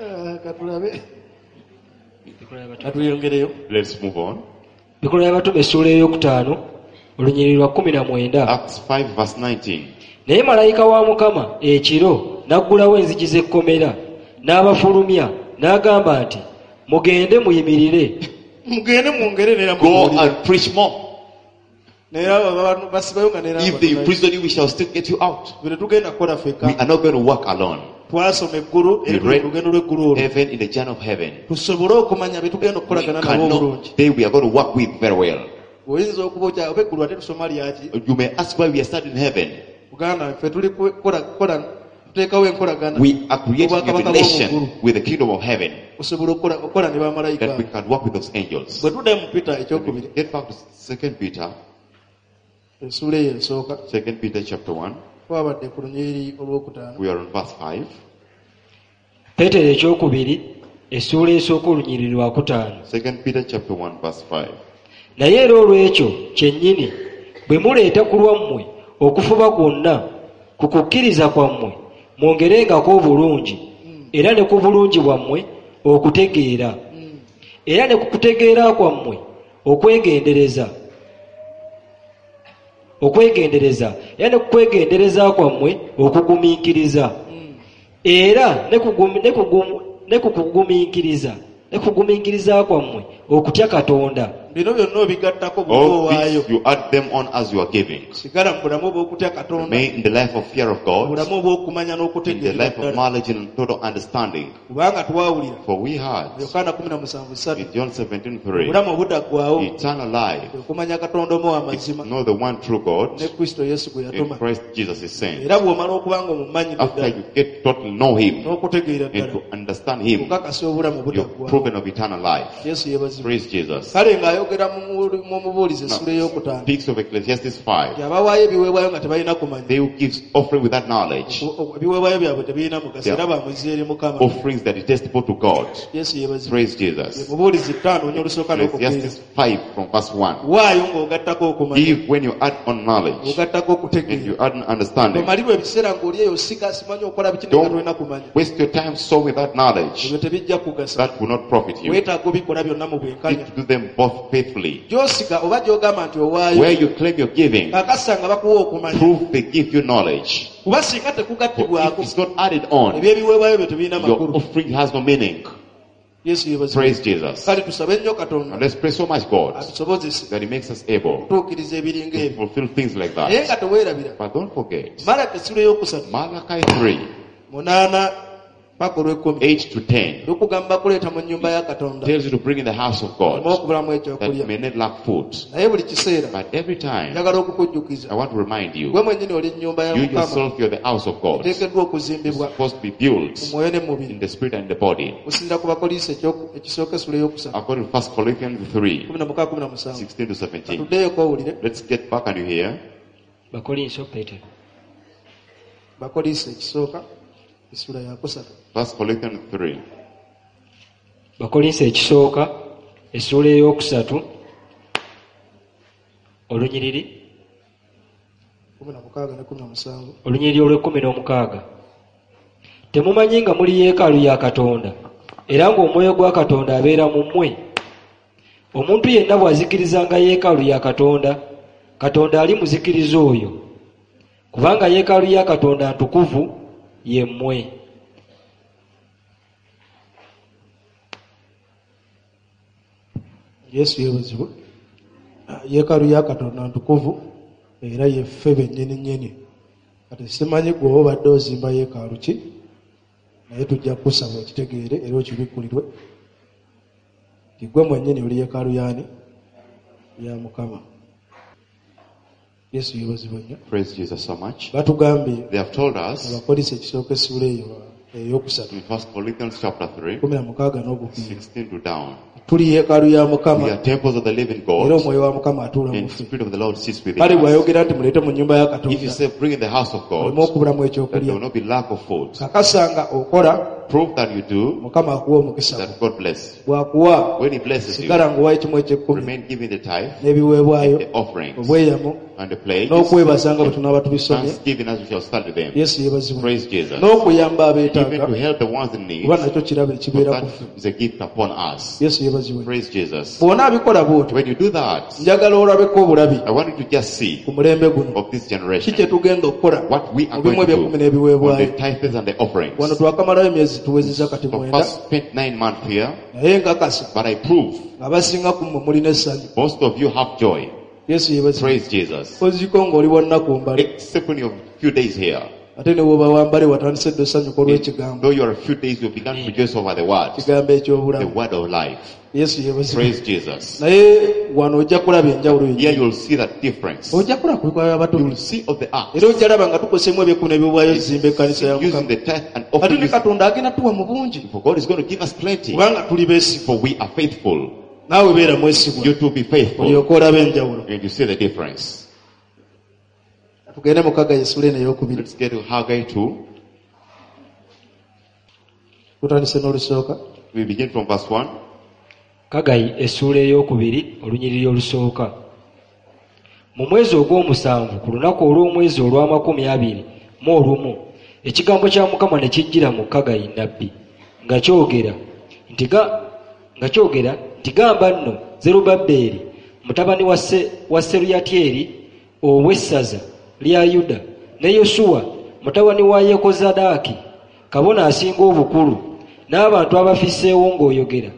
Ah, katulabe katweyongereyo. Let's move on. Bikolwa by'Abatume essuula ey'okutaano olunyiriri lwa kkumi na mwenda. Acts five verse nineteen. Naye malayika wa Mukama ekiro n'aggulawo enzigi z'ekkomera n'abafulumya n'agamba nti mugende muyimirire. Mugende mwongere neera Go mubuulire. And preach more. Naye abo abantu basibayo nga neera If they imprison you, we shall still get you out. bwe tetugenda kukola ffekka. We are not going to work alone. Twasoma eggulu era We tuli read mu lugendo lw'eggulu olwo heaven in the journey of heaven. tusobole okumanya be tugenda We okukolagana nabo obulungi. cannot, they we are going to work with very well. Oyinza okuba okya oba eggulu ate tusoma lyaki? You may ask why we are starting heaven. Buganda ffe tuli kukola kukola tuteekawo enkolagana We are creating a Obwakabaka bw'omu relation ggulu. With the kingdom of heaven Osobola okukola okukola ne bamalayika. That we can work with those angels. Bwe tuddayo mu Peter ekyokubiri Get back to Second Peter, essuula eyo esooka Second Peter chapter one. Twabadde ku lunyiriri olwokutaano. We are on verse five. Peetero ekyokubiri Essuula esooka olunyiriri lwa kutaano. Second Peter chapter one verse five. Naye era olw'ekyo kyennyini bwe muleeta ku lwammwe okufuba kwonna ku kukkiriza kwammwe mwongerengako obulungi era ne ku bulungi bwammwe okutegeera era ne ku kutegeera kwammwe okwegendereza okwegendereza era ne ku kwegendereza kwammwe okugumiikiriza era ne kugumi-, ne kugumu-, ne ku kugumiikiriza ne kugumiikiriza kwammwe okutya Katonda. Bino byonna obigattako bw'oba All owaayo. these you add them on as you are giving. Sigala mu bulamu obw'okutya Katonda. Remain in the life of fear of God. Mu bulamu obw'okumanya n'okutegeera In the life of ddala. knowledge and total understanding. Kubanga twawulira. For we heard. Yokaana kumi na musanvu ssatu. In John seventeen three. Obulamu obutaggwaawo. Eternal life. Okumanya Katonda omu ow'amazima. Know the one true God. Ne Kristo Yesu gwe In yatuma. Christ Jesus is sent. Era bw'omala okuba nga omumanyi After ddala. you get to know him. N'okutegeera And ddala. to understand him. Okakasa obulamu You're obutaggwaawo. proven of eternal life. Yesu yeebazibwe. Praise Jesus. Kale ng'ayogera mu mu-, mu mubuulizi Now, essula ey'okutaano. speaks of Ecclesiastes five. Nti abawaayo ebiweebwayo nga tebalina kumanya. They who give offering without knowledge. Oku-, oku-, ebiweebwayo byabwe tebirina mugaso, They are era bamuzza eri Mukama. Offerings that are detestable to God. Yesu yeebazibwe. Praise Jesus. Ye mubuulizi ttaano, onye olusooka n'okukkiriza. Ecclesiastes five from verse one. Waayo ng'ogattako okumanya. Give when you add on knowledge. Ng'ogattako okutegeera. And you add on understanding. Omalirwa ebiseera ng'oli eyo osiga, simanyi okola biki, naye Don't tolina kumanya. waste your time so without knowledge. Ebyo tebijja kugasa. That will not profit you. Weetaaga obikola byonna mu bwenkanya. You need to do them both faithfully. Gy'osiga oba gy'ogamba nti owaayo. Where you claim your giving, Kakasa nga bakuwa okumanya. prove they give you knowledge. Kuba singa tekugattibwako, For if it's not added on, eby'ebiweebwayo byo tebirina your makulu. offering has no meaning. Yesu yeebazibwe. Praise Jesus. Kale tusabe nnyo Katonda. And let's pray so much God Atusobozese that He makes us able okutuukiriza ebiringa to ebyo. fulfill things like that. Naye nga teweerabira. But don't forget, Malaki essula ey'okusatu. Malachi three, Munaana paka olw'ekkumi. eight to ten. Lukugamba kuleeta mu nnyumba ya Katonda. Tells you to bring in the house of God. Oleme okubulamu ekyokulya. That may not lack food. Naye buli kiseera, But every time, njagala okukujjukiza. I want to remind you, Gwe mwennyini oli nnyumba ya you Mukama. yourself, you're the house of God. Eteekeddwa okuzimbibwa. It's supposed to be built Mu mwoyo ne mu mubiri. in the spirit and the body. Okusinziira ku Bakkolinso ekyoku-, ekisooka essula ey'okusatu. According to First Corinthians three, Kumi na mukaaga, kumi na musanvu. sixteen to seventeen. Katuddeyo owulire. Let's get back and you hear. Bakkolinso, Peter. Bakkolinso ekisooka essula ya kusatu. First Corinthians three. Bakkolinso ekisooka essuula ey'okusatu olunyiriri kumi na mukaaga ne kumi na musanvu. Olunyiriri olw'ekkumi n'omukaaga. Temumanyi nga muli yeekaalu ya Katonda era ng'omwoyo gwa Katonda abeera mu mmwe? Omuntu yenna bw'azikirizanga yeekaalu ya Katonda, Katonda alimuzikiriza oyo, kubanga yeekaalu ya Katonda ntukuvu ye mmwe. Yesu yeebazibwe. Yeekaalu ya Katonda ntukuvu era ye ffe bennyini nnyini. Kati simanyi gwe oba obadde ozimba yeekaalu ki, naye tujja kukusaba okitegeere era okibikkulirwe nti gwe mwennyini oli yeekaalu y'ani? Ya Mukama. Yesu yeebazibwe nnyo. Praise Jesus so much. Batugambye They have told us Abakolinso ekisooka essuula eyo ey'okusatu. in First Corinthians chapter three, Kumi na mukaaga n'ogukuumi. sixteen to down. Tuli yeekaalu ya Mukama. We are temples of the living God. Era omwoyo wa Mukama atuula mu And ffe. Spirit of the Lord sits within Kale us. bw'ayogera nti muleete mu nnyumba ya Katonda. If you say bring in the house of God, Oleme okubulamu that ekyokulya. there will not be lack of food. Kakasa nga okola, Prove that you do, Mukama akuwa omukisa. that God bless. Bw'akuwa, When he blesses you, sigala ng'owa ekimu eky'ekkumi, remain giving the tithe, n'ebiweebwayo, the offerings, obweyamo, and the pledges, n'okwebaza nga bwe tunaaba tubisomye. thanksgiving as we shall study them. Yesu yeebazibwe. Praise Jesus. N'okuyamba abeetaaga, Even to help the ones in need, kuba nakyo kirabo ekibeera that ku ffe. is a gift upon us. Yesu yeebazibwe. Praise Jesus. Bw'onaabikola bw'otyo, When you do that, njagala olabeko obulabi I want you to just see ku mulembe guno. of this generation Ki kye tugenda okukola what we are mu bimu going to eby'ekkumi do n'ebiweebwayo. on the tithes and the offerings. Wano twakamalayo emyezi tuwezezza kati So mwenda. first spent nine months here, Naye nkakasa but I prove ng'abasinga ku mmwe mulina essanyu. most of you have joy. Yesu yeebazibwe. Praise Jesus. Oziko ng'oli wa nnaku mbale. Except when you're a few days here. Ate ne bw'oba wa mbale watandise dda osanyuka olw'ekigambo. Though you are a few days, you began to rejoice over the word. Ekigambo The eky'obulamu. word of life. Yesu yeebazibwe. Praise Jesus. Naye wano ojja kulaba enjawulo Here yennyini. you'll see that difference. Ojja kulaba ku bikolwa by'abatume. You'll see of the acts. Era ojja laba nga tukoseemu eby'ekkumi n'ebiweebwayo zimba ekkanisa ya Using Mukama. the tithe and Ate ne offering. Katonda agenda tuwa mu bungi. For God is going to give us plenty. Kubanga tuli beesigwa. For we are faithful. Naawe beera mwesigwa. You too be faithful. Olyoke olabe enjawulo. And you see the difference. Tugende mu Haggai essula eno ey'okubiri. Let's get to Haggai two. Tutandise n'olusooka. We begin from verse one. Kagayi essuula ey'okubiri olunyiriri olusooka. Mu mwezi ogw'omusanvu ku lunaku olw'omwezi olw'amakumi abiri mu olumu ekigambo kya Mukama ne kijjira mu Kagayi nnabbi nga kyogera nti ga-, nga kyogera nti gamba nno Zerubbaberi mutabani wa Se-, wa Seruyatyeri ow'essaza lya Yuda ne Yosuwa mutabani wa Yekozadaaki kabona asinga obukulu n'abantu abafisseewo ng'oyogera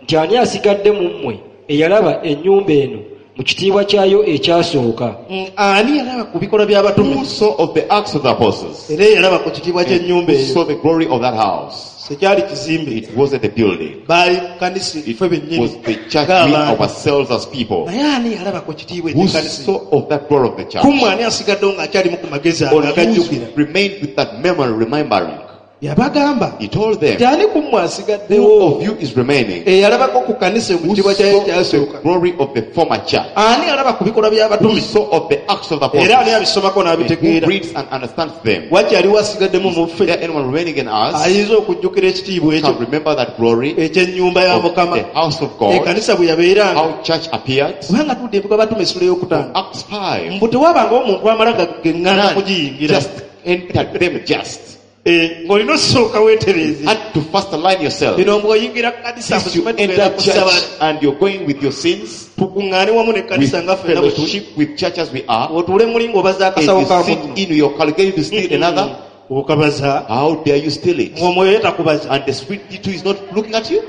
nti ani asigadde mu mmwe eyalaba ennyumba eno mu kitiibwa kyayo ekyasooka? Mm, ani yalaba ku bikolwa by'abatume? Who saw of the Acts of the Apostles? Era yalaba ku kitiibwa ky'ennyumba Who eyo. saw the glory of that house? Tekyali kizimbe. It wasn't a building. Baali kanisa It ffe bennyini. was the church, we Ng'abantu. ourselves as people. Naye ani yalaba ku kitiibwa Who eky'ekkanisa? saw of that glory of the church? Ku mmwe ani asigaddewo ng'akyalimu ku magezi ago Or who agajjukira? remained with that memory, remembering? Yabagamba He told them, nti ani ku mmwe asigaddewo Who of you is remaining? eyalabako ku kanisa mu Who kitiibwa kyayo saw the ekyasooka? glory of the former church? Ani alaba ku bikolwa by'abatume? Who saw of the Acts of the Era ani Apostles? abisomako And who n'abitegeera? reads and understands them? Wakyaliwo asigaddemu mu ffe? Is there anyone remaining in us Ayinza okujjukira ekitiibwa ekyo can remember that glory eky'ennyumba ya of Mukama? the house of God? Ekkanisa bwe yabeeranga. How church appeared? Kubanga tudde ebikolwa by'abatume essula ey'okutaano. Acts five. Mbu tewabangawo omuntu amala geŋŋaana None kugiyingira. just entered them just. Eh, ng'olina osooka weetereeze. Had to first align yourself. Bino bw'oyingira kanisa, Since you musome tugenda enter kusaba. church and you're going with your sins, Tukuŋŋaane wamu n'ekkanisa with nga ffenna bwe tuli. fellowship with church as we are, Otuule muli ng'obaza and akasawo you ka sit munno. in your calculating to steal another, Okabaza. how dare you steal it? Ng'omwoyo ye takubaza. And the spirit too is not looking at you.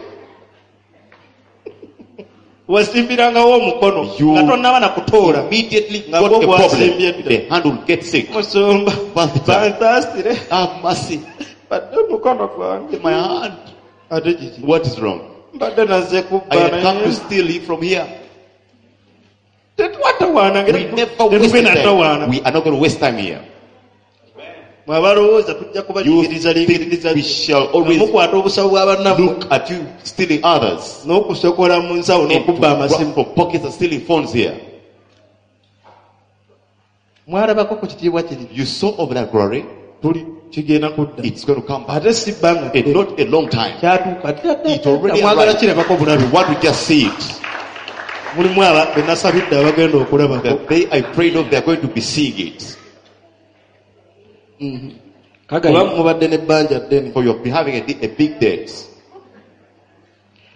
Wasimbirangawo omukono You nga tonnaba na kutoola. Immediately Nga got gwo a problem. gwasimbye dda. The hand will get sick. Musumba, Pastor. bansaasire. Have mercy. Badde omukono gwange. My hand. Ate kiki? What is wrong? Mbadde nazze kubba I had come naye. to steal it from here. Tetwatawaana ngeri We never waste tetugenda time. tawaana. We are not going to waste time here. Mwe abalowooza tujja You kubanyigiriza think lingiriza we shall always mukwata obusawo bwa bannammwe look at you stealing others. n'okusokola mu nsawo And n'okubba to amasimu. grab for pockets and stealing phones here. Mwalabako ku kitiibwa kiri. You saw of that glory. Tuli kigenda kudda. It's going to come back. Ate si bbanga And ddene. not a long time. Kyatuuka. It already Mwagala arrived. kirabako bulabe. We want to just see it. Mulimu aba be nasabidde abagenda okulabako. The day I prayed of, they are going to be seeing it. Mm-hmm. Kagayi. Kuba mubadde n'ebbanja ddene. For you have been having a, a big debt.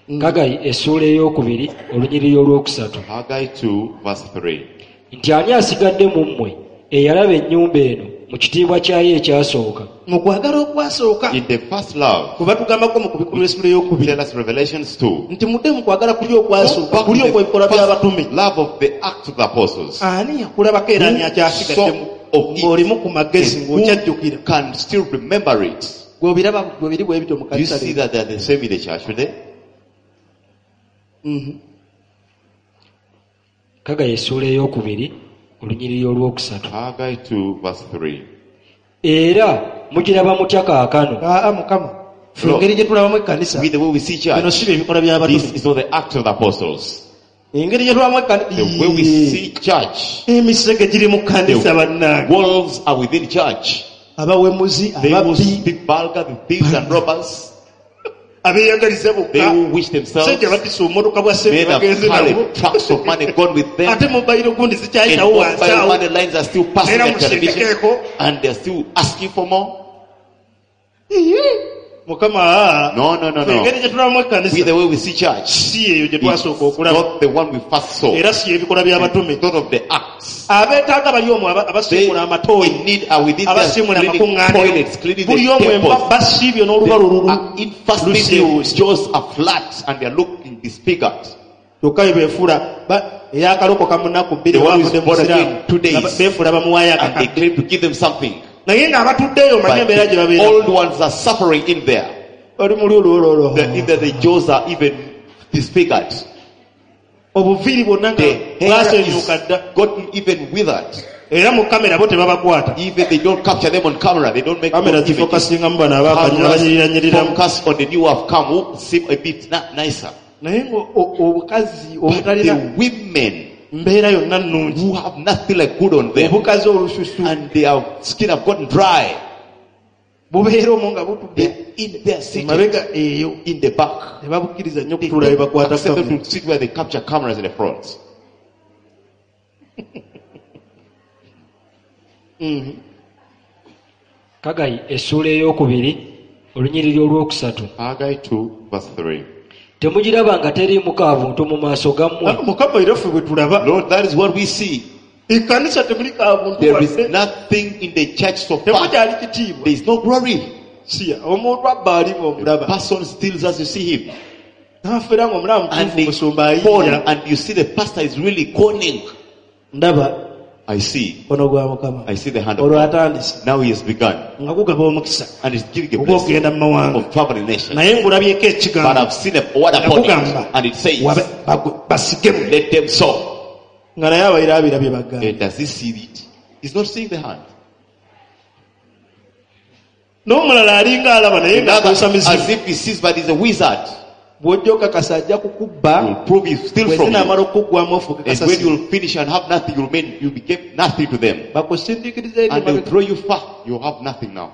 Mm. Kagayi essuula ey'okubiri olunyiriri olwokusatu. Haggai two verse three. Nti ani asigadde mu mmwe eyalaba ennyumba eno mu kitiibwa kyayo ekyasooka? Mu kwagala okwasooka. In the first love. Kuba tugambako mu kubikulwa essuula ey'okubiri. Tell us Revelations two. Nti mudde mu kwagala kuli okwasooka, Go back kuli to the okw'ebikolwa first by'abatume. love of the Acts of the Apostles. Ani yakulabako era ani Who akyasigadde mu saw of it ng'olimu ku magezi and who ng'okyajjukira. can still remember it? Gw'obiraba gwe biri bwe bityo mu Do you kanisa see leero. that they are the same in the church today? Mm-hmm. Kagayi essuula ey'okubiri olunyiriri olwokusatu. Haggai two verse three. Era mugiraba mutya kaakano? Aa, Mukama. Ffe Lord, engeri gye tulabamu ekkanisa, with the way we see church, bino si bye bikolwa by'abatume. this is not the act of the apostles. Engeri gye tulabamu ekkanisa, The way we see church, emisege giri mu kkanisa the bannange. wolves are within church. Abawemuzi, They will ababbi, speak vulgar, the thieves and robbers. abeeyagaliza bokka. They will wish themselves. Ssente batisse obumotoka bwa ssente Men have bagenze carried nabwo. trucks of money gone with them. Ate mobile gundi And zikyayitawo wansi mobile awo. money lines are still passing Era at television. musindikeeko. And they are still asking for more. Mukama, aa. No, no, no, no. Engeri gye tulabamu ekkanisa, With the way we see church, si eyo gye it's twasooka okulaba. not the one we first saw. Era si ebikolwa by'abatume. It's not of the acts. Abeetaaga bali omwo aba-, They abasiimula amatooyi, in need are within their abasiimula cleaning amakuŋŋaaniro. toilets, cleaning the Buli omu temples. emba basiibye n'oluba They lululu. are in fasting, their Lusiiwuuse. jaws are flat and they are looking disfigured. Kyokka bye beefuula, ba-, eyakalokoka mu nnaku bbiri The one who is bavudde mu born Busiraamu, again two days. nga ba-, beefuula bamuwaayo And they akakadde. claim to give them something. Naye ng'abatuddeeyo omanyi But embeera gye the babeera. old ones are suffering in there. Bali muli olwololo. The, either the jaws are even disfigured. Obuviiri bwonna nga The hair bwasenyuka is dda. gotten even withered. Era mu kamera bo tebabakwata. Even they don't capture them on camera. They don't make Kamera good images. zifokasingamu bano abaakanyira, Cameras abanyirirannyiriramu. focus on the new have come who seem a bit na-, nicer. Naye ngo o-, obukazi But obutalina the women mbeera yonna nnungi. who have nothing like good on them, Obukazi olususu. and their skin have gotten dry. Bubeera omwo nga butudde They're in their seat emabega eyo. in the back. Tebabukkiriza nnyo They kutuula we don't bakwata accept them kamera. to sit where they capture cameras in the front. Kagayi essuula ey'okubiri olunyiriri olwokusatu. Haggai two verse three. Temugiraba nga teriimu kaabuntu mu maaso gammwe. Ah, Mukama era ffe bwe tulaba. Lord, that is what we see. Ekkanisa temuli kaabuntu There is wadde. nothing in the church so far. Temukyali kitiibwa. There is no glory. Siya, omuntu abba ali The ng'omulaba. person steals as you see him. N'afeera ng'omulaba And mutuufu they musumba con, ayiiya. and you see the pastor is really conning. Ndaba I see. mukono gwa Mukama. I see the hand of Olwo God. atandise Now he has begun. nga gugaba omukisa And he's giving a blessing ogw'okugenda mu mawanga. of traveling nations. Naye ngulabyeko But ekigambo I've seen a word nga upon gugamba it. And it says, wabe- bagu- basigemu. let them sow. Nga naye abaire abirabye bagamba. And does he see it? He's not seeing the hand. N'omulala alinga alaba naye Another, ng'akozesa mizimu. as if he sees, but he's a wizard. Bw'ojja okakasa ajja kukubba. Will prove he steal Bwe from you. zinaamala okuggwamu ofuuke And when kasasiro. you'll finish and have nothing, you'll make, you became nothing to them. Bakusindiikiriza eri And they'll emabega. throw you far. You'll have nothing now.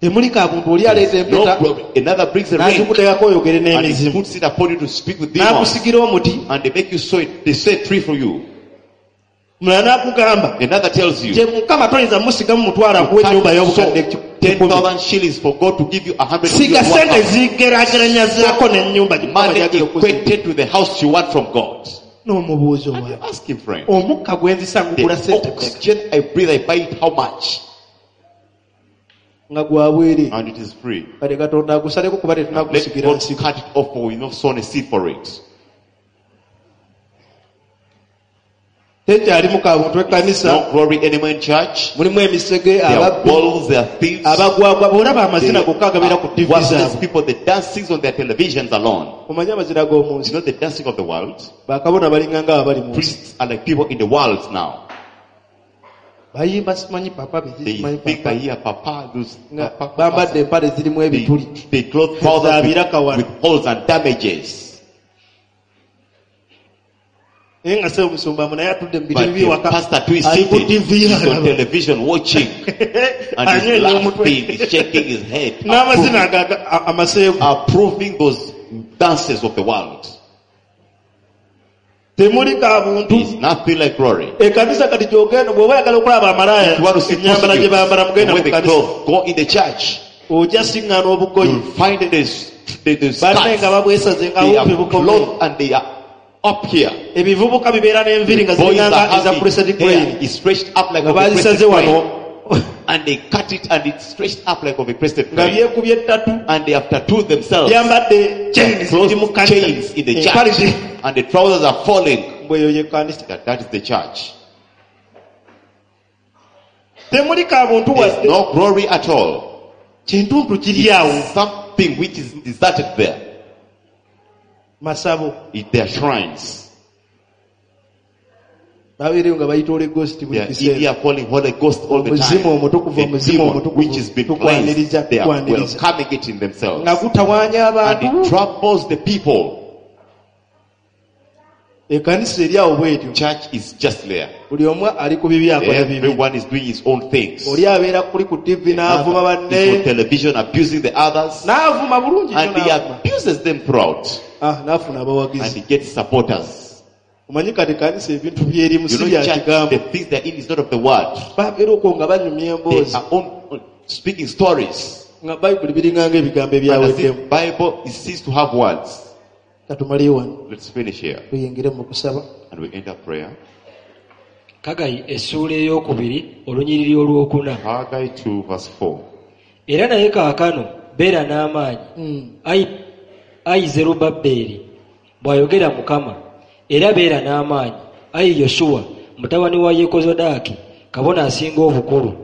Temuli kabuntu oli aleeta No empeta glory. Another brings a ring n'agikuteekako oyogere and he n'emizimu. puts it upon you to speak with demons. N'akusigira omuti. And they make you sow it. They sow a tree for you. Mulala n'akugamba Another tells you, gye Mukama toyinza musigamu mutwalo akuwa ennyumba y'obukadde sow kikumi. ten thousand shillings for God to give you a hundred Siga million sente one house. zigeraageranyazaako n'ennyumba gye Mukama Money gy'agenda okuzimba. equated to the house you want from God. N'omubuuzo And you wa ask him, friend, omukka gwe nzisa ngugula the sente mmeka? oxygen I breathe, I buy it how much? Nga gwa bwereere. And it is free. Kale Katonda agusaleko kuba Let tetunagusigira God nsigo. cut it off for we not sown a seed for it. Tekyalimu kabuntu ekkanisa. No glory anymore in church. Mulimu emisege, There are ababbi, wolves, there are thieves. abagwagwa. Bw'olaba amazina They gokka agabeera ku are T V worthless zaabwe. people, the dancings on their televisions alone. Omanyi amazina g'omu nsi. You know the dancing of the world? Bakabona balinga nga abali mu nsi. Priests are like people in the world now. Bayimba simanyi papa biki They simanyi think papa. I hear papa, those Nga papa, bambadde papa. empale zirimu They, ebituli. they clothe trousers with, Zabiraka wano. with holes and damages. Naye nga ssebo musumba mu naye atudde mu But bitebe the by'ewaka. pastor too is Ali ku seated. T V He's on alaba. television watching. And he's Anywenya omutwe. laughing, he's shaking his head. N'amazina aga- aga- amaseegu. Approving those dances of the world. Temuli kabuntu. There's nothing like glory. Ekkanisa kati gy'ogenda bw'oba oyagala okulaba amalaaya If you want to see ennyambala gye bambala prostitutes, mugenda when mu they kkanisa. clothe, go in the church. Ojja siŋŋaana obugoye. You'll find that there's, there's Banne skirts. nga babwesaze nga They bumpi are bukomye. clothed and they are up here. Ebivubuka bibeera n'enviiri nga Boys ziringanga are eza having crested hair crane. is stretched up like Nga of a bazisaze crested wano. crane. And they cut it and it's stretched up like of a crested Nga crane. byekubye ettatu. And they have tattooed themselves. Byambadde chains Closed ziri mu kkanisa. chains in the Empale church. zi- And the trousers are falling. Mbwe eyo y'ekkanisa. That, that is the church. Temuli kabuntu There's wadde. no glory at all. Kintuntu kiri awo. It's something which is deserted there. Masabo. It, their shrines. Babeereyo nga bayita Holy Ghost buli They are kiseera. in here calling Holy Ghost all the Omuzimu time. omutukuvu, The omuzimu demon omutukuvu, which has been tukwaniriza, cleansed, they are tukwaniriza. welcoming it in themselves. Nga gutawaanya And abantu. it troubles the people. Ekkanisa eri awo bw'etyo. Church is just there. Buli omu ali ku bibi akola bibi. Everyone is doing his own things. Oli abeera kuli ku T V n'avuma Another is on banne. television abusing the others. N'avuma bulungi nnyo And he n'avuma. abuses them throughout. Ah, n'afuna And abawagizi. he gets supporters. Omanyi kati kanisa ebintu by'erimu You si know, bya church, kigambo. the things they're in is not of the word. Babeera okwo nga banyumya They emboozi. are on, on speaking stories. Nga Bayibuli biringanga ebigambo And as ebyaweddemu. if Bible it ceased to have words. Katumaleyo wano. Let's finish here. Tuyingire mu kusaba. And we enter prayer. Kagayi essuula ey'okubiri olunyiriri olwokuna. Haggai two verse four. Era naye kaakano beera n'amaanyi. Mm. Ayi, ayi Zerubbaberi, bw'ayogera Mukama, era beera n'amaanyi. Ayi Yosuwa, mutabani wa Yekozadaaki, kabona asinga obukulu.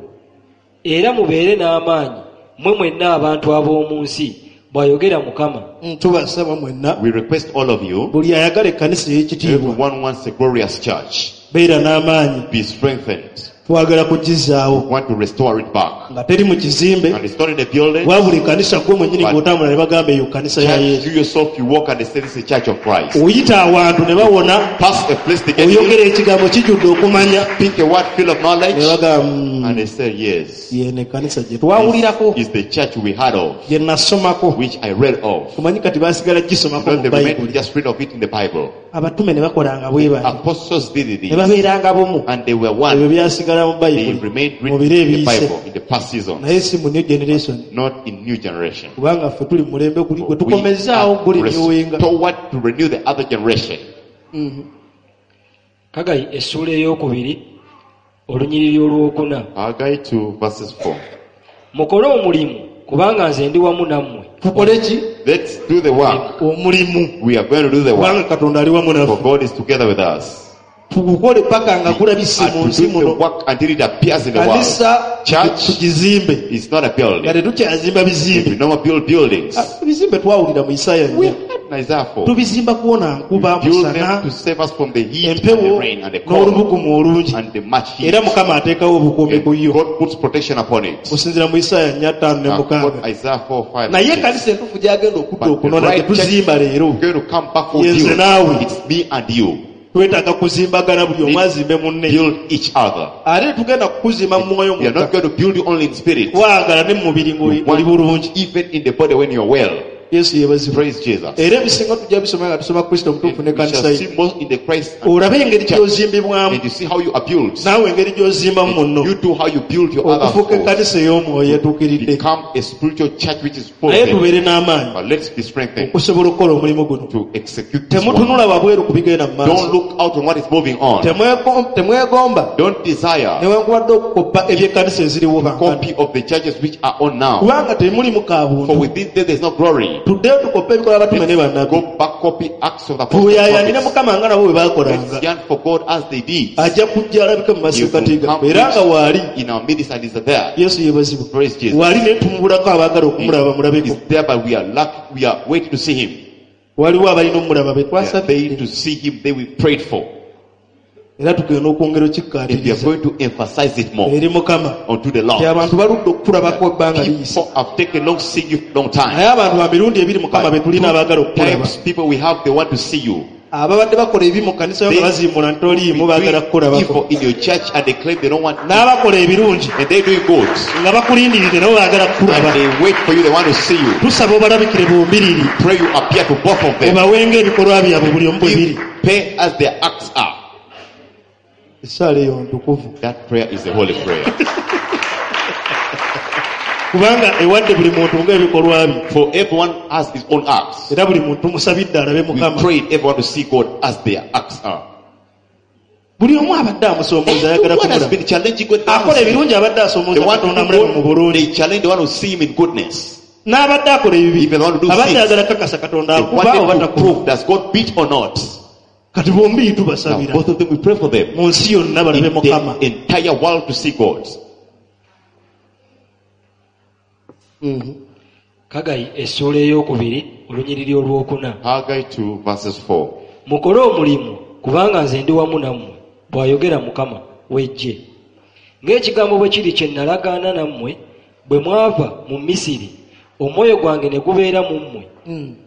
Era mubeere n'amaanyi, mmwe mwenna abantu ab'omu nsi, bw'ayogera Mukama. Mm, tubasaba mwenna. We request all of you, Buli ayagala ekkanisa ey'ekitiibwa. everyone wants a glorious church. Beera n'amaanyi. Be strengthened. Twagala kugizaawo. We want to restore it back. Nga teri mu kizimbe. And it's not in a building. Wabula ekkanisa gwe mwennyini ng'otambula ne bagamba eyo kkanisa ya Yesu. You yourself, you walk and they say this is the church of Christ. Oyita awantu ne bawona. Pass a place to get Oyogera ekigambo kijjudde okumanya. Pick a word full of knowledge. Ne bagamba, And they say yes. Yeno ekkanisa gye twawulirako. Is the church we heard of. Gye nasomako. Which I read of. Omanyi kati baasigala gisomako mu Bayibuli. Just read of it in the Bible. Abatume ne bakolanga bwe bati. Apostles did it. Ne babeeranga bumu. And they were one. Ebyo byasigala mu They Bayibuli. remained Mu written biro in the ebiyise. Bible in the past seasons. Naye si mu new generation. Not in new generation. Kubanga ffe tuli mu mulembe guli gwe We tukomezaawo are guli renewinga. restored to renew the other generation. Haggai essuula ey'okubiri olunyiriri olwokuna. Haggai two verses four. Mukole omulimu kubanga nze ndi wamu nammwe. Tukole ki? Let's do the work. Omulimu. We are going to do the work. Kubanga Katonda ali wamu naffe. For God is together with us. Tugukole paka nga gulabise mu nsi muno. Work until it appears in the world. Kanisa Church tugizimbe. is not a building. Nga tetukyazimba bizimbe. We no more build buildings. Ebizimbe twawulira mu Isaaya We nnya. had in Isaiah four. Tubizimba kuwona nkuba, We build musana, them to save us from the heat and the empewo, rain and the cold n'olubugumu olungi. and the much heat. Era Mukama ateekawo obukuumi ku yo. God puts protection upon it. Okusinziira mu Isaaya nnya ttaano ne mukaaga. Isaiah four, five, Naye six. ekkanisa entuufu gy'agenda okudda But the okunona right church tetuzimba leero. is going to come back for Ye nze you. naawe. It's me and you. Twetaaga kuzimbagana buli omu azimbe munne. Build each other. Ate tugenda kukuzimba mu mwoyo We are not mwokka. going to build you only in spirit. Twagala ne mu mubiri ng'oli We want bulungi. Even in the body when you're well. Yesu yeebazibwe. Praise Jesus. Era ebisinga tujja bisoma nga tusoma Kristo omutuufu We n'ekkanisa shall ye. see most in the Christ and Olabe engeri church. gy'ozimbibwamu. And you see how you are built. Naawe engeri gy'ozimbamu munno. You do how you build your other Okufuuka souls. ekkanisa ey'omwoyo etuukiridde. Become a spiritual church which is full. Naye tubeere n'amaanyi. But let's be strengthened Okusobola okukola omulimu guno. to execute this work. Temutunula wabweru ku bigenda mu maaso. Don't look out on what is moving on. Temwego-, temwegomba. Don't desire Newankubadde okukoppa eby'ekkanisa eziriwo bankano. copy of the churches which are on now. Kubanga temulimu kaabuntu. For within them there is no glory. Tuddeyo tukoppe ebikolwa abatume ne bannabbi. Go back, copy Acts of the Apostles. Tuyayanire Mukama nga nabo bwe baakolanga. Let's yearn for God as they did. Ajja kujja alabike mu He masekkati will gaffe. come Era nga waali. in our midst and is there. Yesu yeebazibwe. Praise Jesus. Waali naye tumubulako abaagala okumulaba mulabeko. He's there, but we are lucky. We are waiting to see him. Waliwo abalina omulaba be We are twasabye. waiting to see him. They we prayed for. Era tugenda okwongera And we are okikkaatiriza. going to emphasize it more Eri Mukama. unto the Lord. Nti abantu baludde okukulabako ebbanga liyise. People have taken long seeing you long time. Naye abantu ba mirundi ebiri Mukama be But tulina abaagala okukulaba. times people we have, they want to see you. Ababadde bakola ebi mu kkanisa yo nga bazimbula nti toliimu baagala kukulabako. Evil in your church and they claim they don't want N'abakola ebirungi and they doing good. nga bakulindiridde nabo baagala kukulaba. And they wait for you, they want to see you. Tusaba obalabikire bombiriri. Pray you appear to both of them. Obawenga ebikolwa byabwe buli omu bwe biri. Pay as their acts are. Essaala eyo ntukuvu. That prayer is a holy prayer. Kubanga ewadde buli muntu ng'ebikolwa bye. For everyone has his own acts. Era buli muntu musabidde alabe We Mukama. prayed everyone to see God as their acts are. Buli omu abadde amusoomooza ayagala Everyone has kumulaba. been challenging God. Akola ebirungi abadde The asoomooza one Katonda amulabe mu who bulungi. they challenge the one who see him in goodness. N'abadde akola ebibi. Even the one who do Abadde sins. ayagala kakasa Katonda They akuba oba wanted to takuba. prove does God beat or not. Kati bombi Now, tubasabira. both of them, we pray for them. Mu nsi yonna In balabe Mukama. the entire world to see God. Haggai essuula ey'okubiri olunyiriri olwokuna. Haggai two verses four. Mukole omulimu kubanga nze ndi wamu nammwe, bw'ayogera Mukama w'eggye. Ng'ekigambo bwe kiri kye nalagaana nammwe bwe mwava mu Misiri, omwoyo gwange ne gubeera mu mmwe.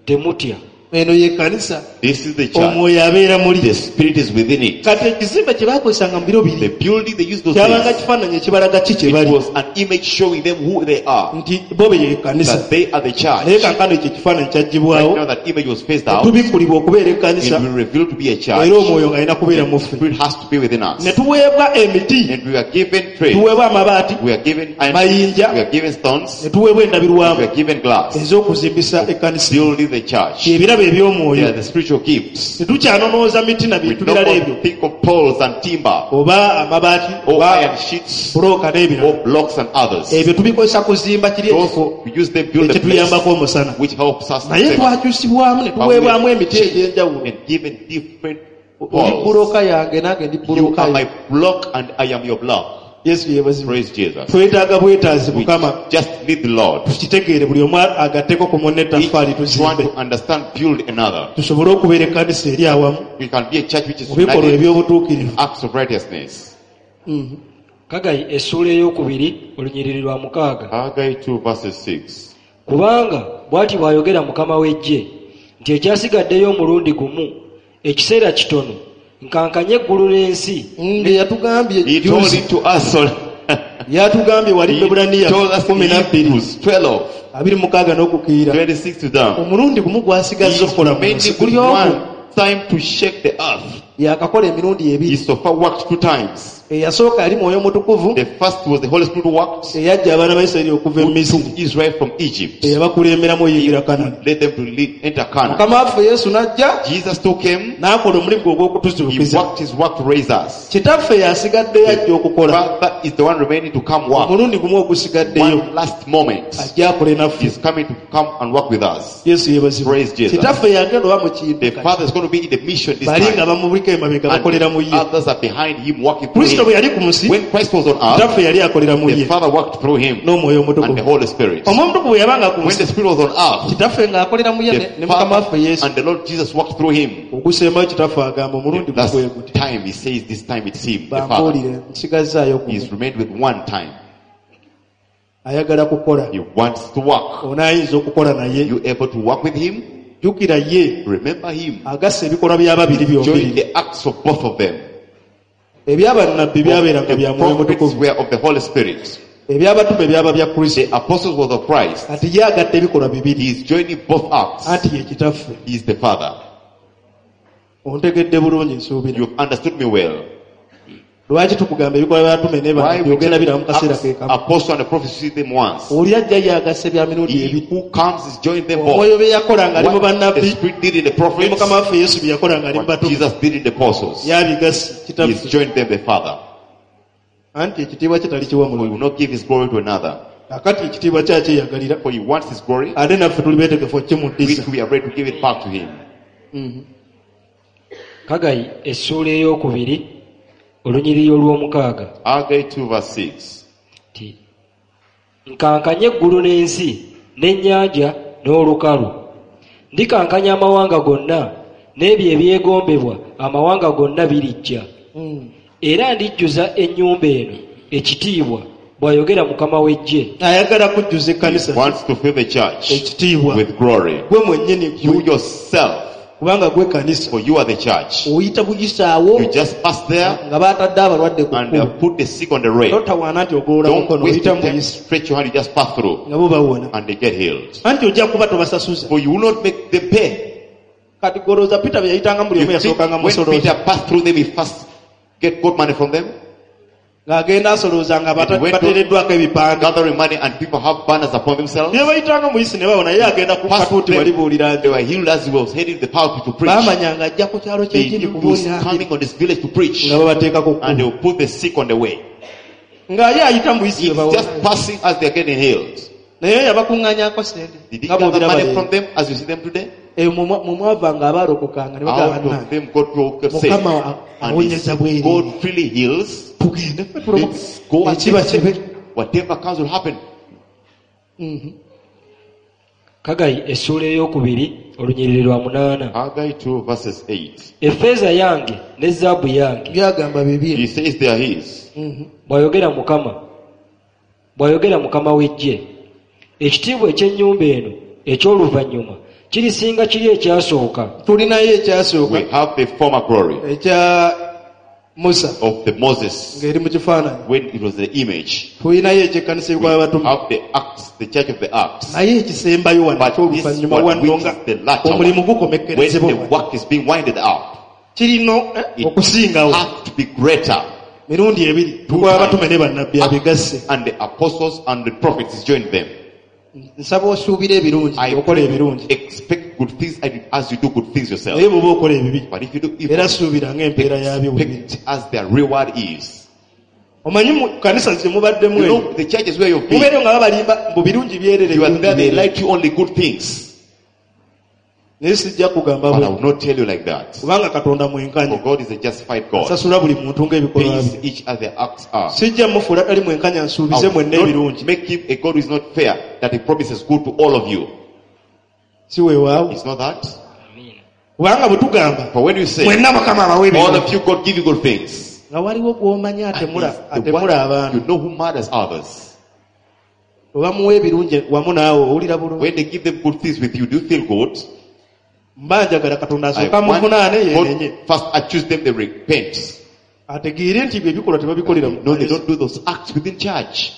Temutya. Eno ye kkanisa. This is the church. Omwoyo abeera muli. The spirit is within it. Kati ekizimbe kye baakozesanga mu biro biri The building they used those kyabanga days, kifaananyi ekibalaga ki kye it bali. was an image showing them who they are. Nti bo be ye kkanisa. That they are the church. Naye kaakano ekyo ekifaananyi kyaggyibwawo. Right now that image was phased out. Tubikkulibwa okubeera ekkanisa. It will reveal to be a church. Era omwoyo ng'alina kubeera mu The ffe. spirit has to be within us. Ne tuweebwa emiti. And we are given trees. Tuweebwa amabaati. We are given iron. Mayinja. We are given stones. Ne tuweebwa endabirwamu. We are given glass. Ez'okuzimbisa ekkanisa. Building the church. Ebirabo eby'omwoyo. They are the spiritual gifts. Tetukyanonooza miti na We bintu no birala more ebyo. think of poles and timber. Oba amabaati, Or oba iron sheets. bulooka n'ebirala. Or blocks and others. Ebyo tubikozesa kuzimba kiri Those ekifo we use them build a place ekituyambako omusana. which helps us to Naye save. twakyusibwamu ne But we tuweebwamu are emiti egy'enjawulo. and given different Oli poles. bulooka yange nange ndi You bulooka are yo. my block and I am your block. Yesu yeebazibwe. Praise Jesus. Twetaaga bwetaazi We Mukama. just need the Lord. Tukitegeere buli omu agatteko ku munne Each ettaffaali one tuzimbe. to understand, build another. Tusobole okubeera ekkanisa eri awamu We can be a church which is mu bikolwa united eby'obutuukirivu. acts of righteousness. Kagayi essuula ey'okubiri olunyiriri lwa mukaaga. Haggai two verses six. Kubanga bw'ati bw'ayogera Mukama w'eggye nti ekyasigaddeyo omulundi gumu ekiseera kitono nkankanye eggulu n'ensi. Nge yatugambye He told juzi. it to us on Yatugambye wali He Bebbulaniya told us in kumi na bbiri. Hebrews twelve, Abiri mukaaga n'okukiira. twenty-six to down. Omulundi gumu gwasigazza He okukola mu nsi. remaining Guli with ogwo. one time to shake the earth. Yakakola emirundi ebiri. He so far worked two times. Eyasooka yali Mwoyo Mutukuvu. The first was the Holy Spirit who worked. Eyajja abaana ba Isirayiri okuva e Who Misiri. took Israel from Egypt. Eyabakulemberamu oyingira Kanani. Led them to lead, enter Canaan. Mukama waffe Yesu n'ajja. Jesus took him. N'akola omulimu gwe ogw'okutuzuukiza. He worked his work to raise us. Kitaffe yasigaddeyo ajja okukola. Father is the one remaining to come work. Omulundi gumu ogusigaddeyo. One last moment. Ajja akole naffe. He's coming to come and work with us. Yesu yeebazibwe. Praise Jesus. Kitaffe yagenda oba mu kintu The kati. Father is going to be in the mission this Bali nga time. bamubuliko emabega And bakolera mu ye. others are behind him working through Kristo him. bwe yali ku nsi, When Christ was on earth, Kitaffe yali akolera mu the ye. Father worked through him N'Omwoyo and the Omutukuvu. Holy Spirit. Omwoyo Omutukuvu bwe yabanga ku When nsi, the Spirit was on earth, Kitaffe ng'akolera mu ye ne the ne Mukama Father waffe Yesu. and the Lord Jesus worked through him. Ogusembayo Kitaffe agamba omulundi The last gugwe guti. time he says this time it's him, the Father. Bambuulire, nsigazzaayo gumu. He's remained with one time. Ayagala kukola. He wants to work. Onaayinza okukola naye. You able to work with him? Jjukira ye. Remember him. Agasse ebikolwa by'ababiri Join byombi. the acts of both of them. Ebyabannabbi byabeeranga The bya Mwoyo prophets Mutukuvu. were of the Holy Spirit. Ebyabatume byaba bya Kristo. The apostles were of Christ. Kati ye agatta ebikolwa bibiri. He is joining both acts. Anti ye Kitaffe. He is the Father. Ontegedde bulungi nsuubira. You've understood me well. Lwaki tukugamba ebikolwa by'abatume ne Why bannabbi we ogenda biraba mu kaseera Acts, ke kamu? apostle and the prophets see them once. Oli ajja ye agasse bya mirundi He ebiri. who comes is joining them both. Omwoyo bye yakola ng'ali mu What the bannabbi, Spirit did in the ne prophets, Mukama waffe Yesu bye yakola ng'ali mu what batume. Jesus did in the apostles. Yabigasse He Kitaffe. has joined them, the Father. Anti ekitiibwa kye talikiwa For he mulala. will not give his glory to another. Kakati ekitiibwa kye akyeyagalira. For he wants his glory, Ate naffe tuli beetegefu okukimuddiza. which we are ready to give it back to him. Mm-hmm. Kagayi essuula ey'okubiri olunyiriri olw'omukaaga. Haggai two verse six. Nti, nkankanye eggulu n'ensi n'ennyanja n'olukalu. Ndikankanya amawanga gonna n'ebyo ebyegombebwa amawanga gonna birijja. Mm. Era ndijjuza ennyumba eno ekitiibwa bw'ayogera Mukama w'eggye. Ayagala kujjuza ekkanisa He wants to fill the church ekitiibwa. with glory. Gwe mwennyini You gwe. yourself, Kubanga gwe kanisa. for you are the church. Oyita buyisaawo You just pass there nga baatadde abalwadde ku and kkubo. uh, put the sick on the rail. Totawaana nti ogolola Don't mukono, waste oyita your time. muyisi. Stretch your hand, you just pass through Nga bo bawona. and they get healed. Anti ojja kuba tobasasuza. For you will not make them pay. Kati golooza Peter bye yayitanga buli omu You think yasookanga when musolooza. Peter passed through them, he first get good money from them? Ng'agenda asolooza nga bata- And went to bateereddwako ebipande. Gathering money and people have banners upon themselves. Ne bayitanga muyisi ne bawona ye agenda ku Passed katuuti them. wali buulira They nti. were healed as he was heading the pulpit to preach. Baamanya ng'ajja ku kyalo They ky'ekindi knew he was kubuulira coming on this village to preach. nga babateekako And they kkubo. will put the sick on the way. Nga ye ayita muyisi He's we bawona. just passing as they are getting healed. Naye yabakuŋŋaanyaako ssente. Did he Nga gather bw'obiraba money leero. from them as you see them today? Eyo mu mwa-, mu mwavanga abaalokokanga ne bagamba Out of bannange. them God will get saved. Mukama And awonyeza bwereere. God freely heals. Tugende ffe tulokoke. Let's go and Ekiba accept. kibe. Whatever comes will happen. Mm-hmm. Kagayi essuula ey'okubiri olunyiriri lwa munaana. Haggai two verses eight. Effeeza yange ne zaabu yange. Byagamba bibye. He says they are his. Mm-hmm. Bw'ayogera Mukama. Bw'ayogera Mukama w'eggye. Ekitiibwa eky'ennyumba eno eky'oluvannyuma kirisinga kiri ekyasooka. Tulinayo ekyasooka. We have the former glory Ekya Musa. of the Moses. Ng'eri mu kifaananyi. When it was the image. Tulinayo eky'ekkanisa We y'ebikolwa by'abatume. have the Acts, the church of the Acts. Naye ekisembayo wano But this eky'oluvannyuma one, wano which nga is the latter omulimu one, when gukomekkerezebwa the wano. work is being winded up, Kirina, eh, it okusingawo. has to be greater. Mirundi ebiri. Two Tukola abatume times. ne bannabbi abigasse. And the apostles and the prophets joined them. Nsaba osuubire ebirungi, I okola ebirungi. expect good things as you do good things yourself. Naye bw'oba okola ebibi, But if you do evil, era suubira ng'empeera yaabyo bwe biri. expect as their reward is. Omanyi mu kanisa ze mubaddemu You eyo, know, the churches where you've been, mubeereyo nga babalimba mbu birungi byerere, you are birungi there, they byerere. like you only good things. Naye sijja kugamba But I bwe. will not tell you like that. Kubanga Katonda mwenkanya. For God is a justified God. Asasula buli muntu ng'ebikolwa Pays bye. each as their acts are. Sijja mufuula tali mwenkanya nsuubize I will mwenna not ebirungi. make him a God who is not fair, that he promises good to all of you. Si weewaawo. It's not that. Kubanga bwe tugamba, But when you say, mwenna Mukama abawe all ebirungi. of you, God give you good things. Nga waliwo gw'omanyi And atemula it's the atemula one abantu. you know who murders others. Obamuwa ebirungi wamu naawe owulira bulungi. When they give them good things with you, do you feel good? Mba njagala Katonda I asooke want amuvunaane God yeenenye. first accuse them, they repent. Ategeere nti bye bikolwa tebabikolera mu No, they kkanisa. don't do those acts within church.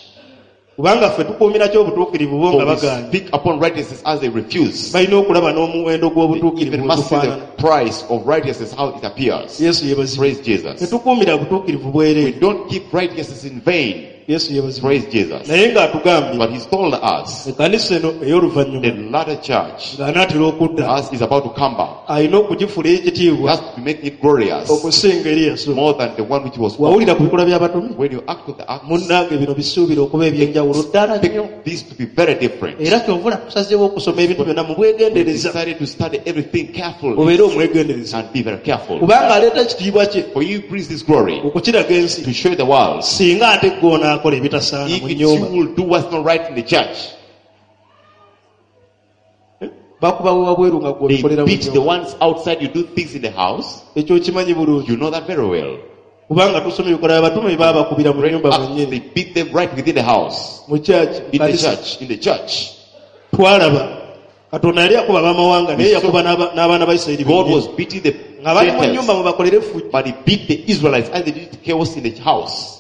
Kubanga ffe tukuumira ki obutuukirivu bo For nga we bagaanye. speak upon righteousness as they refuse. Balina okulaba n'omuwendo They gw'obutuukirivu even must see the bwe tufaanana. price of righteousness, how it appears. Yesu yeebazibwe. Praise Jesus. Tetukuumira butuukirivu We bwereere. don't keep righteousness in vain. Yesu yeebazibwe. Praise Jesus. Naye ng'atugambye But he's told us ekkanisa eno ey'oluvannyuma the latter church ng'anaatera okudda as is about to come back alina okugifuula ey'ekitiibwa has to be making it glorious okusinga eri yasooka. more than the one which was formed. Wawulira ku bikolwa by'abatume? When you act on the acts, Munnange bino bisuubira okuba eby'enjawulo ddala nnyo. expect this to be very different. Era kyova tusazeewo okusoma ebintu byonna mu We bwegendereza. decided to study everything carefully Obeere omwegendereza. and be very careful. Kubanga aleeta ekitiibwa kye For you brings this glory okukiraga ensi. to show the world. Singa ate ggwe onaakola ebitasaana If mu it's you nnyumba. will do what's not right in the church, Bakuba we wabweru nga ggwe they obikolera mu beat the nnyumba. ones outside, you do things in the house, Ekyo okimanyi bulungi. you know that very well. Kubanga tusoma ebikolwa by'abatume baabakubira mu Right nnyumba up, mwennyini. they beat them right within the house, Mu church, in the kanisa. church, in the church. Twalaba Katonda yali akuba ab'amawanga naye yakuba n'aba- n'abaana ba Isirayiri God bennyini. was beating the Nga bali mu nnyumba Gentiles, mubakolere effujjo. but he beat the Israelites as they did chaos in the house.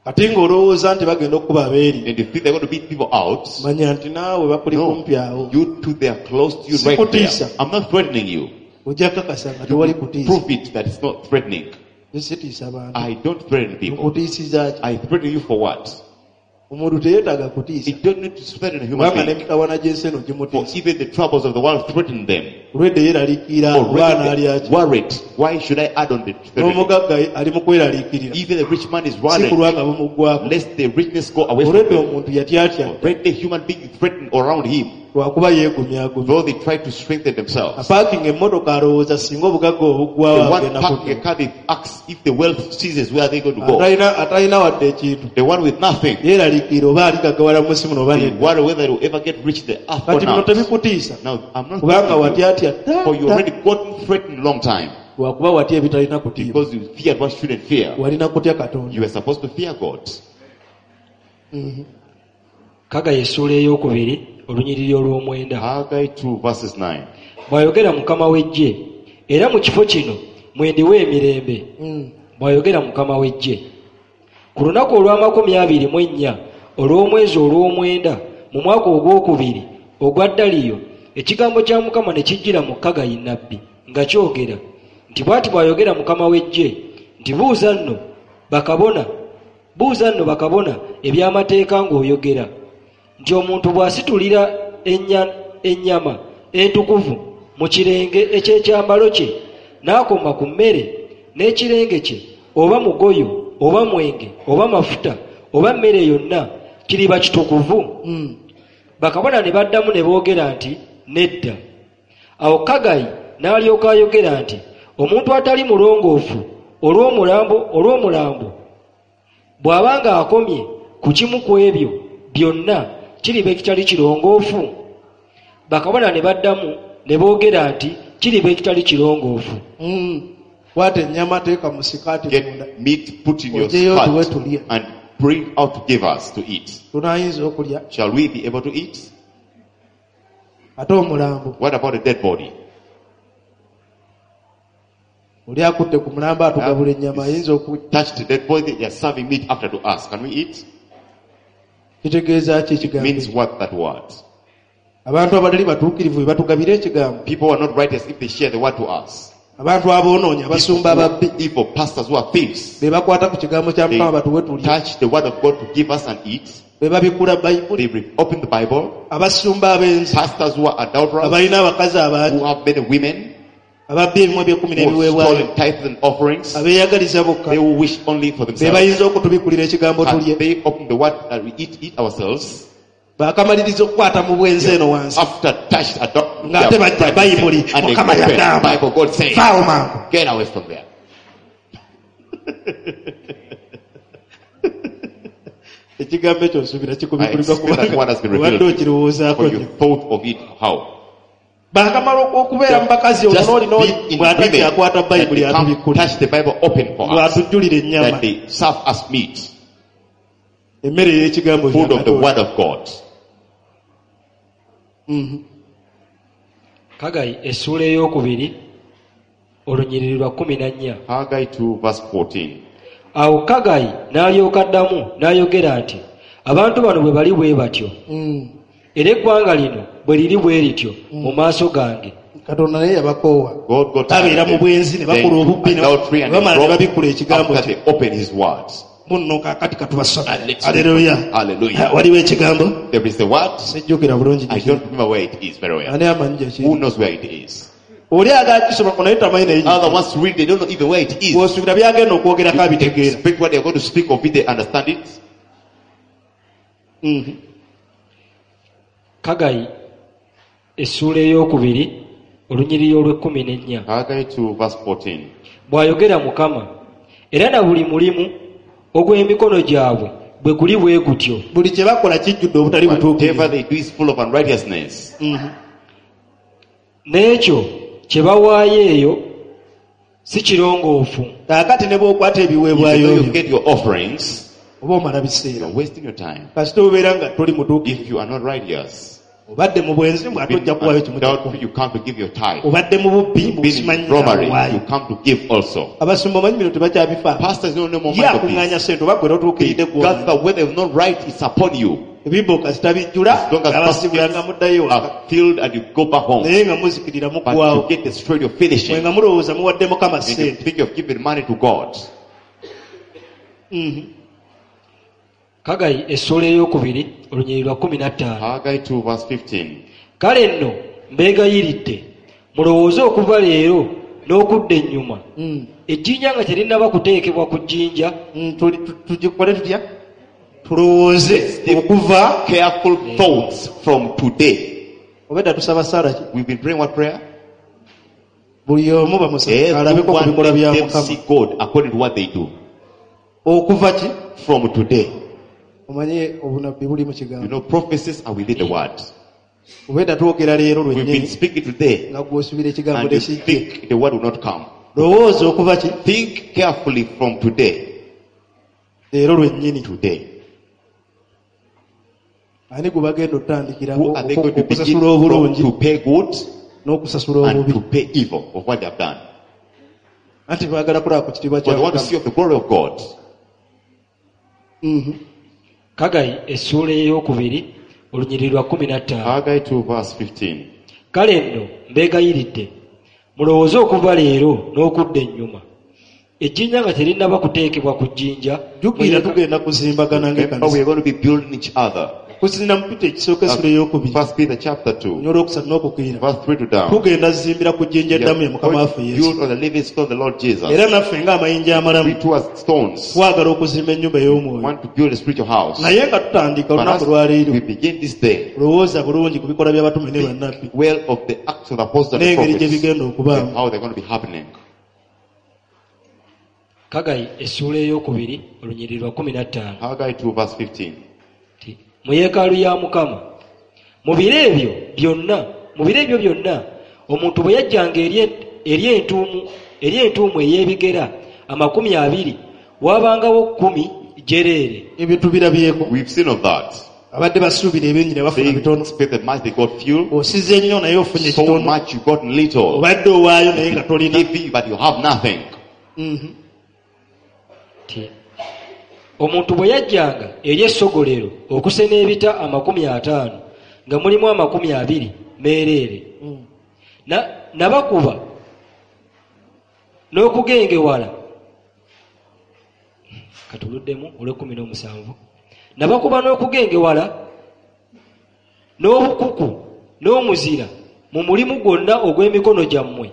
Kati ng'olowooza nti bagenda okukuba abeeri. And you think they're going to beat people out? Manya nti naawe bakuli No. kumpi awo. You two, they are close to you right there. Sikutiisa. I'm not threatening you. Ojja kakasa nga tewali kutiisa. Prove it that it's not threatening. Sitiisa bantu. I don't threaten people. Nkutiisiza ki? I threaten you for what? Omuntu teyeetaaga kutiisa. You don't need to threaten a human Kubanga being. n'emitawaana gy'ensi eno For gimutiisa. even the troubles of the world threaten them. Olwedde yeeraliikirira oba Already anaalya they ki. worried. Why should I add on the threatening? N'omugagga ali mu kweraliikirira. Even the rich man is Si worried kulwa nga bumuggwako. lest the richness go away from Olwedde him. omuntu yatyatya Already the human being is threatened around him, lwakuba yeegumyagumya. though they try to strengthen themselves. Apaakinga emmotoka alowooza singa obugagga The obuggwawo one agenda parking a kudda. car, they ask if the wealth ceases, where are they going to go? Atalina atalina wadde ekintu. The one with nothing, Yeeraliikirira oba aligaggawala mu nsi muno oba they nedda. worry whether they will ever get rich in the earth or Kati bino not. tebikutiisa. Now, I'm not Kubanga threatening you, watyatya for you dda already gotten threatened long time lwakuba watya ebitalina kutiibwa. because you feared what shouldn't fear. Walina kutya Katonda. You were supposed to fear God. Kaggayi essuula ey'okubiri olunyiriri olw'omwenda. Haggai two verses nine. Bw'ayogera Mukama w'eggye, era mu kifo kino mwendiwa emirembe. Mm. Bw'ayogera Mukama w'eggye. Ku lunaku olw'amakumi abiri mu ennya olw'omwezi olw'omwenda mu mwaka ogwokubiri ogwa Daliyo, ekigambo kya Mukama ne kijjira mu Kaggayi nnabbi nga kyogera nti bw'ati bw'ayogera Mukama w'eggye nti buuza nno bakabona buuza nno bakabona eby'amateeka ng'oyogera nti omuntu bw'asitulira ennya- ennyama entukuvu mu kirenge eky'ekyambalo kye n'akoma ku mmere n'ekirenge kye oba mugoyo oba mwenge oba mafuta oba mmere yonna kiriba kitukuvu. Mm. Bakabona ne baddamu ne boogera nti nedda. Awo Kaggayi n'alyoka ayogera nti omuntu atali mulongoofu olw'omulambo olw'omulambo bw'abanga akomye ku kimu ku ebyo byonna kiriba ekitali kirongoofu. Bakabona ne baddamu ne boogera nti kiriba ekitali kirongoofu. Mm. Kwata ennyama teeka mu sikaati munda. Get meat, put in your Ojeyo tuwe skirt, tulye. and bring out to give us to eat. Tunaayinza okulya Shall we be able to eat? ate omulambo. What about a dead body? Oli akutte ku mulambo atugabula ennyama ayinza oku Touch the dead body, they are serving meat after to us. Can we eat? kitegeeza ki ekigambo Means ekyo? what that word? Abantu abatali batuukirivu be batugabira ekigambo. People are not righteous if they share the word to us. Abantu aboonoonyi abasumba ababbi Evil pastors who are thieves, be bakwata ku kigambo kya they Mukama batuwe tulye. touch the word of God to give us and eat. Be babikkula Bayibuli. They re- open the Bible. Abasumba abenzi Pastors who are adulterers, abalina abakazi abangi who have many women, ababbi ebimu eby'ekkumi who have n'ebiweebwayo stolen tithes and offerings, abeeyagaliza bokka they will wish only for be themselves. bayinza okutubikulira ekigambo Can tulye. they open the word that we eat, eat ourselves? Baakamaliriza okukwata mu bwenzi eno wansi After touched, adopt, ng'ate bajja Bayibuli and they Mukama open yagamba Bible, God says, vaawo mangu. get away from there. Ekigambo ekyo nsuubira I kikubikulirwa expect that kubanga word has been obadde revealed. okirowoozaako For you nnyo. thought of it, how? Baakamala okubeera mu bakazi Just ono n'oli be in bw'atakyakwata women that bayibuli they come atubikkula touch the Bible open for us. bw'atujjulira ennyama That they serve us meat. emmere ey'ekigambo kya Food of the Katonda. word of God. Kagayi essuula ey'okubiri olunyiriri lwa kkumi na nnya. Haggai two verse fourteen. Awo Kagayi n'alyoka addamu n'ayogera nti abantu bano bwe bali bwe batyo Mm. era eggwanga lino bwe liri bwe lityo mu maaso gange. Katonda naye yabakoowa. God got tired Babeera of mu them. bwenzi ne They bakola obubbi ne adultery and bamala ne they babikkula robbed ekigambo after kye. they open his words. Munno kaakati katubasome. And let's Hallelujah. Hallelujah. Waliwo ekigambo? There is the word. Sijjukira bulungi I gye don't remember where it is very kiri. well. Ani amanyi gye Who kiri? knows where it is? Oli agaala kisomako naye tamanyi naye gye Other kiri. ones read, they don't know even where it is. Bw'osuubira by'agenda okwogerako You abitegeera. expect what they are going to speak of it, they understand it. Mhm. Kagayi essuula ey'okubiri olunyiriri olw'ekkumi n'ennya. Haggai two verse fourteen. Bw'ayogera Mukama era na buli mulimu ogw'emikono gyabwe bwe guli bwe gutyo. Buli kye bakola kijjudde obutali Whatever butuukirivu. they do is full of unrighteousness. Mhm. N'ekyo kye bawaayo eyo si kirongoofu. Kaakati ne bw'okwata ebiweebwayo Even though you byo, get your offerings, oba omala biseera. you're wasting your time. Kasita obeera nga toli mutuukirivu. If you are not righteous, Obadde mu bwenzi mbu ate been ojja kuwaayo kimu adultery, kyakumi. you come to give your tithe. Obadde mu bubbi mbu Been simanyi in robbery, awaayo. you come to give also. Abasumba omanyi bino tebakyabifa. Pastors don't know more Ye mind of akuŋŋaanya this. ssente oba gwe They totuukiridde gw'omanyi. gather whether or not right is upon you. Ebibbo kasita bijjula, As long as abasibula baskets nga muddayo ewaka. are filled and you go back home. Naye nga muzikirira But muggwaawo. you get destroyed, you're finishing. Mwe nga mulowooza muwadde Mukama And you ssente. think you've given money to God. Mhm. Kagayi essuula ey'okubiri olunyiriri lwa kkumi na ttaano. Haggai two verse fifteen. Kale nno mbeegayiridde mulowooze okuva leero n'okudda ennyuma. Mm. Ejjinja nga terinnaba kuteekebwa ku jjinja. Mm, tuli-, tu-, tugikole tutya? Tulowooze okuva Careful thoughts from today. Obedda tusaba ssaala ki? We've been praying what prayer? Buli omu bamusaba alabeko ku Everyone bikolwa bya let them Mukama. see God according to what they do. Okuva ki? From today. Omanye obunabbi buli mu You kigambo. know, prophecies are within the word. Obedda twogera leero We've been lwennyini speaking today, nga gw'osuubira ekigambo and you tekijje. think the word will not come. Lowooza okuva ki? Think carefully from today. Leero lwennyini. Today. Ani gwe bagenda otandikirako Who are they going to begin okusasula from obulungi to pay good n'okusasula and obubi? to pay evil of what they have done? Anti baagala kulaba ku kitiibwa But kya they want to Mukama. see of the glory of God. Mhm. Kagayi essuula ey'okubiri olunyiriri lwa kkumi na ttaano. Haggai two verse fifteen. Kale nno mbeegayiridde mulowooze okuva leero n'okudda ennyuma. Ejjinja nga terinnaba kuteekebwa ku jjinja. Jjukira tugenda kuzimbagana Remember, ng'ekkanisa. we are going to be building each other. Kusinziira mu Peter ekisooka essula ey'okubiri. First Peter chapter two, Olwokusatu n'okukkirira. verse three to down. Tugenda zimbira ku jjinja We eddamu are ye Mukama going waffe to Yesu. build on the living stone, the Lord Jesus. Era naffe ng'amayinja amalamu We two as stones twagala okuzimba ennyumba ey'omwoyo. want to build a spiritual house. Naye nga tutandika But olunaku as lwaleero we begin this day, lowooza bulungi ku bikolwa by'abatume ne bannabbi well of the Acts of the Apostles and the n'engeri gye Prophets, bigenda okubaamu. and how they're going to be happening. Kagayi essuula ey'okubiri olunyiriri lwa kkumi na ttaano. Haggai two verse fifteen. Nti, mu yeekaalu ya Mukama mu biro ebyo byonna, mu biro ebyo byonna omuntu bwe yajjanga eri eri entuumu, eri entuumu ey'ebigera amakumi abiri waabangawo kkumi jereere. Ebyo tubirabyeko. We've seen of that. Abadde basuubira ebingi ne bafuna They bitono. expected much, they got few. Osize nnyo naye ofunye So kitono. much you got little. Obadde owaayo naye nga tolina. Giving, but you have nothing. Mhm. Nti, omuntu bwe yajjanga eri essogolero okusena ebita amakumi ataano nga mulimu amakumi abiri meereere. Mm. Na-, nabakuba n'okugengewala. Katuluddemu olw'ekkumi n'omusanvu. Nabakuba n'okugengewala n'obukuku n'omuzira mu mulimu gwonna ogw'emikono gyammwe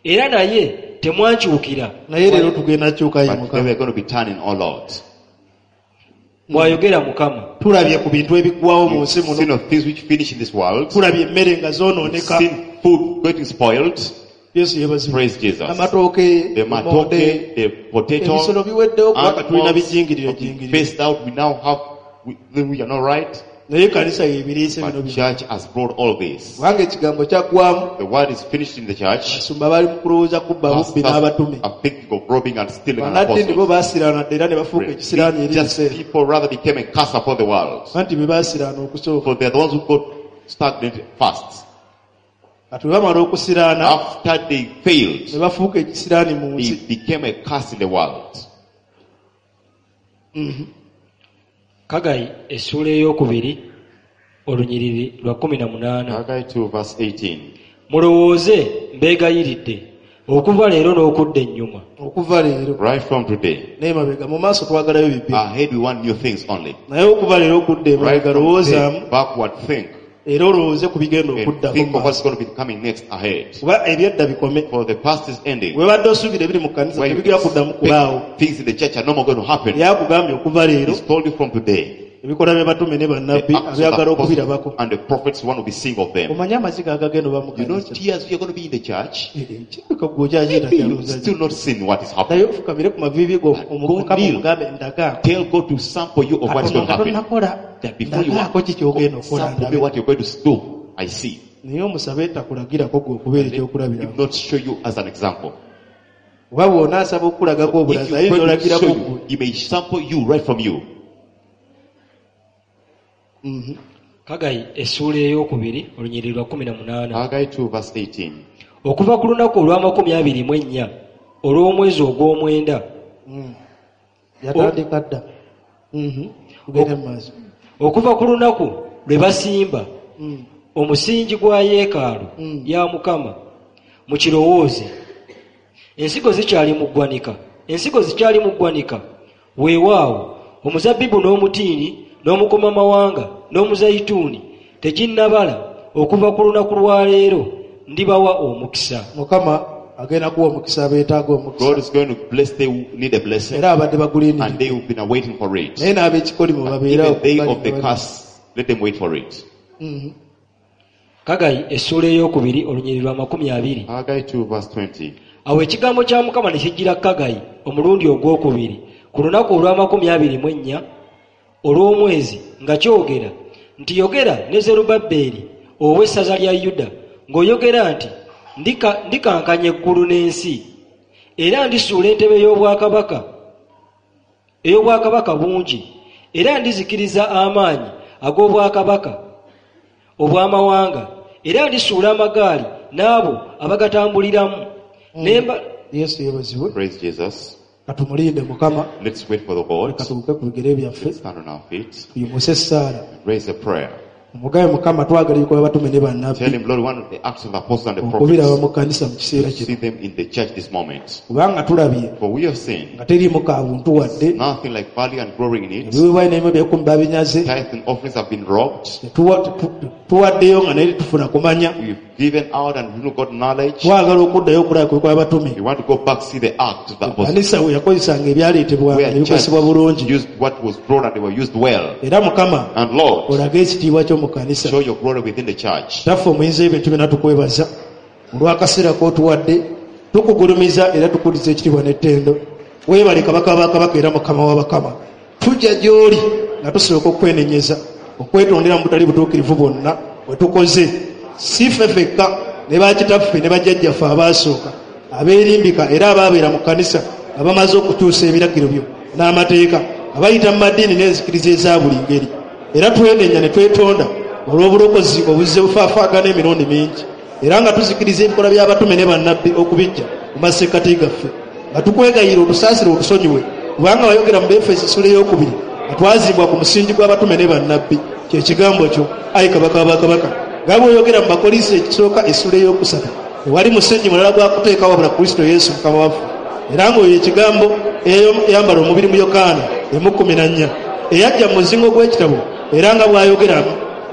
era naye temwankyukira. Naye leero tugenda kyukayo But Mukama. we are going to be turning all out. Bw'ayogera Mukama. Tulabye ku bintu ebiggwawo mu nsi We've muno. seen of things which finish in this world. Tulabye emmere nga We've zoonooneka. seen food getting spoiled. Yesu yeebazibwe. Praise Jesus. Amatooke, The lumonde, matoke, the potato, ebisolo biweddewo kubanga tulina animals bijingirire have been jingirire. phased out. We now have, we, we are not right. Naye ekkanisa y'ebiriise bino But byonna. church has brought all this. Kubanga ekigambo kyaggwamu. The word is finished in the church. Abasumba bali mu kulowooza kubba bubbi Pastors n'abatume. are thinking of robbing and stealing an Bannaddiini bo apostle. baasiraana dda era ne bafuuka ekisiraani eri Just ebiseera. people rather became a curse upon the world. Anti be baasiraana okusooka. For they are the ones who got stagnant first. Kati bwe bamala okusiraana After they failed, ne bafuuka ekisiraani mu they nsi. became a curse in the world. Kagayi essuula ey'okubiri olunyiriri lwa kkumi na munaana. Haggai two verse eighteen. Mulowooze mbeegayiridde okuva leero n'okudda ennyuma. Okuva leero. Right from today. N'emabega mu maaso twagalayo bibiri. Ahead we want new things only. Naye okuva leero okudda Right emabega from today, lowoozaamu backward think. era olowooze ku bigenda And okuddako think mu of what's maaso. going to be coming next ahead. Kuba ebyedda bikome. For the past is ending. Webadde osuubira ebiri mu kkanisa Where you tebigenda kuddamu kubaawo. expect things in the church are no more going to happen. Yakugambye okuva leero He's told you from today. ebikolwa by'abatume ne The bannabbi acts of the abyagala apostles okubirabako. and the prophets want to be seeing of them. Omanye amaziga agagenda oba mu You know, kkanisa. tears, you're going to be in the church. Eh, kirabika ggwe okyakiita Maybe you've kyalowooza still not seen what is happening. Naye ofukamire ku maviivi go Go Mukama kneel. omugambe ndagaako. Tell God to sample you of what is Katonda going to nga happen. tonnakola That before you ndagaako ki ky'ogenda okukola sample me ndabe. what you're going to do, I see. Naye omusabe takulagirako ggwe okubeera Let ekyokulabirako. him not show you as an example. Oba bw'onaasaba okukulagako If obulazi you ayinza pray to olagirako show ggwe. you, he may sample you right from you. Kagayi essuula ey'okubiri olunyiriri lwa kkumi na munaana. Haggai two verse eighteen. Okuva ku lunaku olw'amakumi abiri mu ennya olw'omwezi ogw'omwenda. Mm. Yatandika dda. Mhm. Tugende mu maaso. Okuva ku lunaku lwe basimba Mm. omusingi gwa yeekaalu Mm. ya Mukama mukirowooze. Ensigo zikyali mu ggwanika. Ensigo zikyali mu ggwanika. Weewaawo omuzabbibu n'omutiini n'omukomamawanga n'omuzayituuni teginnabala okuva ku lunaku lwa leero ndibawa omukisa. Mukama agenda kuwa omukisa abeetaaga omukisa. God is going to bless they who need a blessing. Era abadde bagulindiridde. And they who've been waiting for it. Naye n'ab'ekikolimo babeerawo Even they of the bali- curse, let them wait for it. Mhm. Kagayi essuula ey'okubiri olunyiriri lwa makumi abiri. Haggai two verse twenty. Awo ekigambo kya Mukama ne kijjira Kagayi omulundi ogwokubiri ku lunaku olw'amakumi abiri mu ennya olw'omwezi nga kyogera nti yogera ne Zerubbaberi ow'essaza lya Yuda ng'oyogera nti ndika, ndikankanya eggulu n'ensi era ndisuula entebe y'obwakabaka ey'obwakabaka bungi era ndizikiriza amaanyi ag'obwakabaka obw'amawanga era ndisuula amagaali n'abo abagatambuliramu. Nemba Yesu yeebazibwe. Praise Jesus. Katumulinde Mukama. Let's wait for the Lord. Katubuke ku bigere byaffe. Let's stand on our feet. Tuyimuse essaala. Raise a prayer. Omugabe Mukama twagala ebikolwa by'abatume ne bannabbi. Tell him, Lord, one of the acts of the apostles and the Okubiraba prophets. mu kkanisa mu kiseera kino. See them in the church this moment. Kubanga tulabye For we have seen nga teriimu ka buntu wadde. nothing like value and glory in it. Ebiweebwayo n'ebimu eby'ekkumi babinyaze. Tithe and offerings have been robbed. Tetuwa-, tetu-, tuwaddeyo nga naye tetufuna kumanya. We've given out and we've not got knowledge. Twagala okuddayo okulaba ku bikolwa by'abatume. We want to go back see the act of the apostles. Ekkanisa we yakozesanga ebyaleetebwanga Where ne bikozesebwa church bulungi. used what was brought and they were used well. Era Mukama And Lord, olage ekitiibwa kyo mu kkanisa. show your glory within the church. Kitaffe omuyinza w'ebintu byonna tukwebaza olw'akaseera k'otuwadde, tukugulumiza era tukuliza ekitiibwa n'ettendo. Weebale Kabaka wa Kabaka era Mukama wa Bakama. Tujja gy'oli nga tusooka okwenenyeza, okwetondera mu butali butuukirivu bwonna bwe tukoze. Si ffe ffekka ne bakitaffe ne bajjajjaffe abaasooka abeerimbika era abaabeera mu kkanisa nga bamaze okukyusa ebiragiro byo n'amateeka, nga bayita mu maddiini n'enzikiriza eza buli ngeri. Era twenenya ne twetonda olw'obulokozi obuzze bufaafaagana emirundi mingi, era nga tuzikiriza ebikolwa by'abatume ne bannabbi okubijja mu masekkati gaffe, nga tukwegayirira otusaasire otusonyiwe, kubanga wayogera mu Befeso essula ey'okubiri nga twazimbwa ku musingi gw'abatume ne bannabbi, kye kigambo kyo ayi Kabaka wa Bakabaka. Nga bw'oyogera mu Bakolinso ekisooka essula ey'okusatu, tewali musingi mulala gwa kuteeka wabula Kristo Yesu Mukama waffe, era ng'oyo ekigambo eyambala omubiri mu Yokaana emu kkumi na nnya eyajja mu muzingo gw'ekitabo, era nga bw'ayogera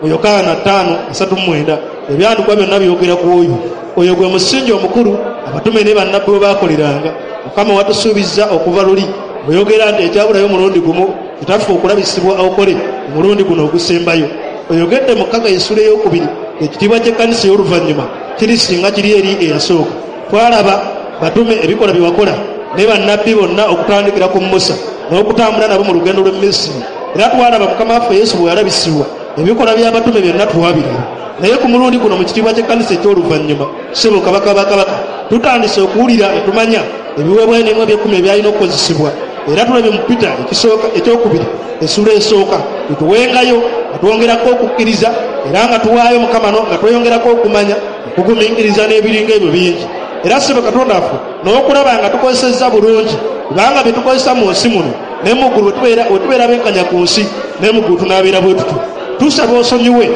mu Yokaana ttaano asatu mu mwenda, ebyandikwa byonna byogera ku oyo. Oyo gwe musingi omukulu abatume ne bannabbi bwe baakoleranga. Mukama watusuubizza okuva luli oyogera nti ekyabulayo omulundi gumu kitaffe okulabisibwa okole omulundi guno ogusembayo. Oyogedde mu Kkaga essula ey'okubiri ekitiibwa ky'ekkanisa ey'oluvannyuma kiri singa kiri eri eyasooka. Twalaba batume ebikola bye wakola ne bannabbi bonna okutandikira ku Musa n'okutambula nabo mu lugendo lw'e Misiri. Era twalaba Mukama waffe Yesu bwe yalabisibwa Ebikolwa by'abatume byonna twabiraba, naye ku mulundi guno mu kitiibwa ky'ekkanisa eky'oluvannyuma, ssebo Kabaka bakabaka, tutandise okuwulira ne tumanya ebiweebwayo n'emu eby'ekkumi ebyalina okukozesebwa. Era tulabye mu Peter ekisooka ekyokubiri essula esooka, tutuwengayo nga twongerako okukkiriza, era nga tuwaayo Mukama no nga tweyongerako okumanya, okugumiikiriza n'ebiringa ebyo bingi. Era ssebo Katonda waffe, n'okulaba nga tukozesezza bulungi, kubanga bye tukozesa mu nsi muno ne mu ggulu bwe tubeera benkanya ku nsi, ne mu ggulu tunaabeera bwe tutyo. Tusaba osonyiwe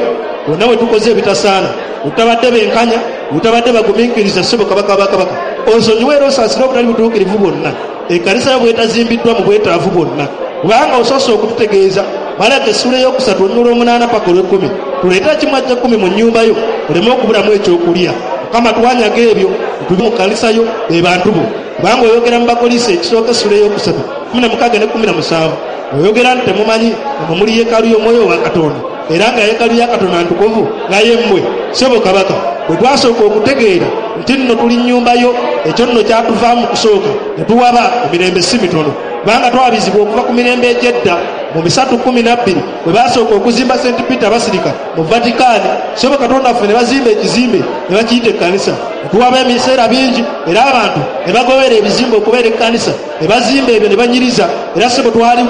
bonna bwe tukoze ebitasaana, obutabadde benkanya, obutabadde bagumiikiriza. Ssebo Kabaka bakabaka, osonyiwe era osaasire obutali butuukirivu bwonna, ekkanisa yo bwetazimbiddwa mu bwetaavu bwonna, kubanga osoose okututegeeza Malaki essula ey'okusatu olunyiriri olw'omunaana paka olw'ekkumi, tuleete ekimu eky'ekkumi mu nnyumba yo oleme okubulamu ekyokulya. Mukama, twanyaga ebyo tuli mu kkanisa yo be bantu bo, kubanga oyogera mu Bakolisi ekisooka essula ey'okusatu kumi na mukaaga ne kumi na musanvu, oyogera nti temumanyi nga muli yeekaalu y'omwoyo wa Katonda, era nga yeekaalu ya Katonda ntukuvu nga ye mmwe. Ssebo Kabaka, bwe twasooka okutegeera nti nno tuli nnyumba yo, ekyo nno kyatuvaamu kusooka ne tuwaba emirembe si mitono, kubanga twabizibwa okuva ku mirembe egy'edda. Mu bisatu kkumi na bbiri bwe baasooka okuzimba Saint Peter Basilica mu Vatican, ssebo Katonda waffe, ne bazimba ekizimbe ne bakiyita ekkanisa. Ne tuwaba ebiseera bingi, era abantu ne bagobera ebizimbe okubeera ekkanisa, ne bazimba ebyo ne banyiriza. Era ssebo twali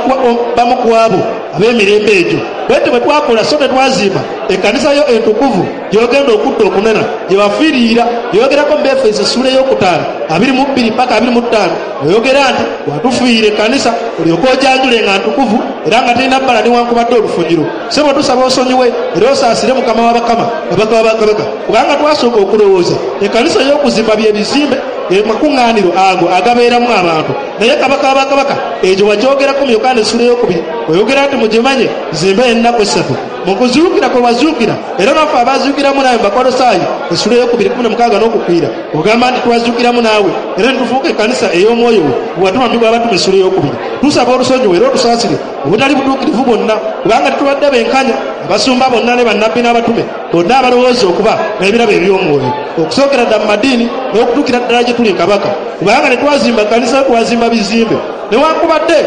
bamu ku abo ab'emirembe egyo. Bwetyo bwe twakola, so tetwazimba ekkanisa yo entukuvu gy'ogenda okudda okunena, gye wafiirira, gyogerako mu Befeso essula ey'okutaano abiri mu bbiri paka abiri mu ttaano, oyogera nti watufiirira ekkanisa olyoke ojanjule nga ntukuvu era nga terina bbala newankubadde olufunyiro. Ssebo tusaba osonyiwe era osaasire Mukama w'abakama, Kabaka w'abakabaka, kubanga twasooka okulowooza ekkanisa ey'okuzimba by'ebizimbe makuŋŋaaniro ago agabeeramu abantu. Naye Kabaka w'abakabaka, ekyo wakyogerako mu Yokaana essula ey'okubiri, oyogera nti mugimanye zimbe ennaku essatu mu kuzuukira kwe wazuukira, era naffe abazuukiramu naawe mu Bakolosaayi essula ey'okubiri kumi na mukaaga n'okukwira, ogamba nti twazuukiramu naawe era ne tufuuka ekkanisa ey'omwoyo we bwe watuma mu Abatume essula ey'okubiri. Tusaba olusonyiwe era otusaasire obutali butuukirivu bwonna, kubanga tetubadde benkanya, abasumba bonna ne bannabbi n'abatume bonna abalowooza okuba n'ebirabo eby'omwoyo, okusookera ddala mu madiini n'okutuukira ddala gye tuli Kabaka, kubanga ne twazimba kkanisa twazimba bizimbe, newankubadde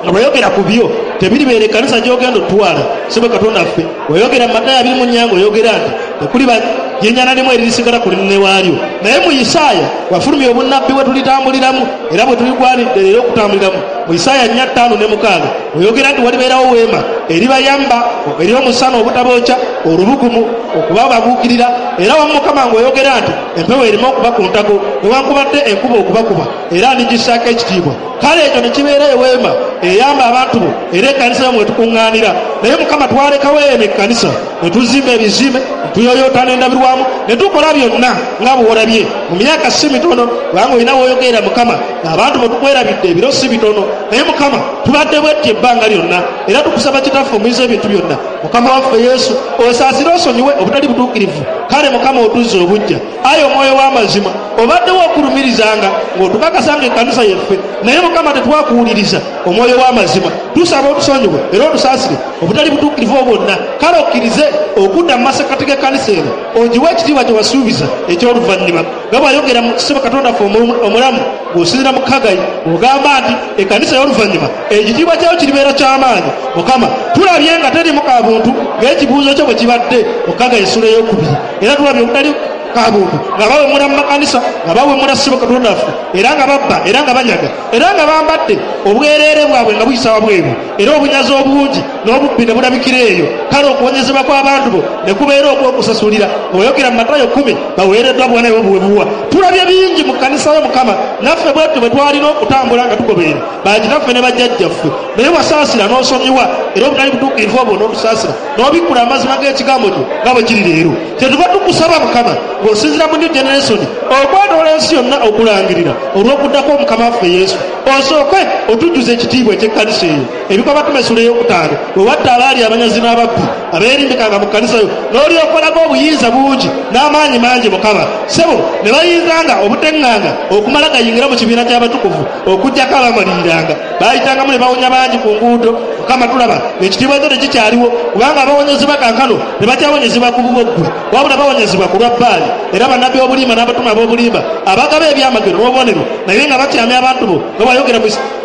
nga bweyogera ku byo tebiribeera ekkanisa gy'ogenda otutwala. Ssebo Katonda ffe, oyogera mu Matayo abiri mu nnya ng'oyogera nti tekuliba jjinja na limu eririsigala ku linne waalyo, naye mu Isaaya wafulumya obunnabbi bwe tulitambuliramu era bwe tuligwanidde leero okutambuliramu. Mu Isaaya nnya ttaano ne mukaaga oyogera nti walibeerawo weema eribayamba eri omusana obutabookya, olubugumu okubababuukirira, era wamu Mukama ng'oyogera nti empewo erimu okuba ku ntako newankubadde enkuba okubakuba, era ndigissaako ekitiibwa. Kale ekyo ne kibeera eweema eyamba abantu bo era ekkanisa yo mwe tukuŋŋaanira. Naye Mukama, twalekawo eno ekkanisa ne tuzimba ebizimbe, ne tuyoyoota n'endabirwamu, ne tukola byonna nga bw'olabye mu myaka si mitono, kubanga olina w'oyogerera Mukama ng'abantu bwe tukwerabidde ebiro si bitono. Naye Mukama, tubadde bwetti ebbanga lyonna, era tukusaba Kitaffe omuyinza ebintu byonna, Mukama waffe Yesu, osaasire osonyiwe obutali butuukirivu. Kale Mukama otuzze obuggya, ayi omwoyo w'amazima, obaddewo okulumirizanga ng'otukakasa nga ekkanisa yeffe, naye Mukama tetwakuwuliriza. Omwoyo w'amazima, tusaba otusonyiwe era otusaasire obutali butuukirivu bwonna. Kale okkirize okudda mu masekkati g'ekkanisa eno, ogiwe ekitiibwa kye wasuubiza eky'oluvannyuma, nga bw'ayogera mu Ssebo Katonda ffe omulamu ng'osinziira mu Kagayi, ogamba nti ekkanisa ey'oluvannyuma ekitiibwa kyayo kiribeera ky'amaanyi. Mukama, tulabye nga terimu kabuntu ng'ekibuuzo kyo bwe kibadde mu Kagayi essula ey'okubiri, era tulabye obutali kabuntu nga bawemula mu makanisa, nga bawemula Ssebo Katonda ffe, era nga babba, era nga banyaga, era nga bambadde obwereere bwabwe nga buyisa wabweru, era obunyazi obungi n'obubbi ne bulabikira eyo. Kale okuwonyezebwa kw'abantu bo ne kubeera okw'okusasulira, ng'oyogera mu Matayo kkumi baweereddwa bwana bwe buwebuwa. Tulabye bingi mu kkanisa yo Mukama, naffe bwetyo bwe twalina okutambula nga tugoberera bakitaffe ne bajjajjaffe, naye wasaasira n'osonyiwa era obutali butuukirivu obwo n'otusaasira n'obikkula amazima g'ekigambo kyo nga bwe kiri leero. Kyetuva tukusaba Mukama ng'osinziira mu New Generation okwetoola ensi yonna okulangirira olw'okuddako Mukama waffe Yesu, osooke otujjuze ekitiibwa eky'ekkanisa eyo. Ebikolwa Abatume essula ey'okutaano bwe watta abaali abanyazi n'ababbi abeerimbikanga mu kkanisa yo, n'olyokolaga obuyinza bungi n'amaanyi mangi Mukama, ssebo ne bayinzanga obuteŋŋanga okumala gayingira mu kibiina ky'abatukuvu okuggyako abamaliriranga, baayitangamu ne bawonya bangi ku nguudo. Mukama tulaba ekitiibwa kyo tekikyaliwo, kubanga abawonyezebwa kaakano tebakyawonyezebwa ku bubwo ggwe, wabula bawonyezebwa ku lwa Bbaali. Era bannabbi b'obulimba n'abatume ab'obulimba abagaba ebyamagero n'obubonero, naye nga bakyamya abantu bo nga bw'ayogera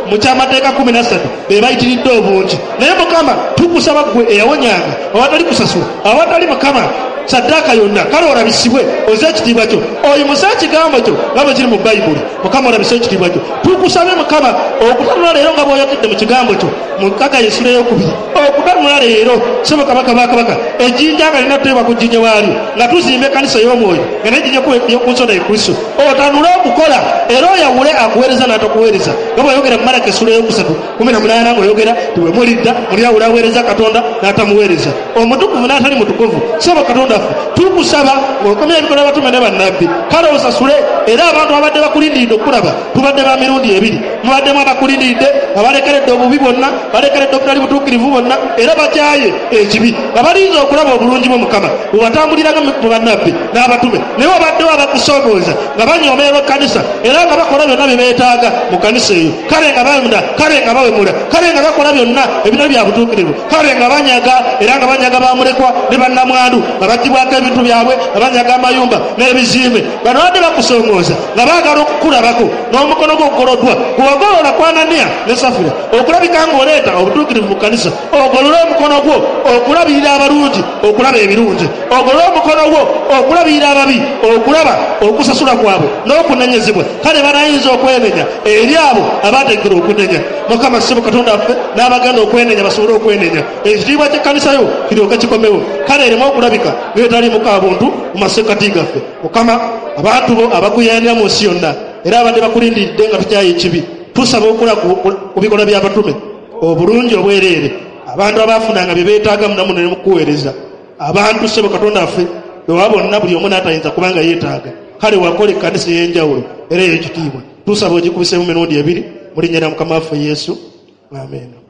mu kyamateeka kkumi na ssatu, be bayitiridde obungi. Naye Mukama tukusaba ggwe eyawonyanga awatali kusasula, awatali Mukama saddaaka yonna, kale olabisibwe oze ekitiibwa kyo, oyimuse ekigambo kyo nga bwe kiri mu Bayibuli. Mukama olabise ekitiibwa kyo. Tukusabe Mukama okutanula leero nga bw'oyogedde mu kigambo kyo mu Kaggayi essula ey'okubiri, okutanula leero ssebo Kabaka ba kabaka, ejjinja nga lirina kuteebwa ku jjinja waalyo, nga tuzimba ekkanisa ey'omwoyo nga n'ejjinja ku nsonda ye Kristo. Otanule okukola era oyawule akuweereza n'atakuweereza, nga bw'oyogera mu Malaki essula ey'okusatu kumi na munaana ng'oyogera nti bwe mulidda mulyawula aweereza Katonda n'atamuweereza, omutukuvu n'atali mutukuvu. Ssebo Katonda tukusaba ng'okomya ebikolwa by'abatume ne bannabbi, kale osasule era abantu abadde bakulindiridde okulaba. Tubadde ba mirundi ebiri, mubaddemu abakulindiridde abalekeredde obubi bwonna, balekeredde obutali butuukirivu bwonna, era bakyaye ekibi, nga balinze okulaba obulungi bwo Mukama bwewatambuliranga mu bannabbi n'abatume. Naye wabaddewo abakusoomooza nga banyoomerwa ekkanisa era nga bakola byonna bye beetaaga mu kkanisa eyo, kale nga bawemula, kale nga bawemula, kale nga bakola byonna ebitali bya butuukirivu, kale nga banyaga era nga banyaga bamulekwa ne bannamwandu, nga baggyibwako ebintu byabwe, nga banyaga amayumba n'ebizimbe. Bano badde bakusomooza nga baagala okukulabako n'omukono gwo ogoloddwa, gw'ogolola ku Ananiya ne Safira, okulabika ng'oleeta obutuukirivu mu kkanisa. Ogolole omukono gwo okulabirira abalungi, okulaba ebirungi. Ogolole omukono gwo okulabirira ababi, okulaba okusasula kwabwe n'okunenyezebwa. Kale banayinza okwenenya eri abo abateekera okunenya. Mukama ssebo Katonda waffe, n'abagenda okwenenya basobole okwenenya, ekitiibwa ky'ekkanisa yo kiryoke kikomewo, kale ereme okulabika ng'etaliimu kabuntu mu masekkati gaffe. Mukama, abantu bo abakuyaanira mu nsi yonna era abadde bakulindiridde nga tukyaye ekibi, tusaba okola ku bikolwa by'abatume obulungi obwereere, abantu abaafunanga bye beetaaga munamu ne mukuweereza. Abantu ssebo Katonda waffe bewa bonna, buli omu n'atayinza kubanga yeetaaga. Kale wakola ekkanisa ey'enjawulo era ey'ekitiibwa, tusaba ogikubiseemu mirundi ebiri mu linnya lya Mukama waffe Yesu, amiina.